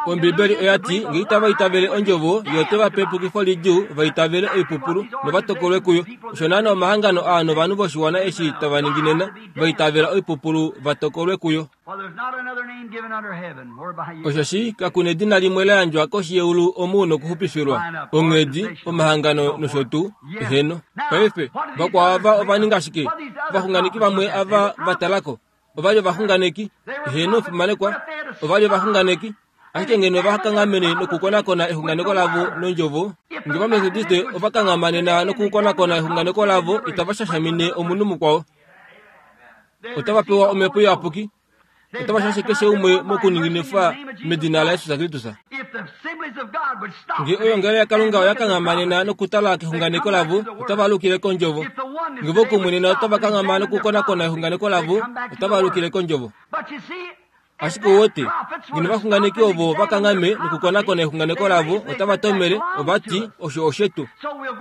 Ombibeli oya ti nge itava itavele ondjovo, ye ote va pe epukifo lidjuu va itavele oipupulu nova tokolwe kuyo. Osho naana omahangano aa novanhu voshiwana eshi tava ningi nena, va itavela oipupulu va tokolwe kuyo. Osheshi kakuna edina limwe la yandjwa koshi yeulu omu nokuxupifilwa, onghedi, omahangano nosho tuu. Eheno. Paife, vakwao ava ova ninga shike? Ovaxunganeki vamwe ava va talako ova li ovaxunganeki. Eheno, fimanekwa, ova li ovaxunganeki. Ashike ngeno va kanghamene nokukonakona exunganeko lavo nondjovo, nge Ovamethodiste ova kanghamanena nokukonakona exunganeko lavo, itava shashamine omunhu mukwao. Otava pewa omhepo iyapuki, otava shashe keshe umwe mokuninginifwa medina laJesus Kristus. Nge oyongelo yaKalunga oya kanghamanena nokutala kexunganeko lavo, otava alukile kondjovo. Nge vokumwe otava kanghama nokukonakona exunganeko lavo, otava alukile kondjovo. Ashike uwete, ngeno ovaxunganeki ovo va kanghame nokukonakona exunganeko lavo, otava tomele, ova ti osho oshetu.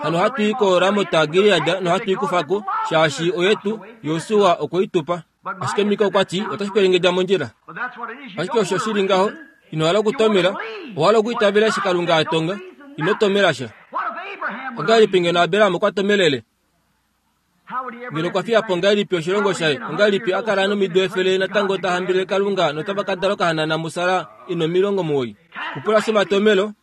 Hano ohatu i koRamot Gilead nohatu i kufa ko, shaashi oyetu, Josua okwe i tupa. Ashike Mika okwa ti otashi kwelengedja mondjila. Ashike osho shili ngaho, ino hala okutomela, owa hala okuitavela eshi Kalunga a tonga, ino tomela sha. Ongahelipi ngeno Abraham okwa tomelele? Ngeno okwa fiya po ngahelipi oshilongo shaye? Ongahelipi a kala nomido efele natango ta hambelele Kalunga notava ka dala okahanana muSara ina omilongo omuwoi? Kupula shomatomelo,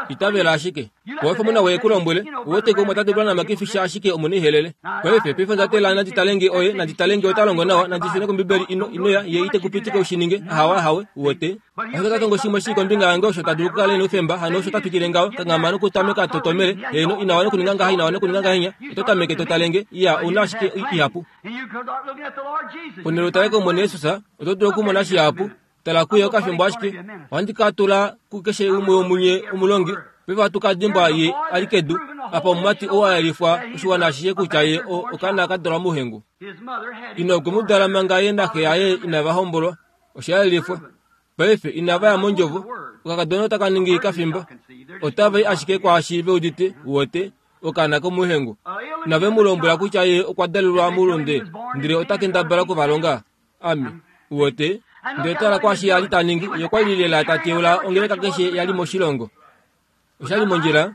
itavela ashike. Owefa omuna woye ku lombwele, uwete ke umwe ota dulu namakifisha ashike omuna ihelele. Paife, paife onda tela nandi tale nge oye, nandi tale nge ota longo nawa, nandi shune kombibeli ino, ino ya, ye ite kupitika ushininge, ahawe ahawe, uwete. Ashike ota tongo shimwe shii kombinga yange osho ta dulu okukala ena oufemba, hano osho ta twikile ngaho, kanghama nokutameka to tomele, heeno, ina wana okuninga ngaha, ina wana okuninga ngahenya, oto tameke to tale nge, iya, ouna ashike ihapu. Ponhele utale kOmwene Jesus, oto dulu okumona shihapu. Tala kuye okafimbo ashike, ohandi ka tula kukeshe umwe womunye omulongi, paife ohatu ka dimbwa ye a li kedu, apa omumati oo a yelifwa oshiwana ashishe kutya ye o okaana ka dalwa mouhengu. Ina okwe mu dala manga ye naxe yaye inava hombolwa, osha yelifwa. Paife inava ya mondjovo, Okakadona otaka ningi kafimba. Otava i ashike kwaashi ve udite, uwete, okaana komuhengu. Nave mu lombwela kutya ye okwa dalelwa moulunde, ndele ota kendabala okuvalonga. Ami, uwete, ndele tala kwaashi a li ta ningi, ye okwa li lela ta teula ongeleka keshe ya li moshilongo. Osha li mondjila,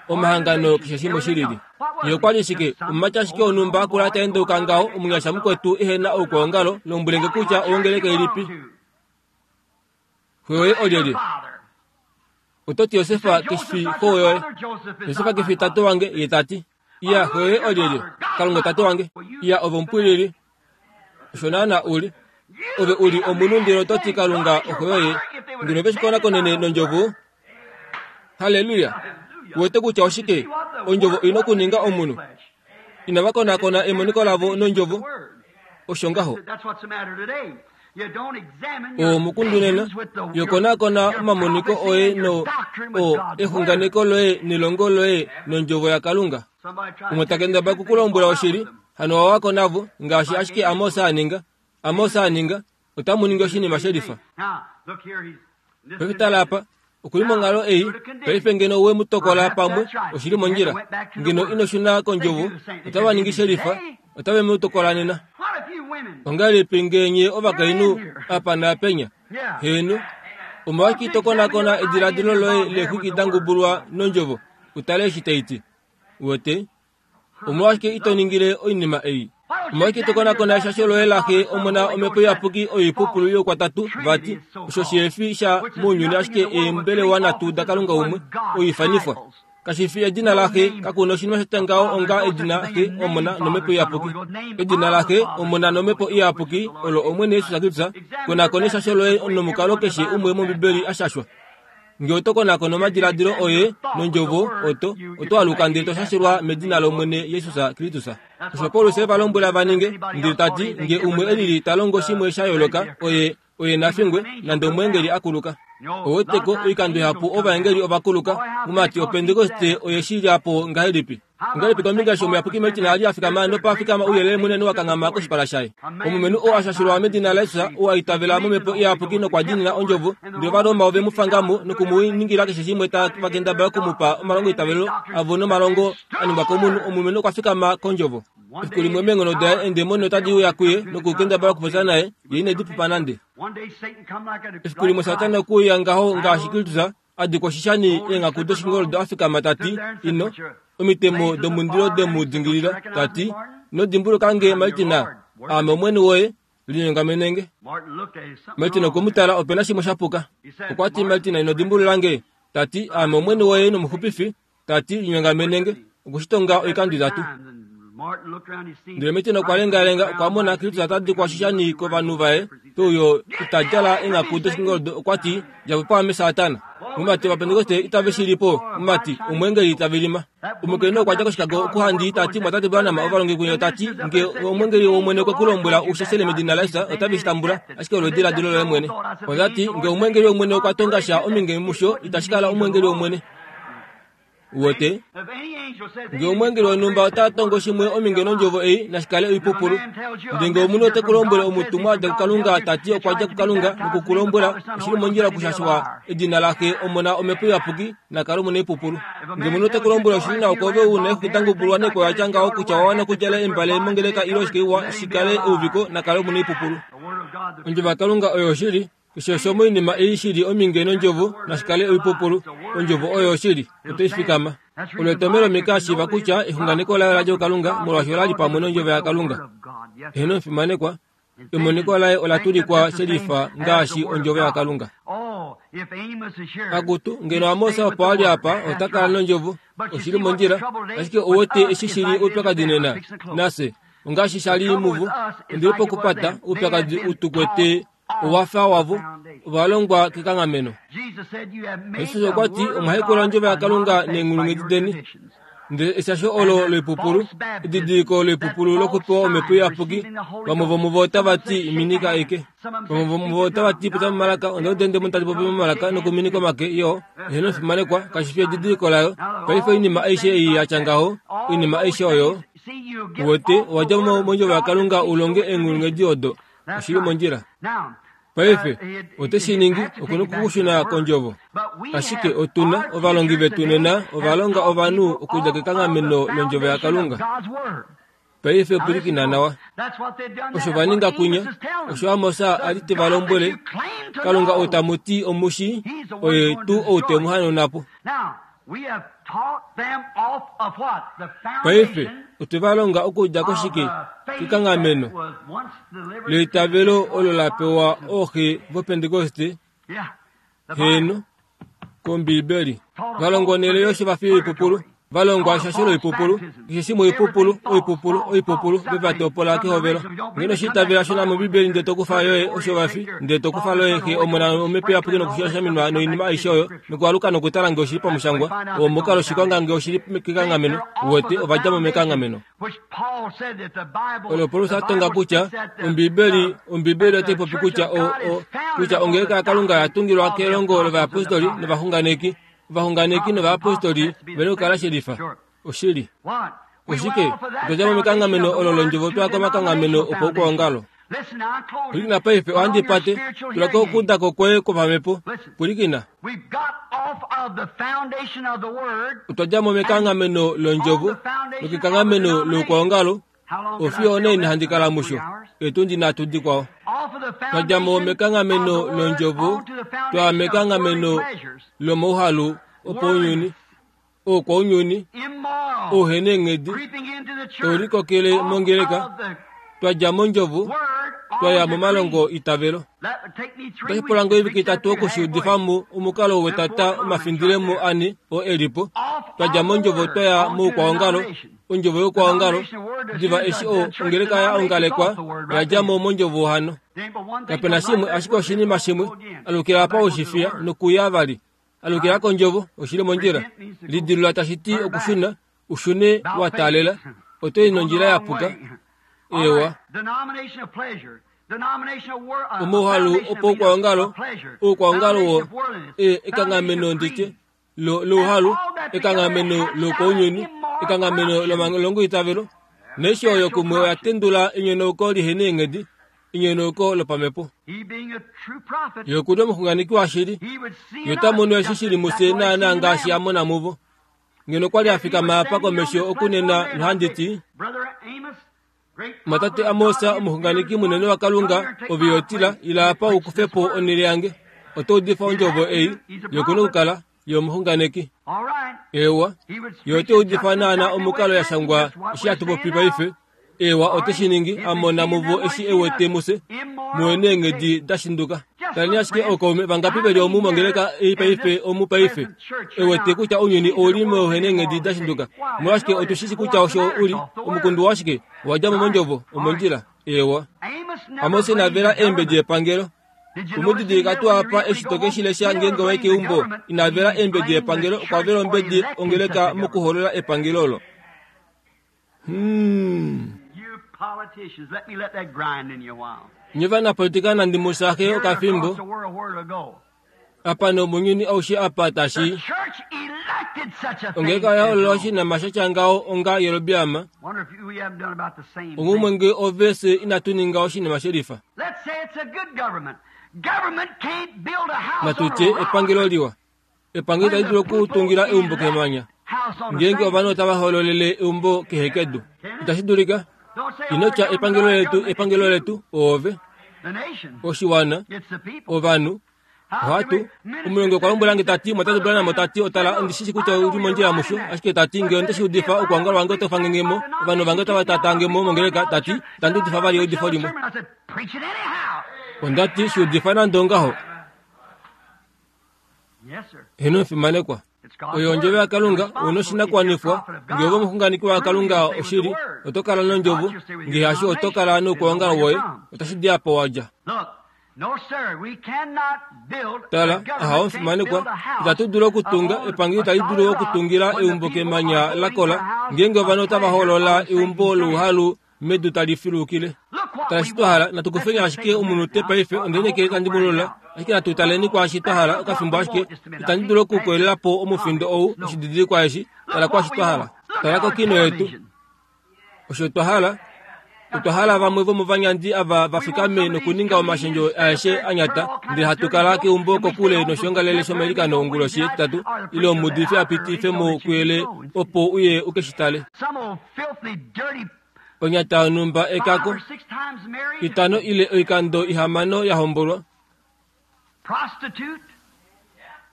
omahangano keshe shimwe shilili. Ye okwa li shike, omumati ashike wonhumba akula ta endeuka ngaho, omunyasha mukwetu ehe na oukwaongalo, lombwelenge kutya ongeleka ilipi. Xo yoye olyelye? Oto ti Josefa kefi xo yoye. Josefa kefi tate wange, ye ta ti. Iya, xo yoye olyelye? Kalunga tate wange. Iya, ove omupwilili. Osho naana u li. Ove u li omunhu ndele oto ti Kalunga oxo yoye. Ngeno ve shi konakonene nondjovo. Halleluya. Uwete kutya oshike? Ondjovo ina okuninga omunhu. Inava konakona emoniko lavo nondjovo. Osho ngaho. Omukundu nena, yo konakona omamoniko oye no o exunganeko loye nelongo loye nondjovo yaKalunga. Umwe ta kendabala okukulombwela oshili, hano owako navo, ngaashi ashike Amos a ninga. Amos a ninga, otamu ningi oshinima shelifa. Paife tala apa, okuli monghalo ei, paife ngeno we mu tokola pamwe, oshili mondjila. Ngeno ino shuna kondjovo, otava ningi shelifa, otave mu tokola nena. Ongahelipi ngeenye ovakainhu apa naapenya? Heeno, omolwashike ito konakona ediladilo loye leexwiki da ngubulwa nondjovo, utale eshi tai ti? Uwete? Omolwashike ito ningile oinima ei? Omolwashike ito konakona eshasho loye laxe omona omhepo iyapuki oipupulu youkwatatu vati, osho shihefi sha mounyuni ashike eembelewa nhatu daKalunga umwe, oifanifwa. Kashi fi edina laxe, kakuna oshinima shatya ngaho onga edina Xe, Omona nomhepo iyapuki. Edina laxe, Omona nomhepo iyapuki olo Omwene Jesus Kristus. Konakona eshasho loye nomukalo keshe umwe mOmbibeli a shashwa. Nge oto konakona omadiladilo oye nondjovo, oto oto aluka ndele to shashelwa medina lOmwene Jesus Kristus. Osho Paulus e va lombwela va ninge, ndele ta ti, nge umwe e lili ta longo shimwe sha yooloka, oye oye na fingwe, nande omweengeli a kuluka. Oweteko oikando ihapu ovaengeli ova kuluka, mumati opentekoste oye shi lya po ngahelipi? Ongahelipi kombinga eshi omuyapuki Martin a li a fikama nopa fikama ouyelele munene wa kanghama koshipala shaye? Omulumenhu oo a shashilwa medina laJesus, oo a itavela momhepo iyapuki nokwa diinina ondjovo, ndele Ovaroma ove mu fanga mo noku mu ningila keshe shimwe ta va kendabala oku mu pa omalongo eitavelo avo nomalongo a ningwa komunhu. Omulumenhu okwa fikama kondjovo. Efiku limwe meenghono daye eendemoni otadi uya kuye nokukendabala okupopya naye, ye ine di pupa nande. Efiku limwe Satana okwe uya ngaho ngaashi Kristus a dikwa oshishani eenghaku doshingoldo a fikama ta ti, ino, omitemo domundilo de mu dingilila, ta ti, ino dimbuluka nge Martina, aame Omwene woye, linyongamenenge. Martina okwe mu tala, ope na shimwe sha puka. Okwa ti, Martina, ino dimbulula nge, ta ti, aame Omwene woye nomuxupifi, ta ti, linyongamenenge, okushitonga oikando itatu. Ndele Martina okwa lengalenga, okwa mona Kristus ota dikwa oshishani kovanhu vaye, peuyo ita djala eenghaku doshingoldo, okwa ti, dja po paame Satana. Mumati ovapentekoste itave shi li po, mumati, omweengeli ta vilima. Omukainhu okwa dja koshikago okuhandi ta ti, Mwatate Branham, ovalongi kunye ta ti, nge omweengeli wOmwene okwe ku lombwela u shashele medina laJesus, otave shi tambula, ashike olo ediladilo loye mwene. Ota ti, nge omweengeli wOmwene okwa tonga sha ominge musho, itashi kala omweengeli wOmwene. Uwete? Nge omweengeli wonhumba ota tongo shimwe ominge nondjovo ei, nashi kale oipupulu. Ndele nge omunhu ote ku lombwele omutumwa a dja kuKalunga ta ti okwa dja kuKalunga noku ku lombwela oshili mondjila okushashwa edina laxe Omona omhepo iyapuki, na kale omunaipupulu. Nge omunhu ote ku lombwele oshili nawa kwoove u na eexwiki da ngubulwa neekwayo ya tya ngaho kutya owa wana okudjala embale mongeleka ile oshike iwa shi kale euviko, na kale omunaipupulu. Ondjovo yaKalunga oyo oshili. Keshe osho moinima ei shi li ominge nondjovo, nashi kale oipupulu. Ondjovo oyo oshili, oto i fikama. Olo etomhelo Mika a shiiva kutya exunganeko laye ola dja kuKalunga, molwaashi ola li pamwe nondjovo yaKalunga. Eheno omufimanekwa, emoniko laye ola tulikwa shelifa ngaashi ondjovo yaKalunga. Akutu, ngeno Amos opo a li apa, ota kala nondjovo, oshili mondjila, ashike ouwete eshi shi li oupyakadi nena, nafye, ongaashi sha li muvo, ondili pokupata, oupyakadi u tu kwete owafa wavo, ova longwa kekanghameno. Jesus okwa ti, omwa hekula ondjovo yaKalunga neenghulunghedi deni. Ndele eshasho olo loipupulu, edidiliko loipupulu lokupewa omhepo iyapuki, vamwe vomuvo otava ti, minika eke. Vamwe vomuvo otava ti, popya momalaka, onda uda eendemoni tadi popi momalaka nokuminika omake, yo, eheno fimanekwa, kashi fi edidiliko layo. Paife oinima aishe ei ya tya ngaho, oinima aishe oyo, uwete, owa dja mo mondjovo yaKalunga u longe eenghulunghedi odo. Oshili mondjila. Paife ote shi ningi okuna okukushuna kondjovo. Ashike otuna ovalongi vetu nena ovalonga ovanhu okudja kekanghameno londjovo yaKalunga. Paife pwilikina nawa. Osho va ninga kunya, osho Amos a li te va lombwele, Kalunga ou tamu ti omushi, oye tuu ou te mu hanauna po. Paife otwe va longa okudja koshike kekanghameno leitavelo olo la pewa ooxe voPentekoste, heeno, kOmbiibeli. Va longwa onhele yoshivafi yoipupulu, va longwa eshasho loipupulu, keshe shimwe oipupulu, oipupulu, oipupulu, ve va topola kehovelo. Ngeno shiitavela shona mOmbiibeli ndele tokufa yoye oshovafi, ndele tokufa loye xe omona omhepo iyapuki nokushashaminwa noinima aishe oyo, nokualuka nokutala nge oshili pamushangwa, omukalo shikonga nge oshili kekanghameno, uwete ova dja mo mekanghameno. Olo Paulus a tonga kutya Ombiibeli, Ombiibeli otai popi kutya o, o, kutya ongeleka yaKalunga oya tungilwa kelongo lovayapostoli novaxunganeki. Ovaxunganeki novayapostoli vena okukala shelifa. Oshili. Oshike? Otwa dja mo mekanghameno olo londjovo twaya komakanghameno opaukwaongalo. Pwilikina paife, ohandi pate. Tula ko okuudako kwoye kwopamhepo. Pwilikina. Otwa dja mo mekanghameno londjovo nokekanghameno loukwaongalo. Ofiyo onaini handi kala musho? Etundi nhatu dikwao. Twa dja mo mekanghameno londjovo twaya mekanghameno lomauhalu opaunyuni, oukwaunyuni, ouheneenghedi, taulikokele mongeleka. Twa dja mondjovo twaya momalongo itavelo. Otashi pula ngoo oivike itatu okushiudifa mo omukalo wetata omafindilemo ane oo e li po. Twa dja mondjovo twaya moukwaongalo, ondjovo youkwaongalo. Diva eshi o ongeleka ya ongalekwa, oya dja mo mondjovo hano. Kapena shimwe ashike oshinima shimwe, alukila apa oshifiya nokuya vali. Alukila kondjovo, oshili mondjila. Lidilula tashi ti okushuna, ushune wa taalela, oto i nondjila ya puka. Ewa. Omauhalu opaukwaongalo, oukwaongalo wo e ekanghameno nditye lo louhalu, ekanghameno loukwaunyuni, ekanghameno lomalongo itavelo. Naishi oyo kumwe oya tendula enyonauko lihena eenghedi, enyonauko lopamhepo. Ye okuli omuxunganeki washili, ye ota mono eshi shili mufye naanaa ngaashi a mona muvo. Ngeno okwa li a fikama apa komesho okunena nohandi ti, Matate Amos, omuxunganeki munene waKalunga, ove yotila, ila apa u kufe po onhele yange. Oto udifa ondjovo ei, ye okuna okukala ye omuxunganeki. Ewa, ye ote udifa naana omukalo ya shangwa eshi hatu popi paife. Ewa, ote shi ningi, a mona muvo eshi e wete mufye, muwe neenghedi da shinduka. Taleni ashike ookaume vangapi veli omu mongeleka ei paife omu paife. E wete kutya ounyuni ouli mouhe neenghedi da shinduka. Omolwashike otu shi shi kutya osho uli, omukundu washike, owa dja mo mondjovo, omondjila. Ewa. Amos ina vela eembedi epangelo. Umudidilika tuu apa eshi to ke shi lesha ngeenge wa i keumbo, ina vela eembedi epangelo, okwa vela ombedi ongeleka mokuholola epangelo olo. Hmm. Nye vanapolitika nandi mu sahe okafimbo apa nomounyuni aushe apa tashi ongeleka oya holola oshinima sha tya ngaho onga Jerobeam. Ongumwe nge ove se inatu ninga oshinima shelifa. Natu tye epangelo liwa. Epangelo itali dulu okutungila eumbo kemanya. Ngeenge ovanhu otava hololele eumbo kehekedu, itashi dulika. Ino tya epangelo letu, epangelo letu, oove, oshiwana, ovanhu. Ohatu omulongi okwa lombwela nge tati, Mwatate Branham ota ti, otala, ondi shi shi kutya uli mondjila musho, ashike tati nge onde shi udifa, okwoongala wange otau fangenge mo, ovanhu vange otava tatange mo mongeleka, tati, itandi udifa vali eudifo limwe. Onda ti, shi udifa nande ongaho. Heeno omufimanekwa. Oyo ondjovo yaKalunga, una oshinakuwanifwa. Nge ove omuxunganeki waKalunga oshili, oto kala nondjovo, nge hasho oto kala noukwaongalo woye, otashi di apa wa dja. Tala, aha omufimanekwa, itatu dulu okutunga, epangelo itali dulu okutungila eumbo kemanya la kola, ngeenge ovanhu otava holola eumbo louhalu medu tali filukile. Tala eshi twa hala, natu kufeni ashike omunute paife, onde tandi mu lola, ashike natu taleni kwaashi twa hala okafimbo ashike, itandi dulu okukoyelela po omufindo ou, oshididilikwa eshi, tala kwaashi twa hala. Tala kokino yetu. Osho twa hala, Otwa hala vamwe vomovanyandi ava va fikame nokuninga omashendjo aeshe anyata, ndele hatu kala keumbo kokule noshiongalele shomailikano onguloshi yetitatu, ile omuudifi a pitife mo kuyele opo uye u ke shi tale. Onyata yonhumba ekako, itano ile oikando ihamano ya hombolwa,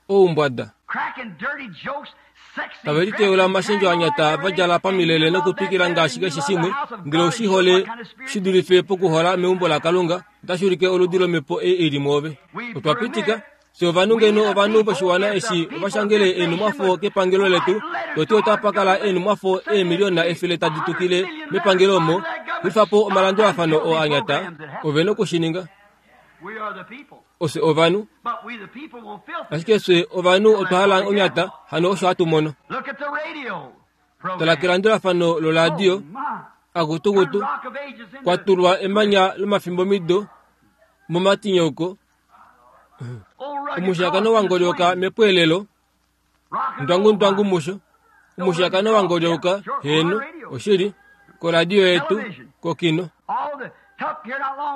oumbwada. Tave liteula omashendjo anyata va djala pamilele nokutwikila ngaashi keshe shimwe, ndele oshihole shi dulife pokuhola meumbo laKalunga, otashi ulike oludi lomhepo ei ili mwoove. Otwa pitika fye ovanhu ngeno ovanhu voshiwana eshi ovashangele eenhumwafo kepangelo letu, toti otapa kala eenhumwafo eemiliona efele tadi tukile mepangelo omo, xulifa po omalandulafano oo anyata, ove nokushininga. Ofye ovanhu, ashike fye ovanhu otwa hala onyata, hano osho hatu mono. Tala kelandulafano loladio, akutukutu, kwatulwa emanya lomafimbomido momatinyauko, omushakano wangolyoka mepweelelo, ndwangu ndwangu musho, omushakano wangolyoka heno, oshili, koradio yetu, kokino.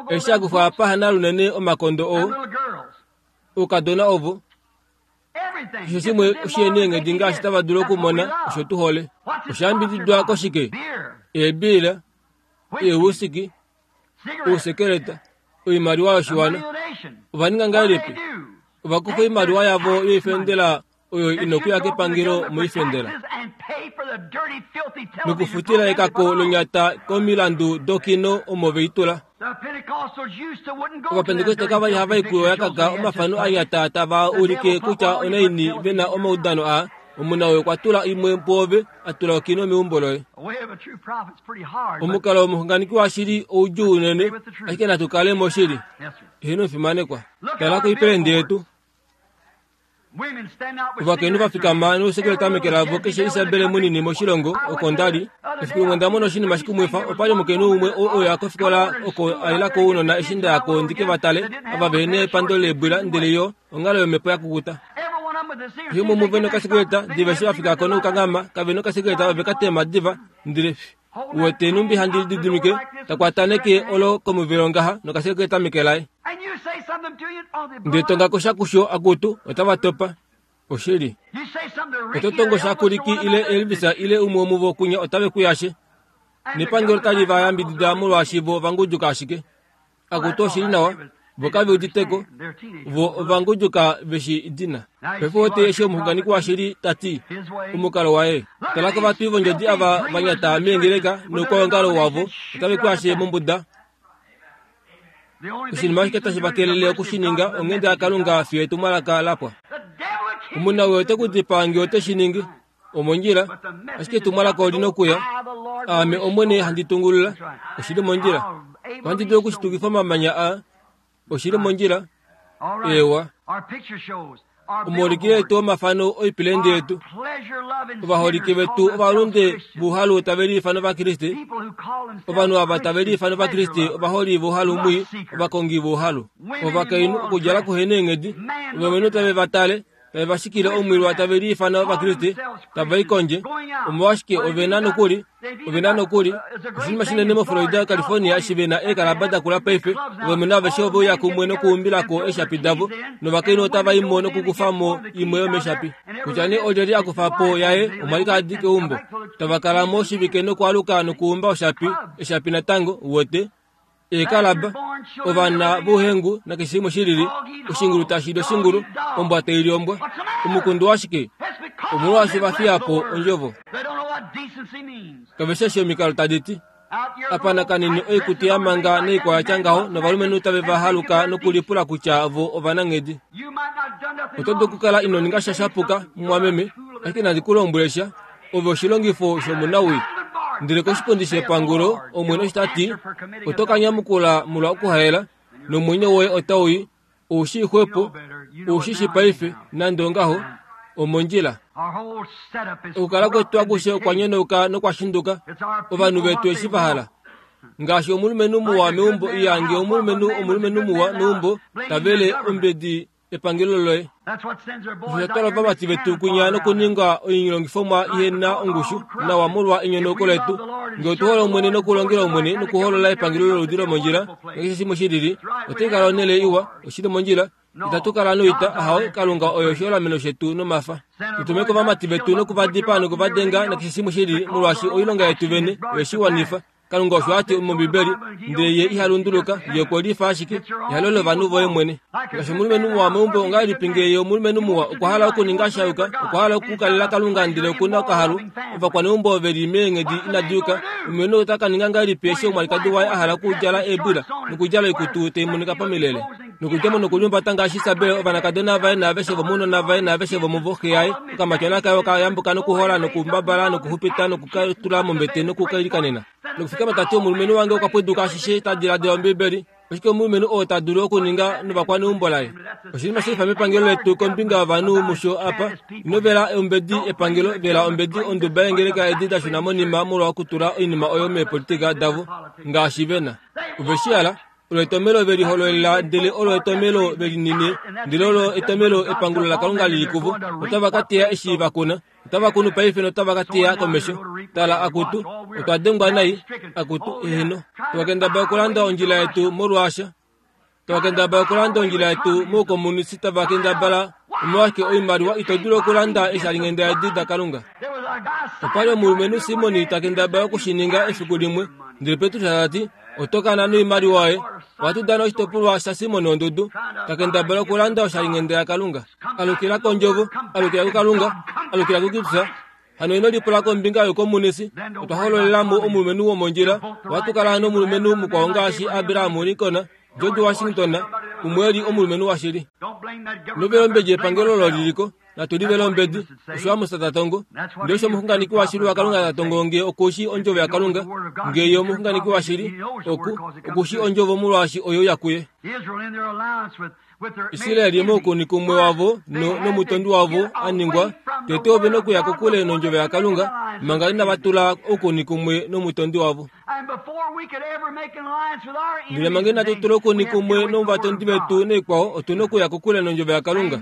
Eshi akufa apa hana lunene omakondo oo, oukadona ovo, keshe shimwe oshieneenghedi ngaashi tava dulu okumona osho tu hole. Oshayambididwa koshike? Eebiila, eewusiki, ousekeleta, oimaliwa yoshiwana. Ova ninga ngahelipi? Ova kufa oimaliwa yavo yoifendela oyo inokuya kepangelo moifendela, nokufutila ekako lonyata komilandu dokino omo veitula. Ovapentekoste kava li hava i kuyo yakaka omafano anyata tava ulike kutya onaini ve na omaudano aa. Omuna oyo okwa tula imwe pwoove, a tula okino meumbo loye. Omukalo womuxunganeki washili oudjuu unene, ashike natu kale moshili. Eheno fimanekwa. Tala koipelende yetu. Ovakainhu va fikama nousekeleta meke lavo keshe Isabel munini moshilongo oko ndali. Efiku limwe onda mona oshinima shikumwifa, opa li omukainhu umwe oo oya kofikola oko a ila ko ounona eshi nda ya ko ndi ke va tale, ava vehena epando leebwila ndele yo onghalo yomhepo ya kukuta. Keshe umwe muve nokasekeleta, diva eshi va fika ko nokukanghama, kave nokasekeleta ove ka tema diva, ndele uwete numbi handi lididimike, takwataneke olo komuvelo ngaha nokasekeleta meke laye. Ndele tonga kosha kusho akutu, otava topa. Oshili. Oto tongo sha kuliki ile Elvis ile umwe womuvo kunya otave kuyashe. Nepangelo tali va yambidida molwaashi vo vanguduka ashike. Akutu oshili nawa, vo kave uditeko, vo ovanguduka veshi dina. Paife wote eshi omuxunganeki washili ta ti, omukalo waye. Tala kovatwi vondjodi ava vanyata meengeleka noukwaongalo wavo, otave kuyashe mombuda. Oshinima ashike tashi va kelele okushininga onghenda yaKalunga fiyo etumwalaka lapwa. Omuna oyo ote ku dipaa ngee ote shi ningi. Omondjila, ashike etumwalaka oli nokuya. Aame Omwene handi tungulula. Oshili mondjila. Ohandi dulu okushitukifa omamanya aa. Oshili mondjila. Ewa. Omaulikilo etu omafano oipelende yetu. Ovaholike vetu ovalunde vouhalu tave liifana Ovakriste. Ovanhu ava tave liifana Ovakriste ovaholi vouhalu mwii, ovakongi vouhalu. Ovakainhu okudjala kuhena eenghedi, ovalumenhu tave va tale, tave va shikile omwilwa tave liifana Ovakriste, tava i kondje. Omolwashike ove na nokuli, ove na nokuli, oshinima shinene moFlorida, California eshi ve na eekalaba dakula paife, ovalumenhu aveshe ove uya kumwe nokuumbilako eeshapi davo, novakainhu otava i mo nokukufa mo imwe yomeeshapi. Kutya nee olyelye a kufa po yaye, omwalikadi keumbo. Tava kala mo oshivike nokwaaluka nokuumba oshapi, eshapi natango, uwete. Eekalaba, ovana vouhengu nakeshe shimwe shilili, oshingulu tashi li oshingulu, ombwa tai li ombwa. Omukundu washike? Omolwaashi va fiya po ondjovo. Kave shi eshi omikalo tadi ti. Apa nakanini oikutu ya manga noikwao ya tya ngaho, novalumenhu tave va haluka nokulipula kutya vo ovananghedi. Oto dulu okukala ino ninga sha shapuka, mumwameme, ashike nandi ku lombwele sha, ove oshilongifo shomunawii. Ndele koshipundi shepangulo, Omwene osho ta ti, oto ka nyamukula molwa okuhaela, nomwenyo woye otau i, ou shii xwepo, ou shi shi paife, nande ongaho, omondjila. Okukala kwetu akushe okwa nyonauka nokwa shinduka, ovanhu vetu eshi va hala. Ngaashi omulumenhu muwa meumbo iyange omulumenhu omulumenhu muwa meumbo, tavele ombedi epangelo loye. Osho ovamati vetu kunya nokuninga oilongifomwa ihena ongushu nawa molwa enyonauko letu. Ngee otu hole Omwene nokulongela Omwene nokuholola epangelo loludi lomondjila nakeshe shimwe shilili, otai kala onhele iwa, oshili mondjila. Itatu kala noita, ahawe, Kalunga oyo oshiholameno shetu nomafa. Tutume kovamati vetu nokuvadipaa nokuvadenga nakeshe shimwe shilili, molwaashi oilonga yetu vene oyeshi wanifa. Kalunga osho ati mOmbibeli, ndele ye iha lunduluka, ye okwe lifa ashike ehalo lovanhu voye mwene. Ngaashi omulumenhu muwa meumbo, ongahelipi ngee ye omulumenhu muwa okwa hala okuninga sha yuka, okwa hala okukalela Kalunga ndele okuna okahalu, ovakwaneumbo ove li meenghedi inadi yuka, omulumenhu ota ka ninga ngahelipi eshi omwalikadi waye a hala okudjala eebwila nokudjala oikutu tai monika pamilele, nokudja mo nokuliumbata ngaashi Isabel, ovanakadona vaye naaveshe vomounona vaye naaveshe vomuvo, xe yaye, okamatyona kaye okayambuka nokuhola nokumbabala nokuxupita nokukatula mombete nokukailikanena. Nokufikama tati omulumenhu wange okwa pweduka ashishe ta diladila Ombibeli. Oshike omulumenhu oo ta dulu okuninga novakwaneumbo laye? Oshinima shilifa mepangelo letu kombinga yovanhu musho apa. Ino vela ombedi epangelo, vela ombedi onduba yeengeleka edi da shuna monima molwa okutula oinima oyo meepolitika davo ngaashi vena. Ove shi hala, olo etomelo ve lihololela, ndele olo etomelo ve linine, ndele olo etomelo epangulo laKalunga lili kuvo. Otava ka teya eshi va kuna. Otava kunu paife notava ka teya komesho. Tala akutu, otwa dengwa nai, akutu, eheno. Tava okulanda ondjila yetu molwaasha. Tava kendabala okulanda ondjila yetu moukomunisi, tava kendabala omolwashike oimaliwa ito dulu okulanda eeshalinghenda edi daKalunga. Opa li omulumenhu Simoni ta kendabala okushininga efiku limwe, ndele Petrus ta ti, oto kana noimaliwa yoye. Ohatu dana oshitopolwa shaSimoni ondudu, ta kendabala okulanda oshalinghenda yaKalunga. Alukila kondjovo, alukila kuKalunga, alukila kuKristus. Hano ino lipula kombinga youkomunisi. Otwa hololelamo omulumenhu womondjila. Ohatu kala nomulumenhu mukwao ngaashi Abraham Lincoln, George Washington, umwe eli omulumenhu washili. Ino vela ombedi epangelo olo liliko, natu livele ombedi, osho Amos ta tongo. Ndele osho omuxunganeki washili waKalunga ta tongo ngee okushi ondjovo yaKalunga, ngee ye omuxunganeki washili, oku okushi ondjovo molwaashi oyo ya kuye. Israeli moukuni kumwe wavo nomutondi wavo a ningwa, tete ove nokuya kokule nondjovo yaKalunga, manga inava tula oukuni kumwe nomutondi wavo. Ndele manga inatu tula oukuni kumwe novatondi vetu naikwao, otu nokuya kokule nondjovo yaKalunga.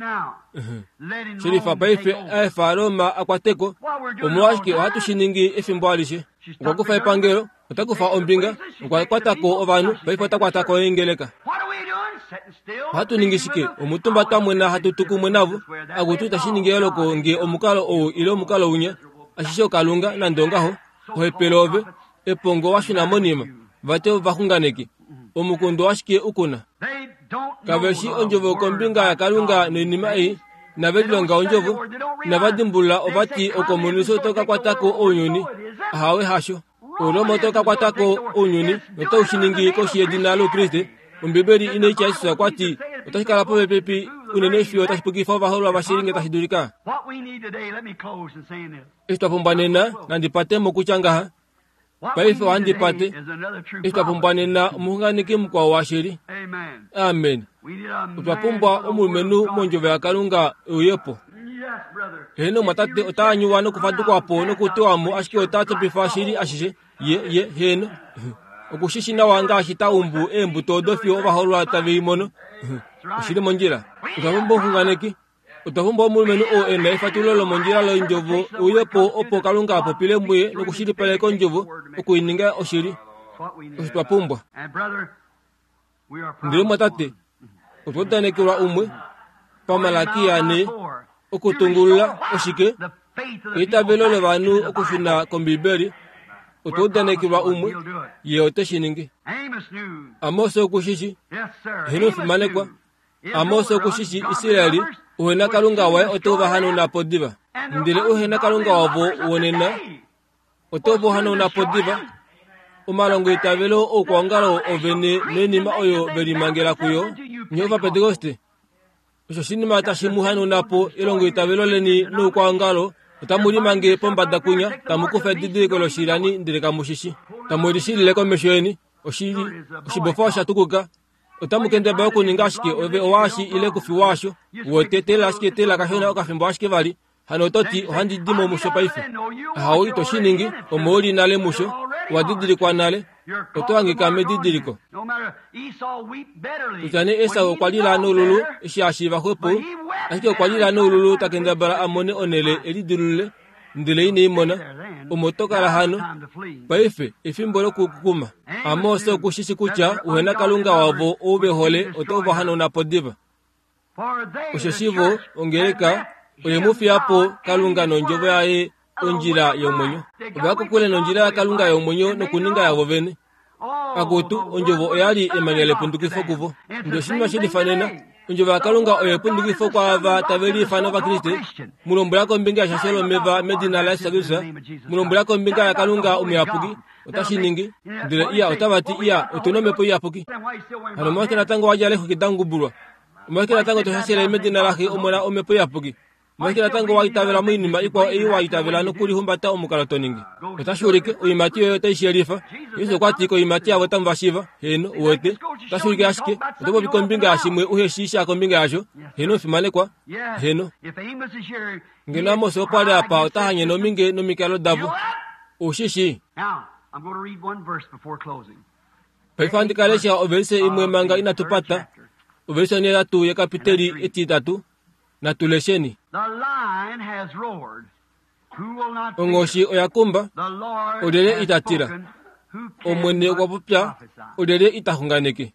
Shilifa paife aefa Roma a kwateko, omolwashike ohatu shi ningi efimbo alishe. Okwa kufa epangelo, ota kufa ombinga, okwa kwatako ovanhu, paife ota kwatako eengeleka. Ohatu ningi shike? Omutumba twamwena hatu tukumwe navo, akutu tashi ningi eloko ngee omukalo ou ile omukalo unya, ashishe oKalunga nande ongaho, ohepele ove, epongo washuna monima, vate ovaxunganeki, omukundo washike ukuna. Kaveshi ondjovo kombinga yaKalunga noinima ei, inave lilonga ondjovo, inava dimbulula ovati okomunisi oto ka kwatako ounyuni, ahawe hasho. Oroma oto ka kwatako ounyuni notau shi ningi koshi yedina lOukriste. Ombibeli inaitya Jesus okwa ti otashi kala popepi unene fiyo tashi pukifa ovaholwa vashili nge tashi dulika. Eshi twa pumbwa nena, nandi pate mokutya ngaha. Paife ohandi pate. Eshi twa pumbwa nena omuxunganeki mukwao washili. Amen. Otwa pumbwa omulumenhu mondjovo yaKalunga euyepo. Heno mwatate ota anyuwa nokufadukwapo nokutewamo, ashike ota topifa shili ashishe. Ye, ye, heno. Okushishi nawa ngaashi ta umbu eembuto odo fiyo ovaholwa tave i mono. Oshili mondjila. Otwa pumbwa omuxunganeki. Otwa pumbwa omulumenhu oo e na efatululo lomondjila londjovo euyepo opo Kalunga a popile muye nokushilipaleka ondjovo okuininga oshili. Osho twa pumbwa. Ndele mwatate, otwa udanekelwa umwe paMalakia ne okutungulula oshike? Eitavelo lovanhu okushuna kOmbibeli. Otwa udanekelwa umwe, ye ote shi ningi. Amos okushishi, heno fimanekwa. Amos okushishi Israeli, uhena Kalunga waye ote va po diva. Ndele uhena Kalunga wavo wonena, ote va po diva. Omalongo eitavelo oukwaongalo ovene noinima oyo velimangela kuyo, nye Ovapentekoste. Osho oshinima tashi mu hanauna po elongo eitavelo leni noukwaongalo, otamu limange pombada kunya, tamu kufa edidiliko loshilani ndele kamu shishi. Tamu lishilile komesho yeni, oshili, oshibofa osha tukuka. Otamu kendabala okuninga ashike ove owaashi ile kufi waasho, wete tela ashike tela kashona okafimbo ashike vali. Hano oto ti ohandi di mo musho paife. Ahau ito shi ningi, omo uli nale musho. Owa didilikwa nale, oto hangika medidiliko. Kutya nee Esau okwa lila noululu eshi a shiiva xwepo, ashike okwa lila noululu ta kendabala a mone onhele e lidilulule, ndele ine i mona. Omo to kala hano paife efimbo lokukukuma. Amos oku shi shi kutya uhena Kalunga wavo ou ve hole oto va hanauna po diva. Osheshi vo ongeleka oye mu fiya po Kalunga nondjovo yaye ondjila yomwenyo. Ova kokule nondjila yaKalunga yomwenyo nokuninga yavo vene. Akutu ondjovo oya li emanya lepundukifo kuvo. Ndele oshinima she lifanena, ondjovo yaKalunga oyo epundukifo kwaava tave liifana Ovakriste. Mu lombwela kombinga yeshasho lomeva medina laJesus Kristus, mu lombwela kombinga yaKalunga omuyapuki, otashi ningi. Ndele iya otava ti iya otu na omhepo iyapuki. Hano omolwashike natango wa djala eexwiki da ngubulwa? Omolwashike natango to shashele medina laXe Omona omhepo iyapuki? Omolwashike natango wa itavela moinima ikwao ei wa itavela nokulihumbata omukalo to ningi? Otashi ulike oiimati yoye otai shi yelifa. Jesus okwa ti koiimati yavo otamu va shiiva. Heeno, uwete, otashi ulike ashike. Oto popi kombinga yashimwe uhe shii sha kombinga yasho. Heeno, omufimanekwa. Heeno. Ngeno Amos opo a li apa ota hanyene ominge nomikalo davo. Ou shi shii. Paife ohandi ka lesha ovelise imwe manga inatu pata. Ovelise onhetatu yekapiteli etitatu. Natu lesheni. Onghoshi oya kumba, olyelye ita tila? Omwene okwa popya, olyelye ita xunganeke?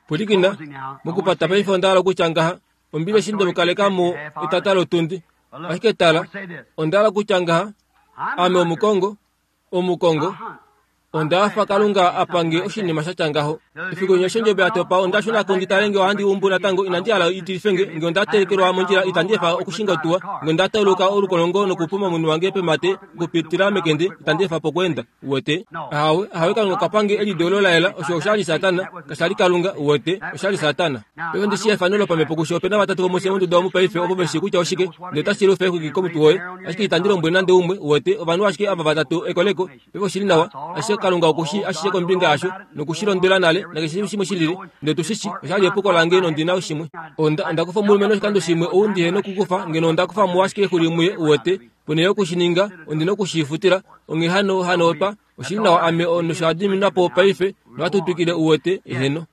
Pwilikina, mokupata paife onda hala okutya ngaha, Ombili eshi nde mu kaleka mo etata lotundi. Ashike tala, onda hala okutya ngaha, ame omukongo, omukongo, onda hafa Kalunga a pange oshinima sha tya ngaho. Efiku limwe eshi ondjebo ya topa, onda shuna ko ndi tale nge ohandi umbu natango. Inandi hala i tilife nge, nge onda telekelwa mondjila, itandi efa okushinga otuwa. Nge onda tauluka olukolongo nokupuma omunhu wange pemate okupitila mekende, itandi efa po okweenda. Uwete? Ahawe, ahawe, Kalunga okwa pange elideulo la yela. Osho osha li Satana, kasha li Kalunga. Uwete? Osha li Satana. Paife ondi shii efano lopamhepo kusho ope na vatatu vomufye monduda omu paife ovo ve shii kutya oshike, ndele otashi lufe exwiki komutwe woye. Ashike itandi lombwele nande umwe, uwete, ovanhu ashike ava vatatu ekoleko. Paife oshi li nawa, ashike Kalunga oku shii ashishe kombinga yasho, noku shi londwela nale, nakeshe shimwe shi lili. Ndele tu shi shii, osha li epuko lange nondi na shimwe. Onda, onda kufa omulumenhu oshikando shimwe ou ndihe nokukufa, ngeno onda kufa mo ashike exuli muye, uwete. Ponhele yoku shi ninga, ondi noku shi futila. Onghee hano, hano otwa, oshi li nawa ame nosha diminwa po paife, nohatu twikile uwete, eheno.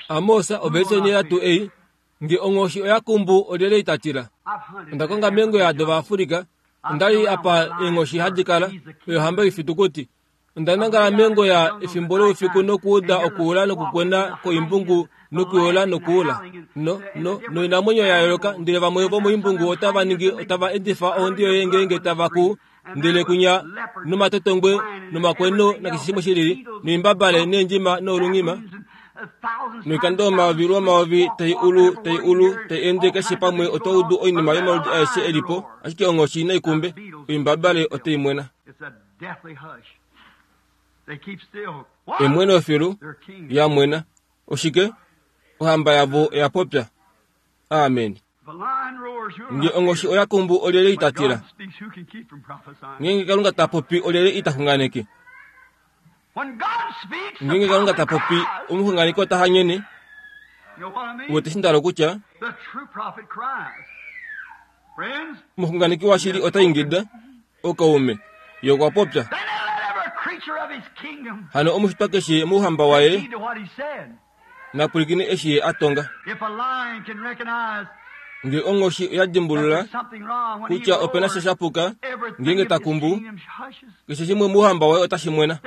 Amos, ovelise onhetatu ei, nge onghoshi oya kumbu olyelye ita tila? Onda konga meengoya dOvaafrika, onda li apa eenghoshi hadi kala, oyo ohamba yoifitukuti. Onda nangala meengoya efimbo loufiku nokuuda okuula nokukwena koimbungu nokuyola nokuula. No, no, noinamwenyo ya yooloka, ndele vamwe vomoimbungu otava ningi, otava endifa ohondi yoye ngeenge tava kuu, ndele kunya nomatotongwe nomakweno nakeshe shimwe shi lili, noimbabale neendjima noolungima, noikando omayovi lwomayovi tai ulu tai ulu tai ende keshe pamwe. Oto udu oinima yomaludi aeshe e li po, ashike onghoshi naikumbe, oimbabale otai mwena. Emweno filu ya mwena. Oshike? Ohamba yavo oya popya. Amen. Nge onghoshi oya kumbu olyelye ita tila? Ngeenge Kalunga ta popi olyelye ita xunganeke? Ngeenge Kalunga ta popi, omuxunganeki ota hanyene. Uwete eshi nda hala okutya? Omuxunganeki washili ota ingida, okaume, ye okwa popya. Hano omushitwa keshe mouhamba waye na pwilikine eshi ye a tonga. Nge onghoshi oya dimbulula kutya ope na sha sha puka, ngeenge ta kumbu, keshe shimwe mouhamba waye otashi mwena.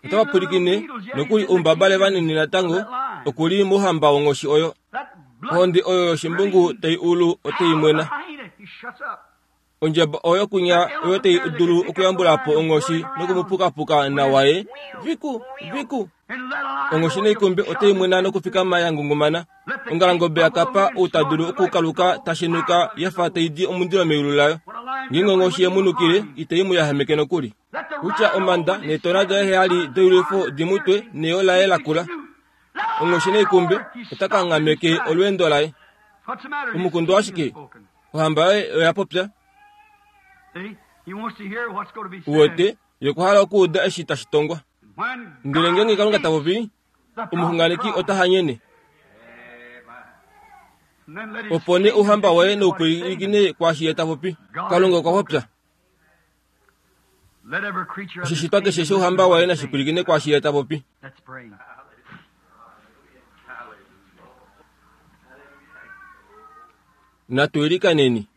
Otava pwilikine nokuli oumbabale vanini natango oku li mouhamba wonghoshi oyo. Ohondi oyo yoshimbungu tai ulu otai mwena. Ondjaba oyo kunya oyo tai dulu okuyambula po onghoshi nokumupukapuka nawa ye viku viku. Onghoshi neikumbe otai mwena nokufikama ya ngungumana. Ongalangobe ya kapa ou ta dulu okukaluka ta shenuka ya fa tai di omundilo meyulu layo. Ngeenge onghoshi ye mu nukile, itai mu yahameke nokuli. Kutya omanda neetona daye heyali doilwifo di mu twe neyo laye lakula. Onghoshi neikumbe ota kanghameke olweendo laye. Omukundu washike? Ohamba yoye oya popya. Uwete, ye okwa hala okuuda eshi tashi tongwa. Ndele ngeenge Kalunga ta popi, omuxunganeki ota hanyene. Opo nee ouhamba waye noupwilikine kwaashi ye ta popi. Kalunga okwa popya. Oshishitwa keshe shouhamba waye nashi pwilikine kwaashi ye ta popi. Natu ilikaneni.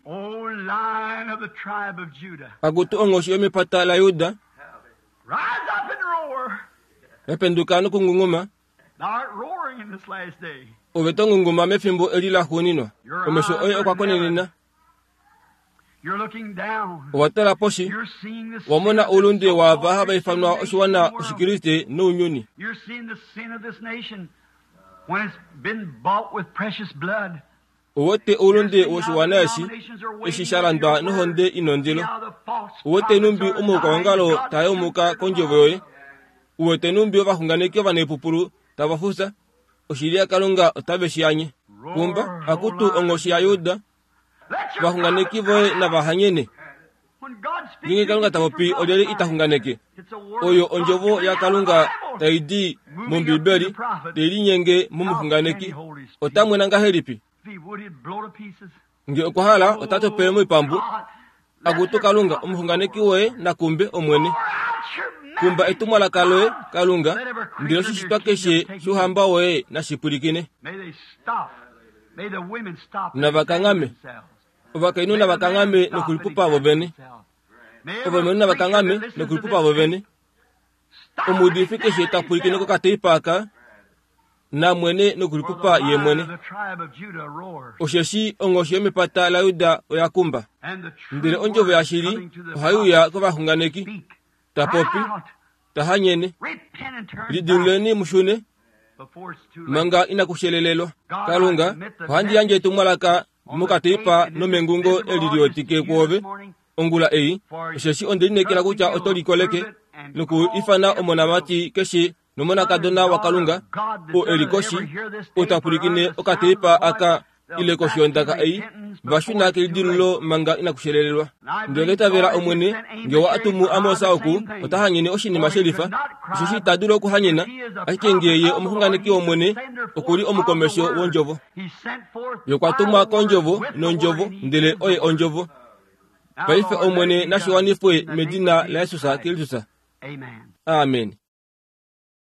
Akutu onghoshi yomepata laJuda, yapenduka nokungunguma. Ove to ngunguma mefimbo eli laxuuninwa. Omesho oye okwa konenena. Owa tala poshi, wa mona oulunde waava hava ifanwa oshiwana Oshikriste nounyuni. Uwete oulunde woshiwana eshi, eshi sha landwa nohonde inondilo. Uwete numbi omaukwaongalo taa yaumuka kondjovo yoye. Uwete numbi ovaxunganeki ovanepupulu tava fufya. Oshili yaKalunga otave shi anye. Kumba, akutu onghoshi yaJuda, ovaxunganeki voye nava hanyene. Ngeenge Kalunga ta popi olyelye ita xunganeke? Oyo ondjovo yaKalunga tai di mOmbibeli, tai linyenge momuxunganeki. Ota mwena ngahelipi? Nge okwa hala ota topele moipambu. Akutu Kalunga, omuxunganeki woye nakumbe Omwene. Kumba etumwalaka loye, Kalunga, ndele oshishitwa keshe shouhamba woye nashi pwilikine. Navakanghame. Ovakainhu navakanghame nokulipupa vovene. Ovalumenhu navakanghame nokulipupa vovene. Omuudifi keshe ta pwilikine kokateipa aka, namwene nokulipupa ye mwene. Osheshi onghoshi yomepata laJuda oya kumba. Ndele ondjovo yashili ohai uya kovaxunganeki. Ta popi, ta hanyene. Lidiluleni mushune, manga inakushelelelwa. Kalunga, ohandi yandje etumwalaka mokateipa nomengungo eli liwetike kwoove ongula ei, osheshi onde lineekela kutya oto likoleke noku ifana omonamati keshe nomonakadona waKalunga oo eli koshi, oo ta pwilikine okateipa aka ile koshi yondaka ei, va shuna kelidilululo manga inakushelelelwa. Ndele onda itavela Omwene, nge wa atumu Amos oku, ota hanyene oshinima shelifa, osheshi ita dulu okuhanyena, ashike nge ye omuxunganeki wOmwene, oku li omukomesho wondjovo. Ye okwa tumwa kondjovo nondjovo, ndele oye ondjovo. Paife Omwene nashi wanifwe medina laJesus Kristus. Amen.